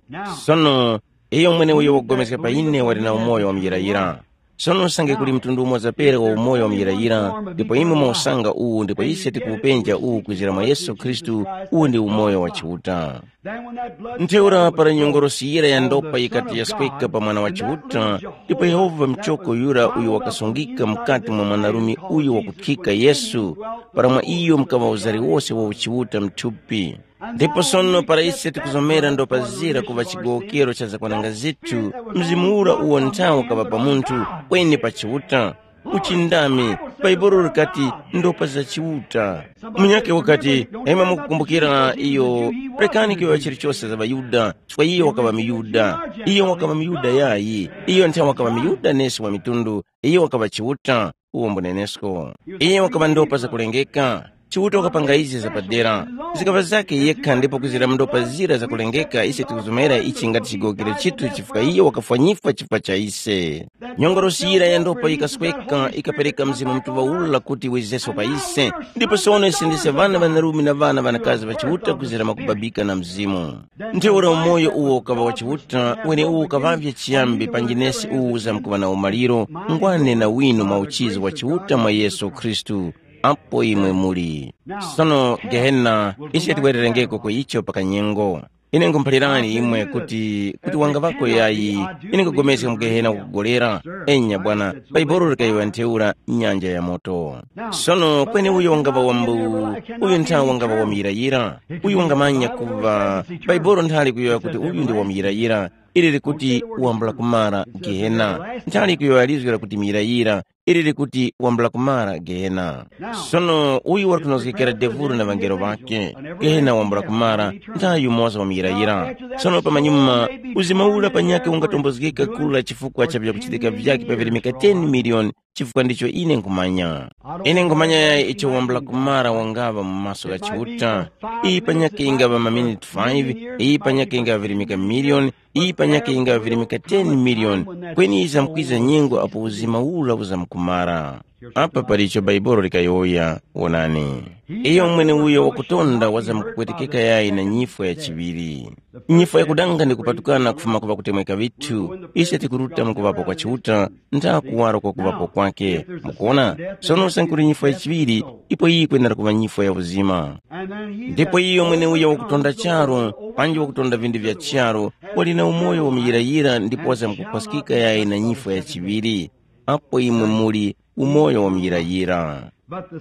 Sono, iyo mwene uyo wagomeska pa ine wali na umoyo wa muyirayira. Sono usange kuli mtundu umoza pera wa umoyo wa muyirayira, ndipo imwe mwausanga uwu ndipo ise tikuwupenja uwu kwizira mwa Yesu Khristu, uwu ndi umoyo wa Chiuta. Ntheura para nyongorosi yira ya ndopa yikati yasweka pa mwana wa Chiuta, ndipo Yehova mchoko yura uyo wakasungika mukati mwa mwanarume uyo wakuthika Yesu, para mwa iyo mukaŵa uzari wose wa uchiuta mthupi. Ndipo sono para ise tikuzomera ndopa zira kuŵa chigowokero cha zakwananga zithu, mzimu ura uwo nthawe ukaŵa pa munthu, kweni pa Chiuta, uchindami, Bhaibuli likati ndopa za Chiuta. Munyakhe wakati, imwe mukukumbukira iyo, rekani kuyowoya chilichose za ŵaYuda, chifukwa iyo wakaŵa muYuda. Iyo wakaŵa muYuda yayi, iyo nthawe wakaŵa muYuda nesi wa mitundu, iyo wakaŵa Chiuta, uwo mbunenesko. Iyo wakaŵa ndopa zakulengeka. Chiuta wakapanga izi zapadera. Zikaŵa zake yekha ndipo kwizira ndopa zira zakulengeka ise tikuzomera ichi ngati chigowokero chithu chifukwa iyo wakafwanyifwa chifukwa cha ise. Nyongorosi yira ya ndopa yikasweka ikapereka Mzimu Mutuŵa ula kuti wizeso pa ise. Ndipo sono ise ndise ŵana ŵanarume na ŵana ŵanakazi ŵa Chiuta kwizira mwakubabika na Mzimu. Ntheura umoyo uwo ukaŵa wa Chiuta, wene uwo ukaŵavye chiyambi panji nesi uwu uzamkuŵa na umaliro, ngwane na winu mwa uchizi wa Chiuta mwa Yesu Khristu, apo imwe muli. Sono Gehena, ise tibwererengeko ku icho pa kanyengo. Ine nkhumuphalirani imwe kuti, kuti wangaŵako yayi, ine nkhupulikana mu Gehena wakugolera. Enya bwana, Bhaibuli likayowoya ntheura nyanja ya moto. Sono kweni uyo wangaŵa wambu, uyu nthawe wangaŵa wamuyirayira, uyu wangamanya kuŵa, Bhaibuli nthali kuyowoya kuti uyu ndi wamuyirayira, ili likuti wambula kumara Gehena, nthali kuyowoya lizgu lakuti muyirayira, ili likuti wambula kumara Gehena. Sono uyu wali kunozgekera devuro na ŵangelo ŵakhe. Gehena wambula kumara, nthawe yumoza wamuyirayira. Sono pamanyuma, uzima ura panyakhe ungatombozgeka kula chifukwa cha vyakuchitika vyakhe pa virimika ten miliyoni, chifukwa ndicho ine nkhumanya. Ine nkhumanya yayi icho wambula kumara wangaŵa mu maso gha Chiuta. Iyi panyakhe ingaŵa maminiti five, iyi panyakhe ingaŵa virimika miliyoni, iyi panyakhe ingaŵa virimika ten miliyoni, kweni yizamkwiza nyengo apo uzima ura uzamkumara. Apa pali icho Bhaibuli likayowoya, wonani. Iyo mwene uyo wakutonda wazamkupwetekeka yayi na nyifwa ya chiŵiri. Nyifwa yakudanga ndi kupatukana kufuma ku ŵakutemweka ŵithu, ise tikuruta mu kuŵapo kwa Chiuta, ntha kuwaro kwa kuŵapo kwakhe. Mukuona? Sono usange kuli nyifwa ya chiŵiri, ipo iyi yikwenera kuŵa nyifwa ya uzima. Ndipo iyo mweneuyo wakutonda charu, panji wakutonda vinthu vya charu, wali na umoyo wamuyirayira ndipo wazamkukhwaskika yayi na nyifwa ya chiŵiri. Apo imwe muli umoyo wamuyirayira. But the,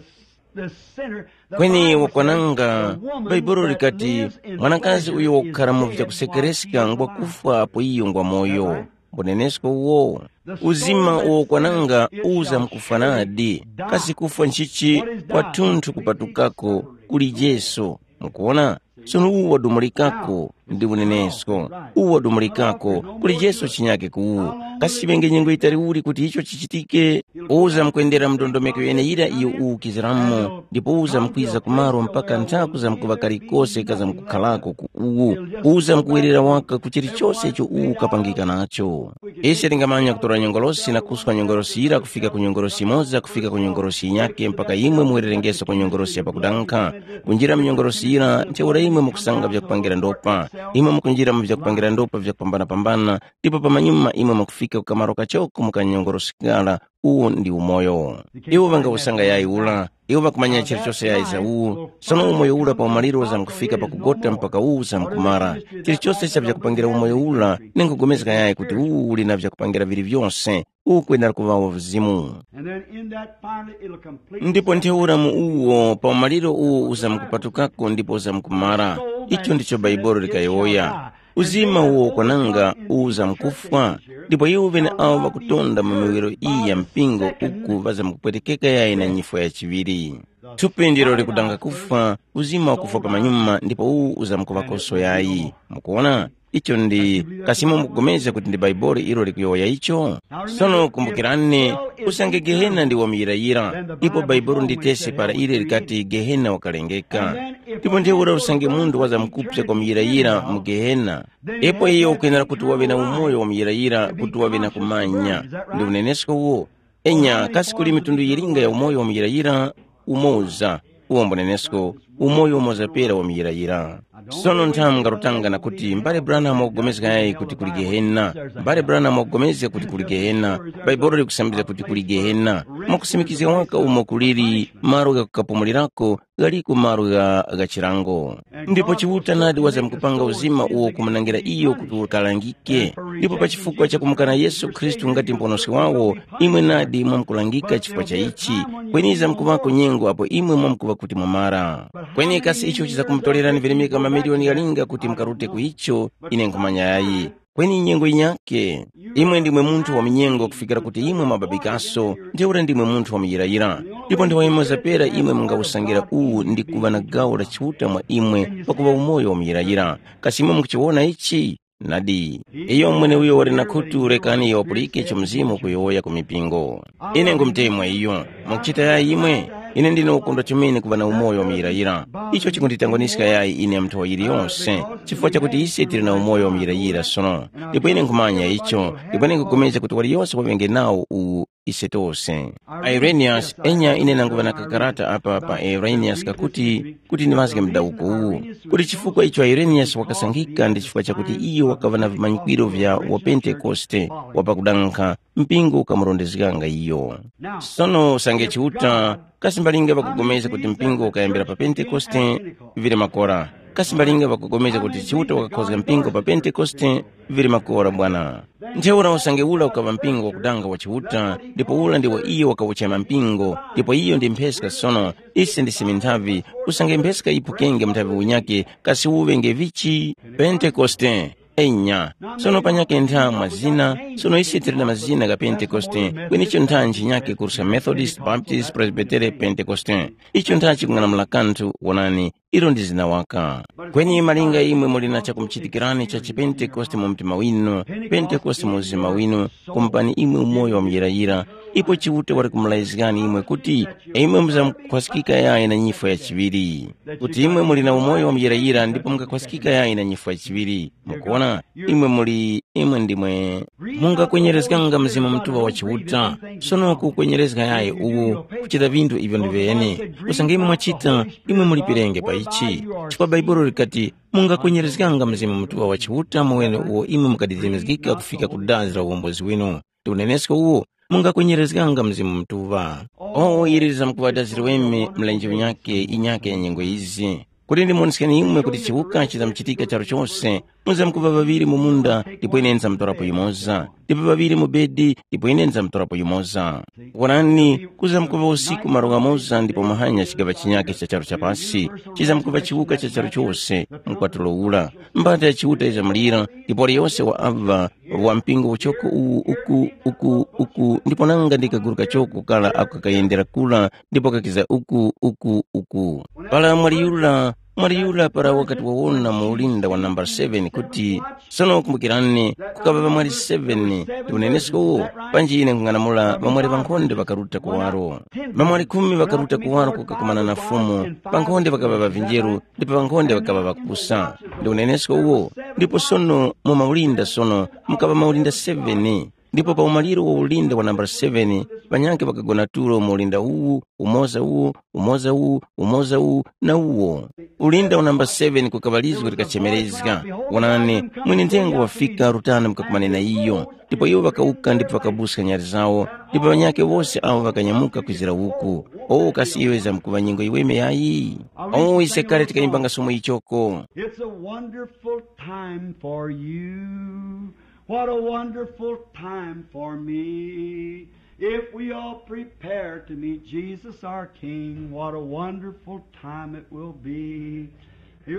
the sinner, the kweni Bible says, wakwananga, the woman baibulo that likati lives in mwanakazi uyo wakukhala mu vyakusekereska ngwa kufwa apo iyo ngwa moyo. Mbunenesko uwo, uzima uwo wakwananga uza mkufwanadi. Kasi kufwa nchichi? Kwathunthu kupatukako kuli Jesu. Mukuona? Sono uwu wadumulikako ndi unenesko. Uwu wadumulikako, kuli Yesu chinyake ku uwu. Kasi chiŵenge nyengo yitali uli kuti icho chichitike? Uza mukwendera mndondomeko yeneyira iyo uwukiziramo, ndipo uza mukwiza kumaro mpaka nthaku za mkuŵa kalikose kaza mukukharako ku uwu. Uza mukuwerera waka ku chilichose icho uwu ukapangika nacho. Ise tingamanya kutora nyongolosi na kuswa nyongolosi yira kufika ku nyongolosi yimoza kufika ku nyongolosi yinyake mpaka imwe muwererengeso ku nyongolosi ya pakudankha. Kunjira mu nyongolosi yira ntheura imwe mukusanga vyakupangira ndopa. Imwe mukunjira mu vyakupangira ndopa vyakupambana-pambana, ndipo pamanyuma imwe mukufika ku kamaro kachoko mu kanyongolosi kara. Uwu ndi umoyo. Iwo ŵangawusanga yayi ura. Iwo ŵakumanya chilichose yayi za uwu. Sono umoyo ura pa umaliro uzamkufika pakugota mpaka uwu uzamkumara. Chilichose cha vyakupangira umoyo ura, ningugomezga yayi kuti uwu uli na vyakupangira vili vyose. Uwu kwenda kuŵawo vizimu. And then in that finally it'll completely. Ndipo ntheura mu uwo pa umaliro uwo uzamkupatukako ndipo uzamkumara. Icho ndicho Bhaibuli likayowoya. Uzima uwo ukwananga uwu uzamkufwa. Ndipo iwo ŵeneawo ŵakutonda mu miwiro iyi ya mpingo uku ŵazamkupwetekeka yayi na nyifwa ya chiŵiri. Thupi ndilo likudanga kufwa, uzima wakufwa pamanyuma ndipo uwu uzamkuŵakoso yayi. Mukuona? Icho ndi kasimo mukupulikana kuti ndi Bhaibuli ilo likuyowoya icho? Sono kumbukirani, usange Gehena ndi wamuyirayira, ipo Bhaibuli nditesi para ili likati Gehena wakalengeka. Ndipo ntheura usange munthu wazamkupsa kwa muyirayira mu Gehena, ipo iyo ukwenera kuti waŵe na umoyo wamuyirayira kuti waŵe na kumanya. Ndi unenesko uwo. Enya kasi kuli mitundu yilinga ya umoyo wamuyirayira? Umoza. Uwo mbunenesko, umoyo umoza pera wamuyirayira. Sono nthamu ngarutanga na kuti mbale Branham wakupulikana yayi kuti kuli Gehena. Mbale Branham wakupulikana kuti kuli Gehena. Bhaibuli likusambizga kuti kuli Gehena. Mwakusimikizga waka umo kuliri malo ghakukapumulirako ghaliko malo gha gha chilango. Ndipo Chiuta nadi wazamkupanga uzima uwo kumunangira iyo kuti ukalangike. Ndipo pa chifukwa cha kumukana Yesu Khristu ngati Muponoski wawo, imwe nadi mwamkulangika chifukwa cha ichi. Kweni yizamkuŵako nyengo apo imwe mwamkuŵa kuti mwamara. Kweni kasi icho chizakumutorerani virimika mamiliyoni ghalinga kuti mukarute ku icho? Ine nkhumanya yayi. Kweni nyengo yinyakhe. Imwe ndimwe munthu wa munyengo kufikira kuti imwe mwababikaso, ntheura ndimwe munthu wa muyirayira. Ndipo nthawi yimoza pera imwe mungawusangira uwu ndi kuŵa na gawo la Chiuta mwa imwe pakuŵa umoyo wa muyirayira. Kasi imwe mukuchiwona ichi? Nadi. Iyo mweneuyo wali na khutu rekani iyo wapulike icho Mzimu ukuyowoya ku mipingo. Ine ngumutemwa iyo. Mwakuchita yayi imwe? Ine ndine ukondwa chomene kuŵa na umoyo wa muyirayira. Icho chikunditangwaniska yayi ine mnthowa yiliyonse, chifukwa chakuti ise tili na umoyo wa muyirayira sono. Ndipo ine nkhumanya icho, ndipo ine nkhupulikana kuti waliyose waŵenge nawo uwu ise tose. Irenaeus, enya ine nanguŵa na kakarata apa pa Irenaeus kakuti, kuti ndiŵazge mdawuko uwu, kuti chifukwa icho Irenaeus wakasankhika ndi chifukwa chakuti iyo wakaŵa na vimanyikwiro vya wa Pentekoste, wa pakudankha, mpingo ukamurondezganga iyo. Sono usange Chiuta, kasi mbalinga ŵakupulikana kuti mpingo ukayambira pa Pentekoste? Vili makora. Kasi mbalinga ŵakupulikana kuti Chiuta wakakhozga mpingo pa Pentekoste? Vili makora bwana. Ntheura usange ura ukaŵa mpingo wakudanga wa Chiuta, ndipo ura ndiwo iyo wakawuchema mpingo, ndipo iyo ndi mpheska sono, ise ndise minthavi, usange mpheska yiphukenge mnthavi unyakhe, kasi uŵenge vichi? Pentekoste. Enya, sono panyakhe ntha mwa zina, sono ise tili na mazina gha Pentekoste, kweni icho ntha nchinyakhe kurusha Methodist, Baptist, Presbytere, Pentekoste. Icho ntha chikung'anamula kanthu, wonani, ilo ndi zina waka. Kweni malinga imwe muli na chakumuchitikirani cha chipentekoste mu mtima winu, pentekoste mu uzima winu, kumupani imwe umoyo wa muyirayira, ipo Chiuta wali kumulazgani imwe kuti imwe muzamkukhwaskika yayi na nyifwa ya chiŵiri. Kuti imwe muli na umoyo wa muyirayira ndipo mungakhwaskika yayi na nyifwa ya chiŵiri. Mukuona, imwe muli, imwe ndimwe mungakwenyerezganga Mzimu Mutuŵa wa Chiuta. Sono kukwenyerezga yayi uwu, kuchita vinthu ivyo ndi vene. Usange imwe mwachita, imwe mulipirenge pa ichi. Chifukwa Bhaibuli likati, mungakwenyerezganga Mzimu Mutuŵa wa Chiuta mowene uwo imwe mukadidimizgika kufika ku dazi la uwombozi winu. Ndi unenesko uwo, mungakwenyerezganga Mzimu Mutuŵa. O, ili lizamkuŵadazirweme mlenje unyake inyake ya nyengo izi. Kuti ndimuwoneskeni imwe kuti chiwuka chizamuchitika charu chose, muzamkuŵa ŵaŵiri mu munda, ndipo ine nzamtorapo yumoza. Ndipo ŵaŵiri mu bedi, ndipo ine nzamtorapo yumoza. Wonani, kuzamkuŵa usiku malo ghamoza ndipo muhanya chigaŵa chinyakhe cha charu cha pasi, chizamkuŵa chiwuka cha charu chose, mkwatulo ura. Mbata ya Chiuta yizamulira, ndipo waliyose wa aŵa wa mpingo uchoko uwu uku, uku, uku, ndipo nanga ndi kaguru kachoko kara ako kakayendera kura ndipo kakiza uku, uku, uku. Para mwaliyura, Mwali yura para wakati wawona mu ulinda wa nambala seven kuti, sono kumbukirani, kukaŵa ŵamwali seven ndi unenesko uwo, panji ine nkung'anamula ŵamwali ŵankhonde ŵakaruta kuwaro. Ŵamwali khumi ŵakaruta kuwaro kukakumana na Fumu, pankhonde ŵakaŵa ŵavinjeru, ndipo pankhonde ŵakaŵa ŵakupusa. Ndi unenesko uwo, ndipo sono mu maulinda sono mukaŵa maulinda seven. Ndipo pa umaliro wa ulinda wa nambala seven, ŵanyakhe ŵakagona tulo mu ulinda uwu, umoza uwu, umoza uwu, umoza uwu, na uwo. Ulinda wa nambala seven kukaŵa lizgu likachemerezga. Wonani, mwini nthengo wafika, rutani mukakumane na iyo. Ndipo iwo ŵakawuka ndipo ŵakabuska nyali zawo, ndipo ŵanyakhe wose awo ŵakanyamuka kwizira uku. O kasi iyo yizamkuŵa nyengo yiweme yayi? O ise kale tikayimbanga somo ichoko. It's a wonderful time for you. What a wonderful time for me. If we all prepare to meet Jesus our King, what a wonderful time it will be.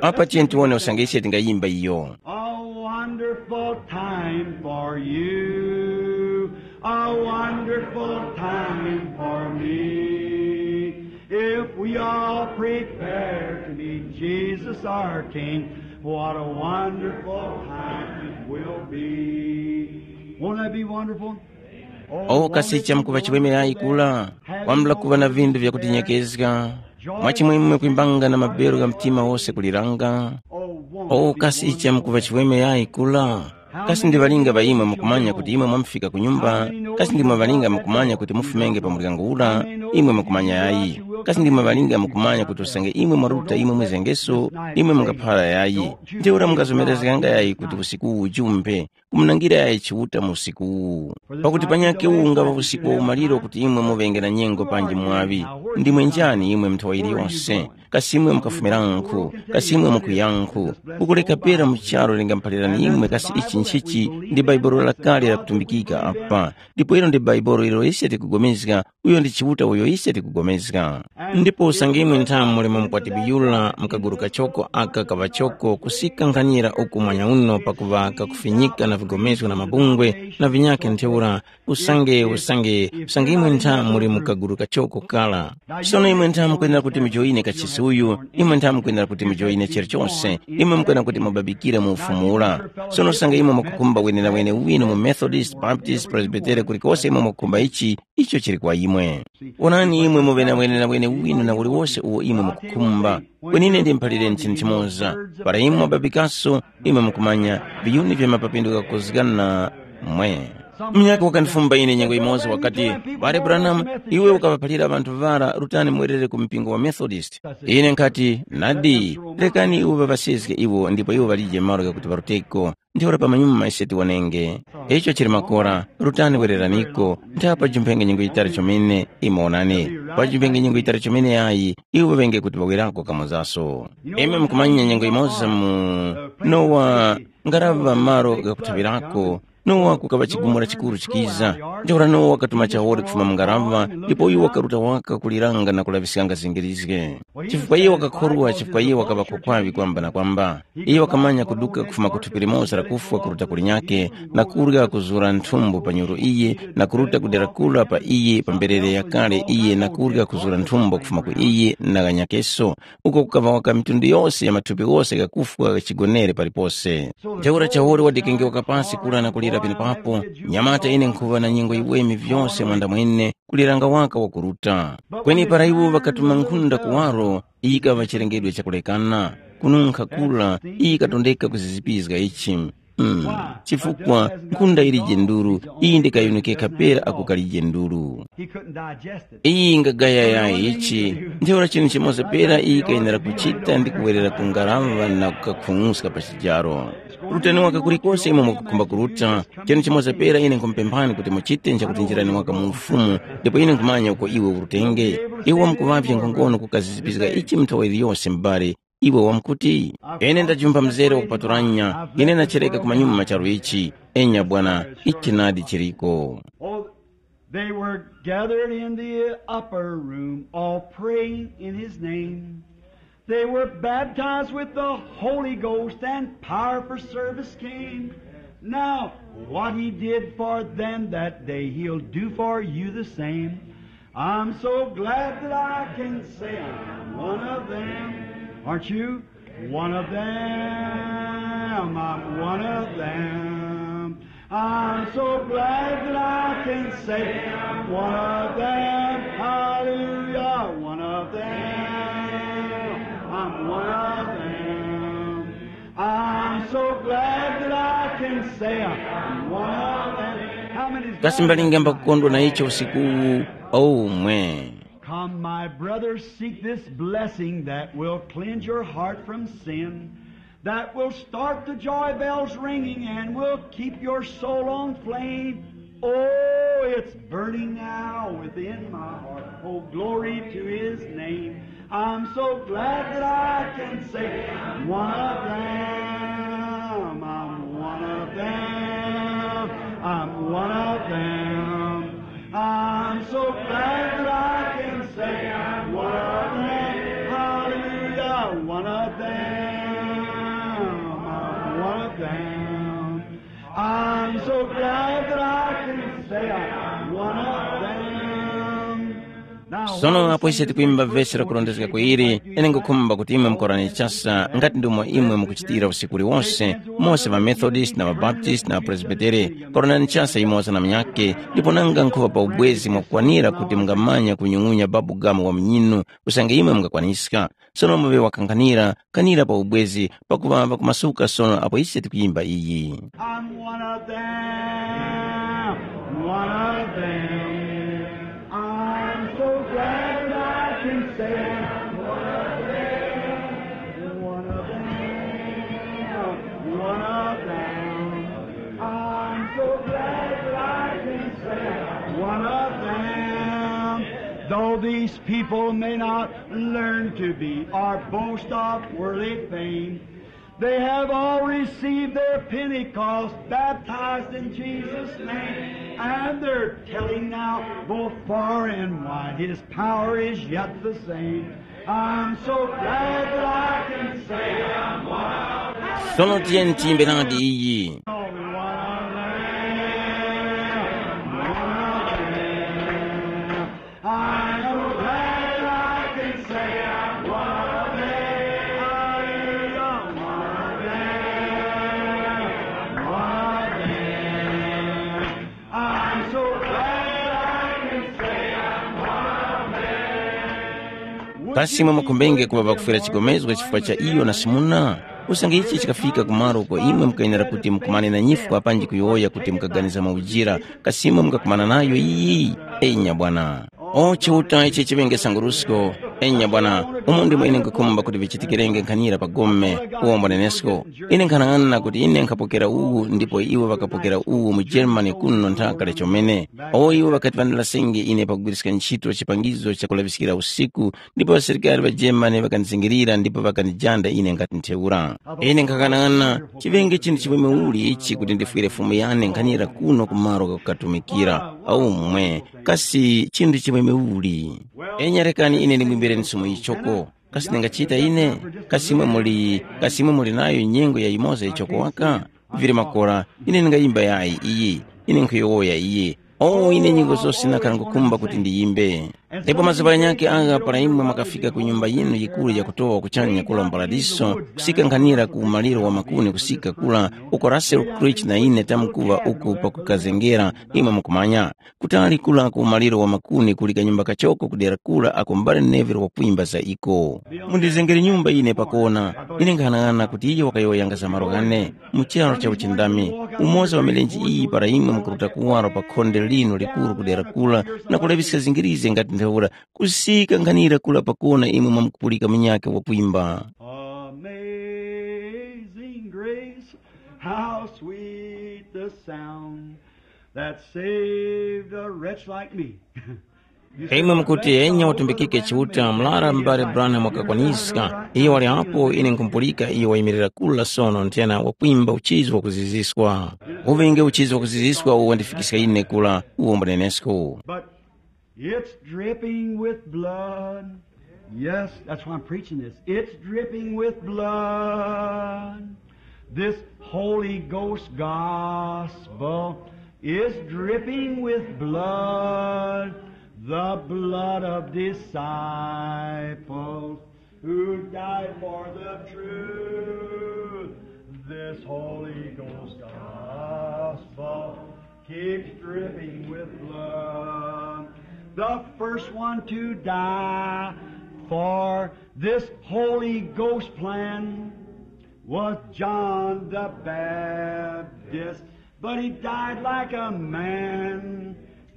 Apa tiye tiwone usange ise tingayimba iyo. A wonderful time for you, a wonderful time for me. If we all prepare to meet Jesus our King, what a wonderful time it will be. Won't that be wonderful? Oh, kasi chamkuŵa chiweme yayi kula, kwambula kuŵa na vindu vya kutinyekezga, mwachimwemwe kwimbanga na mabero ga mtima wose kuliranga. Oh, kasi chamkuŵa chiweme yayi kula, kasi ndi ŵalinga ŵa imwe mukumanya kuti imwe mwamufika ku nyumba? Kasi ndimwe ŵalinga mukumanya kuti mufumenge pa muryango ura? Imwe mukumanya yayi. Kasi ndimwe ŵalinga mukumanya kuti usange imwe mwaruta imwe mwizengeso, imwe mungaphara yayi? Ntheura mungazomerezganga yayi kuti usiku uwu jumbe kumunangira yayi Chiuta mu usiku uwu. Pakuti panyakhe uwu ungaŵa usiku wa umaliro kuti imwe muŵenge na nyengo panji mwaŵi. Ndimwe njani imwe nthawa yiliyose? Kasi imwe mukafumirankhu? Kasi imwe mukuyankhu? Ukuleka pera mu charu lingamuphalirani imwe kasi ichi nchichi? Ndi Bhaibuli lakale lakutumbikika apa. Ndipo ilo ndi Bhaibuli ilo ise tikugomezga, uyo ndi Chiuta uyo ise tikugomezga. Ndipo usange imwe nthamu muli mu mukwati biyula mukaguru kachoko aka kaŵachoko kusika nkhanira uku mwanya uno pakuŵa kakufinyika na vigomezgo na mabungwe na vinyakhe ntheura, usange usange usange imwe nthamu muli mu kaguru kachoko kala. Sono imwe nthamu mukwenera kuti mujoyine kachisi uyu, imwe nthamu mukwenera kuti mujoyine chilichose, imwe mukwenera kuti mubabikire mu ufumu ura. Sono usange imwe mukukhumba wenewene winu mu Methodist, Baptist, Presbytere, kulikose imwe mukukhumba ichi, icho chili kwa imwe. Wonani imwe muŵe na wenenawene winu na uliwose uwo imwe mukukhumba. Kweni ine ndimuphalireni chinthu chimoza. Para imwe mwababikaso, imwe mukumanya, viyuni vya mapapinduka kukuzgana mwe. Munyakhe wakandifumba ine nyengo imoza wakati, Bale Branham, iwe ukaŵaphalira ŵanthu ŵara rutani mwerere ku mpingo wa Methodist. Ine nkhati, nadi, rekani iwo ŵaŵasezge iwo ndipo iwo ŵalije malo ghakuti ŵaruteko. Ntheura pamanyuma ise tiwonenge. Icho chili makora, rutani wereraniko, ntha pajumphenge nyengo yitali chomene, imwe wonani, pajumphenge nyengo yitali chomene yayi, iwo ŵenge kuti ŵawerako kamozaso. Imwe mukumanya nyengo imoza mu Nowa ngaraŵa malo ghakuthaŵirako, Nowa kukaŵa chigumula chikuru chikiza. Ntheura Nowa wakatuma chawole kufuma mu ngaraŵa, ndipo iwo wakaruta waka kuliranga na kulaŵiskanga zingirizge. Chifukwa iye wakakhorwa, chifukwa iye wakaŵa kokwaŵi kwamba na kwamba. Iye wakamanya kuduka kufuma ku thupi limoza la kufwa kuruta ku linyakhe, na kurya kuzura nthumbo pa nyuru iye, na kuruta ku dera kura pa iye pa mberere yakale iye, na kurya kuzura nthumbo kufuma ku iye na ghanyakeso, uko kukaŵa waka mitundu yose ya mathupi ghose ghakufwa ghachigonere palipose. Ntheura chawole wadikengewa kapasi kura na kulira penepapo, nyamata ine nkhuŵa na nyengo yiweme vyose mwandamwene, kuliranga waka wakuruta. Kweni para iwo ŵakatuma nkhunda kuwaro, iyi yikaŵa chilengedwe chakulekana. Kununkha kura, iyi yikatondeka kuzizipizga ichi. Mm. Chifukwa nkhunda yilije nduru, iyi ndikayunukekha pera ako kalije nduru. He couldn't digest it. Iyi ingagaya yayi ichi. Ntheura chinthu chimoza pera iyi kayenera kuchita ndi kuwerera ku ngaraŵa na kukakhung'uska pa chijaro. Rutani waka kulikose imwe mukukhumba kuruta, chinthu chimoza pera ine nkhumupemphani kuti muchite nchakuti njirani waka mu ufumu, ndipo ine nkhumanya uko iwe urutenge. Iwe wamkuŵavye nkhongono kukazizipizga ichi mnthawa yiliyose m'bale, iwe wamkuti, ine ndajumpha mzere wakupaturanya, ine ndachereka kumanyuma charu ichi. Enya bwana, ichi nadi chiriko. Oh, they were gathered in the upper room, all praying in his name. They were baptized with the Holy Ghost, and power for service came. Now, what he did for them that day, he'll do for you the same. I'm so glad that I can say I'm one of them. Aren't you? One of them. I'm one of them. I'm so glad that I can say I'm one of them. Hallelujah. One of them. I'm one of them. I'm so glad that I can say I'm one of them. How many? Kasi mbalinga mbakukondwa na icho usiku uwu? Oh, mwe. Come, my brothers, seek this blessing that will cleanse your heart from sin, that will start the joy bells ringing and will keep your soul on flame. Oh, it's burning now within my heart. Oh, glory to his name. I'm so glad that I can say I'm one of them. I'm one of them. I'm one of them. I'm so glad that I can say I'm one of them. Hallelujah, one of them. I'm one of them. I'm so glad that I can say I'm one of them. Now, sono apo ise tikuimba vesi lakurondezga ku ili, ine ngukhumba kuti imwe mukorane chasa ngati ndomwe imwe mukuchitira usiku uliwonse, mose ŵamethodist na ŵabaptist na ŵapresbitere. Koranani chasa yumoza na munyakhe, ndipo nanga nkhuŵa pa ubwezi mwakukwanira kuti mungamanya kunyung'unya babu gamu wa munyinu usange imwe mungakwaniska. Sono muŵe wakanghanira, kanira pa ubwezi, pakuŵa ŵakumasuka sono apo ise tikuyimba iyi. I'm one of them, one of them. I'm so glad that I can say I'm one of them, one of them, one of them. I'm so glad that I can say I'm one of them. Though these people may not learn to be or boast of worldly fame, they have all received their Pentecost, baptized in Jesus' name, and they're telling now both far and wide, his power is yet the same. I'm so glad that I can say I'm one of them. Sono tiyeni tiyimbe nadi iyi. One of them, one of them. I'm so glad I can say I'm one of them. Hallelujah, one of them. One of them. I'm so glad I can say I'm one of them. Kasi imwe mukhumbenge kuŵa pakufwera chigomezgo chifukwa cha iyo na Simuna? Usange ichi chikafika kumaro uko imwe mukayenera kuti mukumane na nyifwa panji kuyowoya kuti mukaganiza mwaujira, kasi imwe mukakumana nayo iyi? Enya bwana. O Chiuta, ichi chiŵenge sangurusko. Enya bwana, umo ndimo ine nkhukhumba kuti vichitikirenge nkhanira pa gome, uwo mbunenesko. Ine nkhanang'ana kuti ine nkhapokera uwu ndipo iwo ŵakapokera uwu mu Germany kuno nthaka lechomene. O iwo ŵakati ŵandilasengi ine pakugwiriska ntchito chipangizo chakulaŵiskira usiku, ndipo ŵasilikari ŵa Germany ŵakandizingirira ndipo ŵakandijanda ine ngati ntheura. Ine nkhanang'ana, chiŵenge chinthu chimwemwe uli ichi kuti ndifwire Fumu yane nkhanira kuno ku malo ghakukatumikira. Aumwe, kasi chinthu chimwemwe uli? Enya rekani ine ndimwimbireni Fumu ichoko. Kasi ndingachita ine? Kasi imwe muli, kasi imwe muli nayo nyengo ya yimoza ichoko waka? Vili makora, ine ndingayimba yayi iyi, ine nkhuyowoya iyi. O ine nyengo zose ndakhala ngukhumba kuti ndiyimbe. Ndipo mazuŵa ghanyakhe agha para imwe mwakafika ku nyumba yinu yikuru yakutowa kuchanya kula mu Paradiso, kusika nkhanira ku umaliro wa makuni kusika kula uko Russell Creech na ine tamkuŵa uku pakukazengera, imwe mukumanya. Kutali kula ku umaliro wa makuni kuli kanyumba kachoko kudera kula ako mbale Neville wakwimba za iko. Mundizengere nyumba ine pakona. Ine nkhanang'ana kuti iyo wakayowoyanga za malo ghane mu charo cha uchindami. Umoza wa milenje iyi para imwe mukuruta kuwaro pa khonde lino likuru kudera kula na kulaŵiska zingirize ngati ntheura kusika nkhanira kula pakona imwe mwamkupulika munyakhe wakwimba. Amazing grace, how sweet the sound that saved a wretch like me. Imwe mukuti enya utumbikike Chiuta, mlara m'bale Branham wakakwaniska. Iyo wali apo, ine nkumpulika iyo wayimirira kula sono nthena wakwimba uchizi wakuziziswa. Uŵenge uchizi wakuziziswa uwo wandifikiska ine kula, uwo mbunenesko. But it's dripping with blood. Yes, that's why I'm preaching this. It's dripping with blood. This Holy Ghost gospel is dripping with blood, the blood of disciples. Who died for the truth. This Holy Ghost gospel keeps dripping with blood. The first one to die for this Holy Ghost plan was John the Baptist, but he died like a man.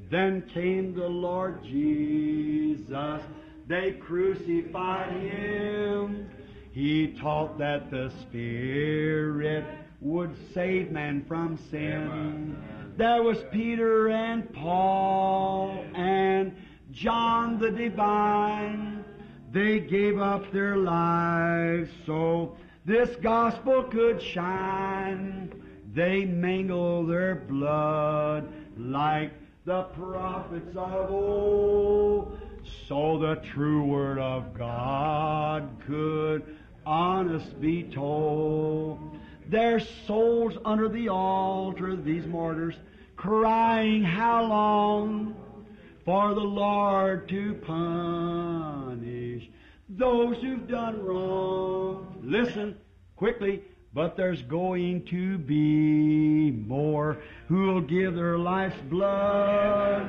Then came the Lord Jesus. They crucified him. He taught that the Spirit would save man from sin. There was Peter and Paul and John the Divine. They gave up their lives so this gospel could shine. They mingle their blood like the prophets of old, so the true word of God could honest be told. Their souls under the altar, these martyrs, crying, "How long for the Lord to punish those who've done wrong?" Listen quickly, but there's going to be more who'll give their life's blood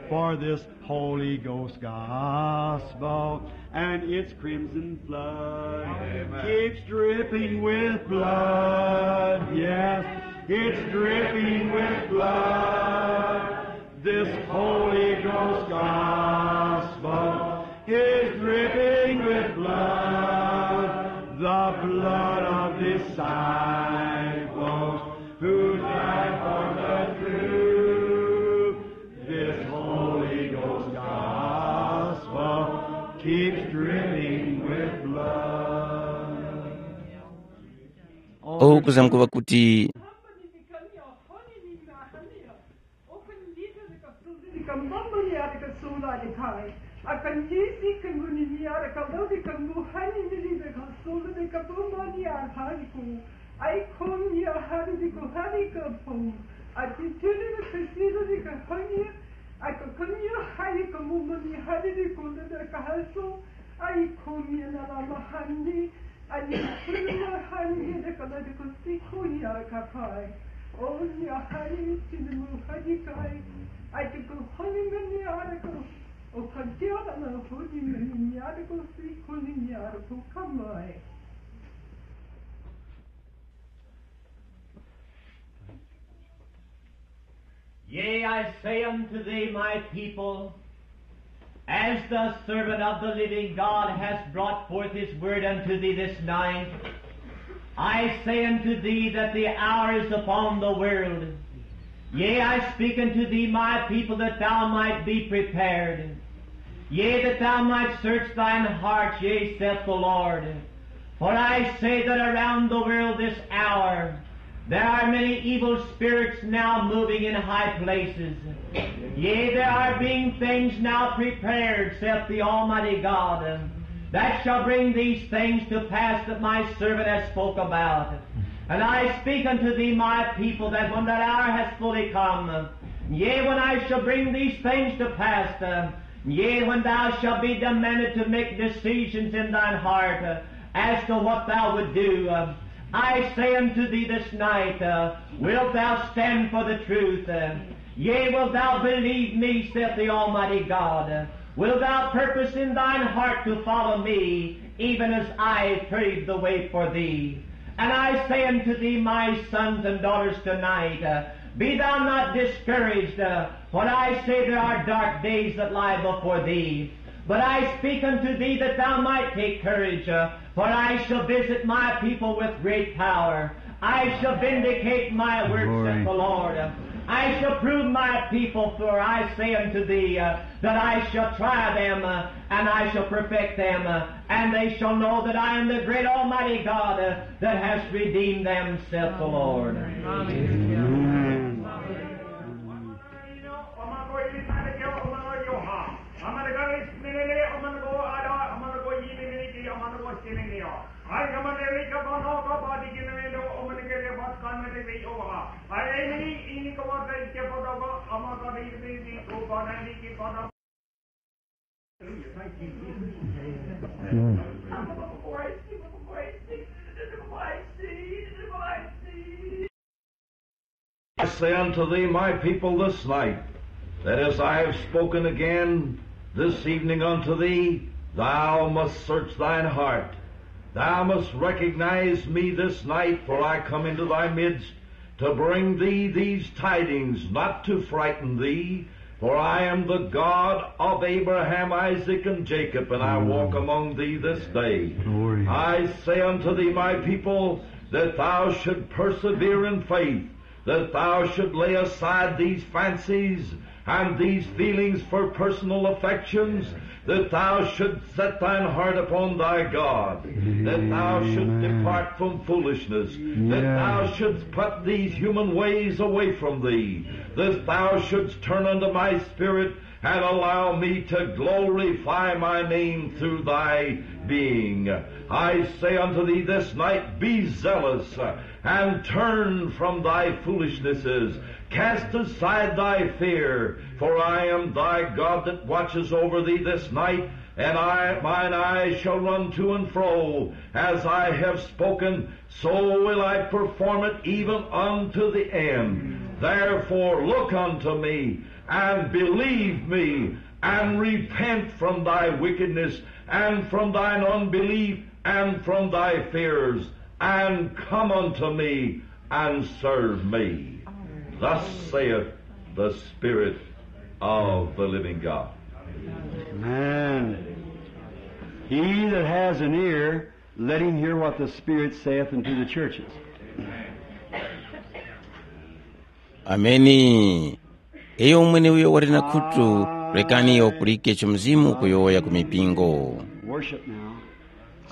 for this Holy Ghost gospel, and its crimson flood keeps dripping with blood. Yes, it's dripping with blood. This Holy Ghost gospel is dripping with blood, the blood of disciples who died for the truth. This Holy Ghost gospel keeps dripping with blood. Uku zamkuŵa kuti Akandisi kanguni miara kalori kanguhani milinde kasulu de kapomba ni arhaniku. Ai komi ya hari de kuhari kapo. Ati tuli de kasiru de kahani. Akakomi ya hari kamuma ni hari de kunda de kahaso. Ai komi ya nalama hani. Ani kurma hani de kala de kusikuni arakapai. Oni ahari tini muhadikai. Ati kuhani mani arakapai. Ukadyara na huni manyari kusi kuni nyari kukamai. Yea, I say unto thee, my people, as the servant of the living God has brought forth his word unto thee this night, I say unto thee that the hour is upon the world. Yea, I speak unto thee, my people, that thou might be prepared. Yea, that thou might search thine heart, yea, saith the Lord. For I say that around the world this hour there are many evil spirits now moving in high places. Yea, there are being things now prepared, saith the Almighty God, that shall bring these things to pass that my servant has spoke about. And I speak unto thee, my people, that when that hour has fully come, yea, when I shall bring these things to pass, uh, yea, when thou shalt be demanded to make decisions in thine heart, uh, as to what thou would do, uh, I say unto thee this night, uh, wilt thou stand for the truth? Uh, yea, wilt thou believe me, saith the Almighty God? Uh, wilt thou purpose in thine heart to follow me, even as I paved the way for thee? And I say unto thee, my sons and daughters, tonight, uh, be thou not discouraged, uh, for I say there are dark days that lie before thee. But I speak unto thee that thou might take courage, uh, for I shall visit my people with great power. I shall vindicate my work, saith the Lord. I shall prove my people, for I say unto thee, uh, that I shall try them, uh, and I shall perfect them, uh, and they shall know that I am the great Almighty God, uh, that has redeemed them, saith the Lord. I say unto thee, my people, this night, that as I have spoken again this evening unto thee, thou must search thine heart. Thou must recognize me this night, for I come into thy midst to bring thee these tidings, not to frighten thee, for I am the God of Abraham, Isaac, and Jacob, and I walk among thee this day. Glory. I say unto thee, my people, that thou should persevere in faith, that thou should lay aside these fancies and these feelings for personal affections, that thou shouldst set thine heart upon thy God, that thou shouldst depart from foolishness, that thou shouldst put these human ways away from thee, that thou shouldst turn unto my spirit, and allow me to glorify my name through thy being. I say unto thee this night, be zealous, and turn from thy foolishnesses. Cast aside thy fear, for I am thy God that watches over thee this night, and I, mine eyes shall run to and fro. As I have spoken, so will I perform it even unto the end. Therefore look unto me, and believe me, and repent from thy wickedness, and from thine unbelief, and from thy fears, and come unto me, and serve me. Thus saith the Spirit of the living God. Amen. He that has an ear, let him hear what the Spirit saith unto the churches. Ameni. Iyo mweneuyo wali na khutu, rekani iyo apulike icho Mzimu ukuyowoya ku mipingo. Worship now.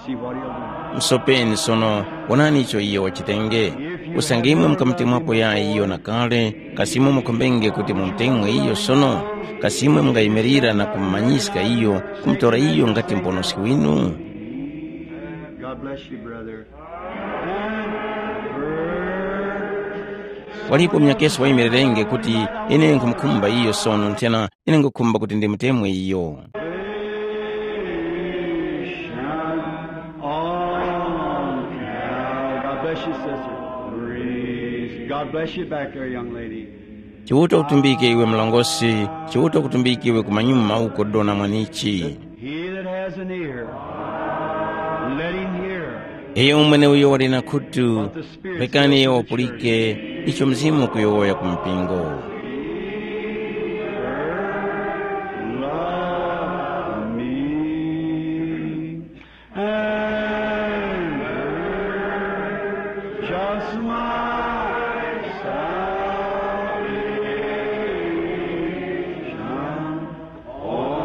See what he'll do. Musopeni sono, wonani icho iyo wachitenge. Usange imwe mukamutemwapo yayi iyo na kale, kasi imwe mukhombenge kuti mumutemwe iyo sono? Kasi imwe mungayimirira na kumumanyiska iyo, kumutora iyo ngati mponoski winu? God bless you, brother. Walipo munyakeso wayimirirenge kuti, ine nkhumukhumba iyo sono, nthena ine nkhukhumba kuti ndimutemwe iyo. God bless you, sister. Praise. God bless you back there, young lady. Chiuta kutumbike iwe mlongosi, Chiuta kutumbike iwe kumanyuma uko dona mwanichi. He that has an ear, let him hear. Iyo mwene uyo wali na khutu, rekani iyo wapulike icho Mzimu ukuyowoya ku mpingo. Love me. And just my salvation on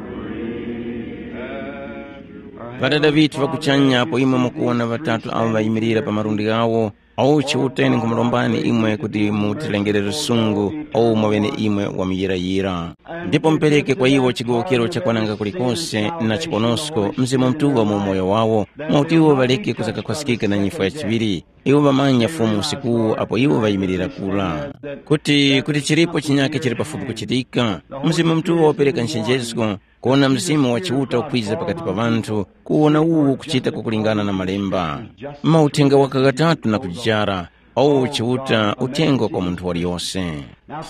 Calvary. Ŵadada ŵithu ŵa kuchanya, apo imwe mukuwona ŵatatu awo ŵayimirira pa malundi ghawo, awo Chiuta ine nkhumulombani imwe kuti mutilengere lusungu, awo mwaŵene imwe wamuyirayira. Ndipo mupereke kwa iwo chigowokero chakwananga kulikose na chiponosko Mzimu Mutuŵa mu umoyo wawo, mwakuti iwo ŵaleke kusakakhwaskika na nyifwa ya chiŵiri. Iwo ŵamanya Fumu usikuwu apo iwo ŵayimirira kura. Kuti, kuti chilipo chinyake chili pafupi kuchitika, Mzimu Mutuŵa wapereka nchenjesko, kuwona Mzimu wa Chiuta ukwiza pakati pa ŵanthu, kuwona uwu kuchita kwakulingana na Malemba. Mauthenga waka ghatatu na kujara, awo Chiuta uthenga kwa munthu waliyose.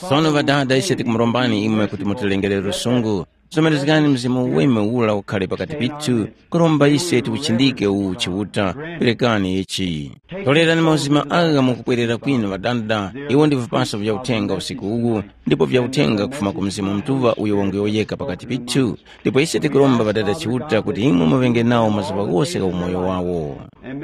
Sono ŵadada, ise tikumurombani imwe kuti mutilengere lusungu. Somerezgani Mzimu Weme ura ukhale pakati pithu, kuromba ise tiuchindike uwu Chiuta, perekani ichi. Tolerani mauzima agha mukupwerera kwinu ŵadada, iwo ndi vipaso vya uthenga usiku uwu, ndipo vya uthenga kufuma ku Mzimu Mutuŵa uyo wanguyowoyeka pakati pithu. Ndipo ise tikuromba ŵadada Chiuta kuti imwe muŵenge nawo mazuŵa ghose gha umoyo wawo.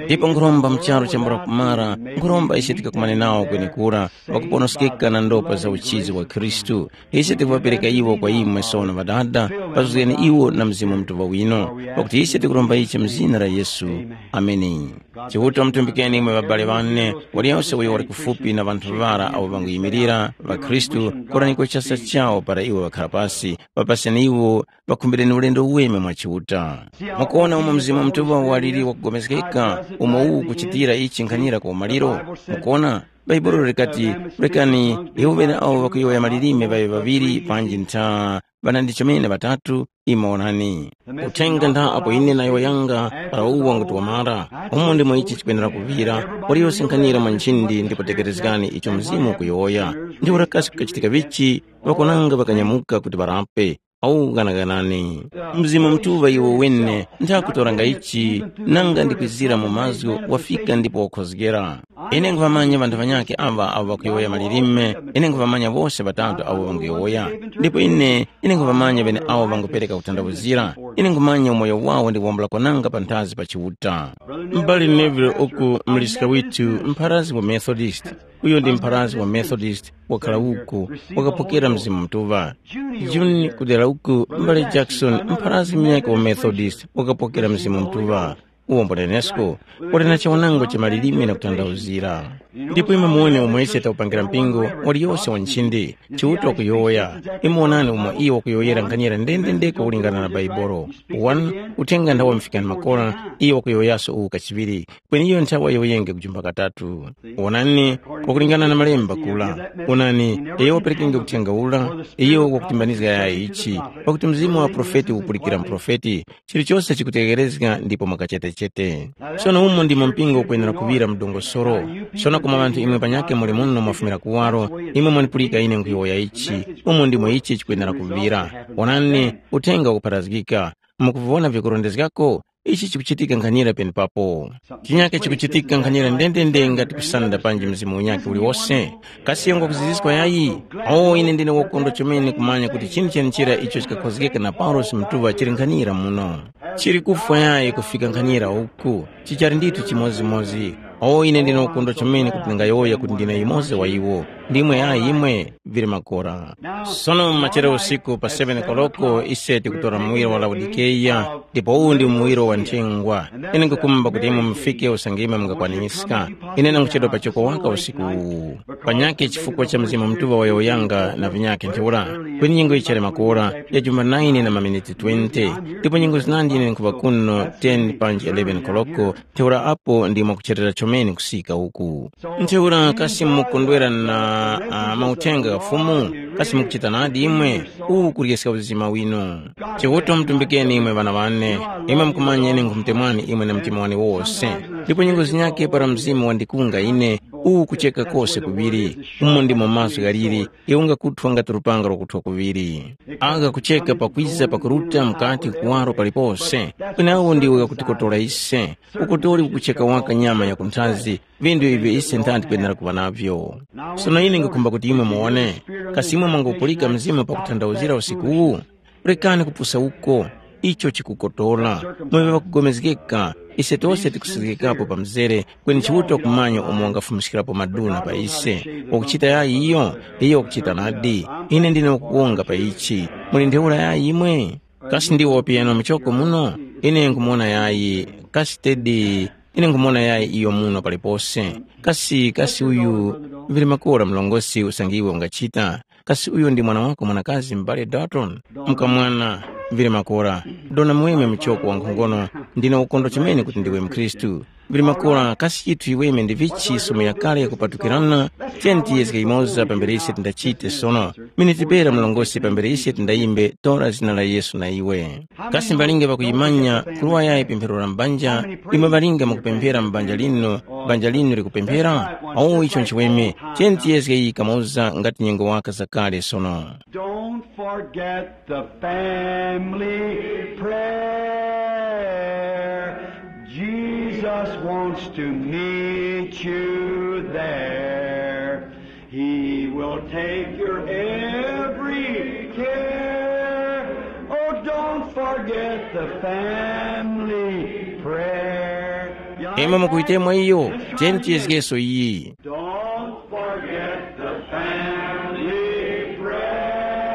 Ndipo nkhuromba mu charu chambula kumara, nkhuromba ise tikakumane nawo kwenekura, ŵakuponoskeka na ndopa za uchizi wa Khristu. Ise tikuŵapereka iwo kwa imwe sono ŵadada, pazuzgani iwo na Mzimu Mutuŵa wino, pakuti ise tikuromba ichi mu zina la Yesu. Ameni. Chiuta wamutumbikeni imwe ŵabale ŵane, waliyonse uyo wali kufupi na ŵanthu ŵara awo ŵanguyimirira, ŵakhristu, koraniko chasa chawo para iwo ŵakhara pasi, ŵapaseni iwo, ŵakhumbireni ulendo uweme mwa Chiuta. Mukuwona umo Mzimu Mutuŵa waliri wakugomezgeka, umo uwu ukuchitira ichi nkhanira ku umaliro? Mukuwona, Bhaibuli likati, rekani iwo ŵene awo ŵakuyowoya malilime ŵaŵe ŵaŵiri panji ntha ŵanandi chomene ŵatatu, imwe onani. Uthenga ntha apo ine nayo yanga para uwo wanguti wamara, umo ndimo ichi chikwenera kuŵira, waliyose nkhanira mwa nchindi ndipo tekerezgani icho Mzimu ukuyowoya. Ndi urakasi kukachitika vichi, ŵakonanga ŵakanyamuka kuti ŵarape. Au ghanaghanani. Mzimu Mutuŵa iwo wene nthakutoranga ichi, nanga ndikwizira mu mazgu wafika ndipo wakhozgera. Ine nkhuŵamanya ŵanthu ŵanyakhe aŵa abo ŵakuyowoya malilime, ine nkhuŵamanya wose ŵatatu awo ŵanguyowoya. Ndipo ine, ine nkhuŵamanya ŵeneawo ŵangupereka kuthandawuzira. Ine nkhumanya umoyo wawo ndi kuwombola kwananga panthazi pa Chiuta. M'bale Neville uku mliska withu mpharazgi wa Methodist, uyo ndi mpharazgi wa Methodist wakhala uku, wakapokera Mzimu Mutuŵa. June kudera uku, m'bale Jackson mpharazgi munyakhe wa Methodist wakapokera Mzimu Mutuŵa. Uwo mbonenesko, uli na chiwonango cha malilime na kuthandauzira. Ndipo imwe muwone umo ise takupangira mpingo, waliyose wa nchindi, Chiuta wakuyowoya. Imwe wonani umo iyo wakuyowoyera nkhanyira ndendendeko kulingana na Baibolo. One, uthenga nthawa mufikani makora, iyo wakuyowoyaso uwu kachiŵiri, kweni iyo nthawa yoyenge kujumba katatu. Wonani, wakulingana na malemba kula. Wonani, iyo waperekenge uthenga ula, iyo wakutimbanizga yayi ichi, pakuti mzimu wa profeti ukupulikira muprofeti, chilichose chikutegherezga ndipo mwakachetechete. Sono umo ndimo mpingo ukwenera kuŵira mu dongosolo. Sono koma ŵanthu imwe panyakhe muli muno mwafumira kuwaro, imwe mwanipulika ine nkhuyowoya ichi, umo ndimo ichi chikwenera kuŵira. Wonani, uthenga ukupharazgika. Mukuvona vyakurondezgako? Ichi chikuchitika nkhanira penepapo. Chinyakhe chikuchitika nkhanira ndendende ngati kusanda panji mzimu unyakhe uliwose. Kasi yongo kuziziskwa yayi? O, ine ndine wakondwa chomene kumanya kuti chinthu chenechera icho chikakhozgeka na Paulosi Mutuŵa chili nkhanira muno. Chili kufwa yayi kufika nkhanira uku, chichali ndithu chimodzimodzi. O, ine ndine wakondwa chomene kuti ndingayowoya kuti ndine yumoza wa iwo. Ndimwe yayi imwe, vili makora. Sono machero usiku pa seven koloko ise tikutora muwiro wa Laodikeya, ndipo uwu ndi muwiro wa nthengwa. Ine nkukumba kuti imwe mufike usange imwe mungakwaniska. Ine nanguchedwa pachoko waka usiku uwu. Panyakhe chifukwa cha Mzimu Mutuŵa wayowoyanga na vinyakhe ntheura, kweni nyengo yichali makora ya juma nine na maminiti twenty, ndipo nyengo zinandi ine nkhuŵa kuno ten panji eleven koloko, ntheura apo ndimo kucherera chomene kusika uku. Ntheura kasi mukondwera na uh, mauthenga gha Fumu? Kasi mukuchita nadi imwe? Uwu kulyeska uzima winu. Chiuta mutumbikeni imwe ŵana ŵane, imwe mukumanya ine nkhumutemwani imwe na mtima wane wose. Ndipo nyengo zinyakhe para mzimu wandikunga ine, uwu kucheka kose kuŵiri, umo ndimo mazgu ghaliri, iwo ngakuthwa ngati lupanga lwakuthwa kuŵiri. Agha kucheka pakwiza pakuruta mukati kuwaro palipose, kwenawo ndiwo ghakutikotora ise. Ukotori ukucheka waka nyama ya kunthazi, vindu ivyo ise nthanti tikwenera kuŵa navyo. Sono ine ngikhumba kuti imwe muwone, kasi imwe mwangupulika Mzimu pakuthandauzira usiku uwu? Rekani kupusa uko, icho chikukotora. Mwe ŵakugomezgeka, ise tose tikusizgikapo pa mzere, kweni Chiuta kumanya umo wangafumiskirapo maduna pa ise. Wakuchita yayi iyo, iyo wakuchita nadi. Ine ndine wakuwonga pa ichi. Muli ntheura yayi imwe? Kasi ndiwo piyano muchoko muno? Ine nkumuwona yayi. Kasi tedi, ine nkumuwona yayi iyo muno palipose. Kasi, kasi uyu, vili makora mlongosi usangiwe ungachita. Kasi uyu ndi mwana wako mwanakazi m'bale Dalton? Mkamwana, vili makora. Dona muweme muchoko wankhongono, ndine ukondwa chomene kuti ndiwe mkhristu. Vili makora, kasi chithu iweme ndi vichi somo yakale yakupatukirana? Tiyeni tiyezge imoza pambere ise tindachite sono. Miniti pera mlongosi pambere ise tindayimbe tora zina la Yesu na iwe. Kasi mbalinge ŵakuyimanya kulowa yayi pemphero la mbanja, imwe ŵalinge mukupemphera mu banja linu, banja linu likupemphera? Awo icho nchiweme, tiyeni tiyezge iyi kamoza ngati nyengo waka zakale sono. Don't forget the family prayer. Jesus wants to meet you there. He will take your every care. Oh, don't forget the family prayer. Imwe mukuyitemwa iyo, tiyeni tiyezgeso iyi. Don't forget the family prayer.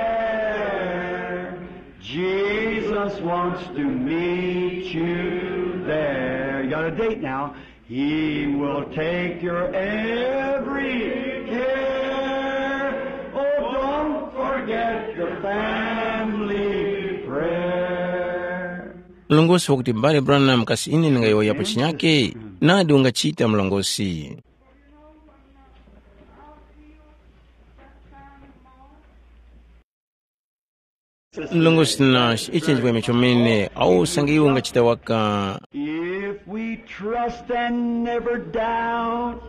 Jesus wants to meet you there. You got a date now. He will take your every care. Oh, don't forget the family prayer. Mlongosi wakuti m'bale Branham, kasi ine ndingayowoyapo chinyake? Nadi ungachita mlongosi. Mlongosi Nash, ichi nchimweme chomene, awo usange iwe ungachita waka. If we trust and never doubt,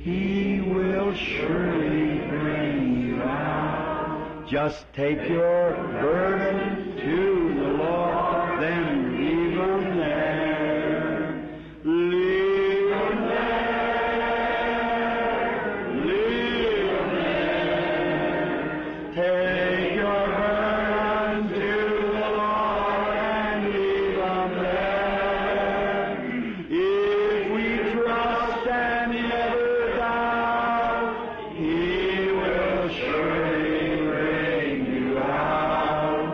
he will surely bring you out. Just take your burden to the Lord, then leave him there. Leave him there. Leave him there. Take your burden to the Lord and leave him there. If we trust and never doubt, he will surely bring you out.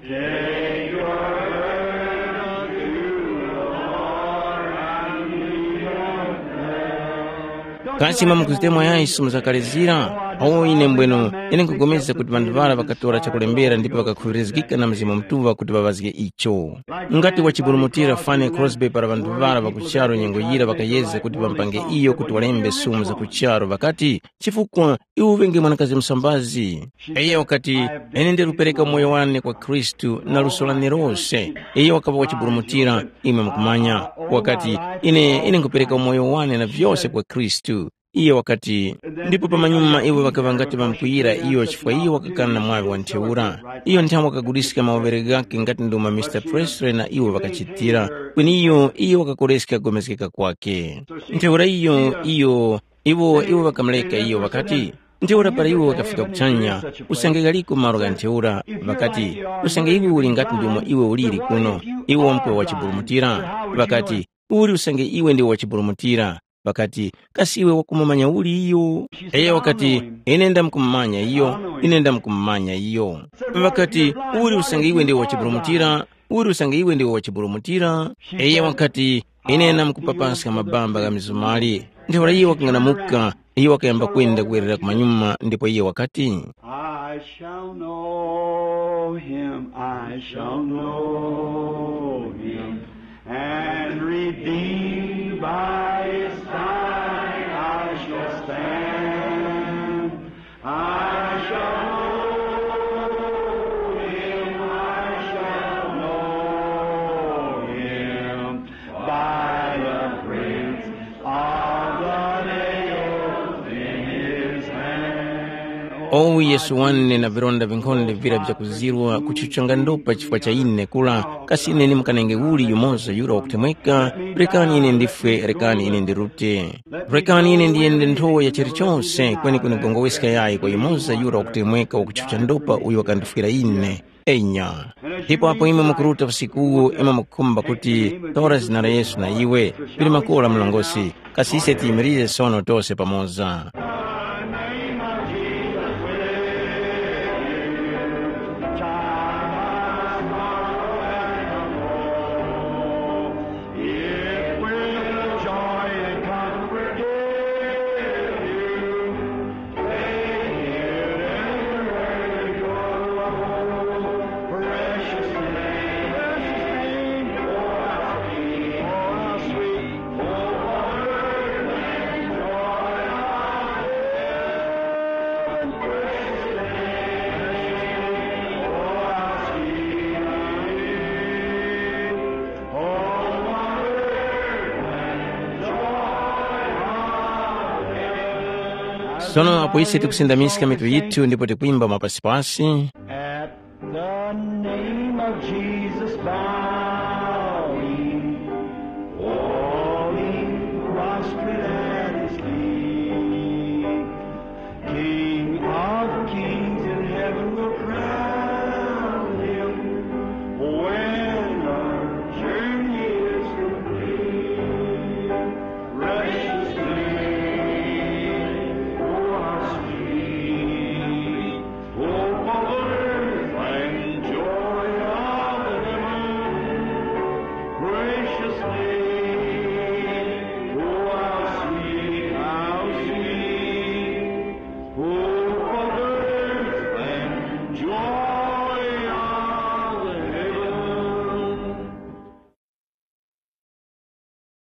Take your burden to the Lord and leave him there. Kasi mwa mukuzitemo yayi simuzakalizira? Awo ine mbwenu, ine nkupulikana kuti ŵanthu ŵara ŵakatora chakulembera ndipo ŵakakhuŵirizgika na Mzimu Mutuŵa kuti ŵaŵazge icho. Ngati wachiburumutira Fanny Crosby para ŵanthu ŵara ŵa ku charu nyengo yira ŵakayezga kuti ŵamupange iyo kuti walembe sumu za ku charu, ŵakati, chifukwa iwe uŵenge mwanakazi musambazi. Iyo wakati, ine ndirupereka umoyo wane kwa Khristu na luso lane lose. Iyo wakaŵa wachiburumutira, imwe mukumanya. Wakati, ine ine nkupereka umoyo wane na vyose kwa Khristu. Iyo wakati, ndipo pamanyuma iwo ŵakaŵa ngati ŵamkwiyira iyo chifukwa iyo wakakana na mwaŵi wa ntheura. Iyo nthawe wakaguliska mawoŵere ghakhe ngati ndimo Mr Presley na iwo ŵakachitira. Kweni iyo iyo wakakoreska kugomezgeka kwakhe. Ntheura iyo iyo iwo iwo ŵakamureka iyo ŵakati, ntheura para iwe wakafika kuchanya, usange ghaliko malo gha ntheura, ŵakati, usange iwe uli ngati ndumo iwe uliri kuno, iwe wamkuŵa wachiburumutira. Ŵakati, uli usange iwe ndiwe wachiburumutira. Ŵakati, kasi iwe wakumumanya uli iyo? Iyo wakati, ine ndamkumumanya iyo, ine ndamkumumanya iyo. Ŵakati, uli usange iwe ndiwe wachiburumutira, uli usange iwe ndiwe wachiburumutira. Iyo wakati, ine namkupapaska mabamba gha mizumali. Ntheura iyo wakang'anamuka, iyo wakayamba kwenda kuwerera kumanyuma ndipo iyo wakati, I shall know him, I shall know him, and redeemed by his side I shall stand. I shall know him, I shall know him, by the prints of the nails in his hand. Owu Yesu wane na vilonda vinkhonde vira vyakuzirwa kuchuchanga ndopa chifukwa cha ine kula, kasi ine ndimukanenge uli yumoza yura wakutemweka? Rekani ine ndifwe, rekani ine ndirute. Rekani ine ndiyende nthowa ya chilichonse kweni kunigongoweska yayi kwa yumoza yura wakutemweka wakuchucha ndopa uyo wakandifwira ine. Enya. Ndipo apo imwe mukuruta usiku uwu imwe mukukhumba kuti tora zina la Yesu na iwe, pili makora mlongosi, kasi ise tiyimirize sono tose pamoza. It will joy and comfort give you. Take it and let it go. Precious name, precious name, oh, how sweet, oh, how sweet, oh, what earth and joy of heaven. Precious name, precious name, oh, how sweet. Sono apo ise tikusindamiska mitu yithu ndipo tikwimba mapasipasi. At the name of Jesus, bow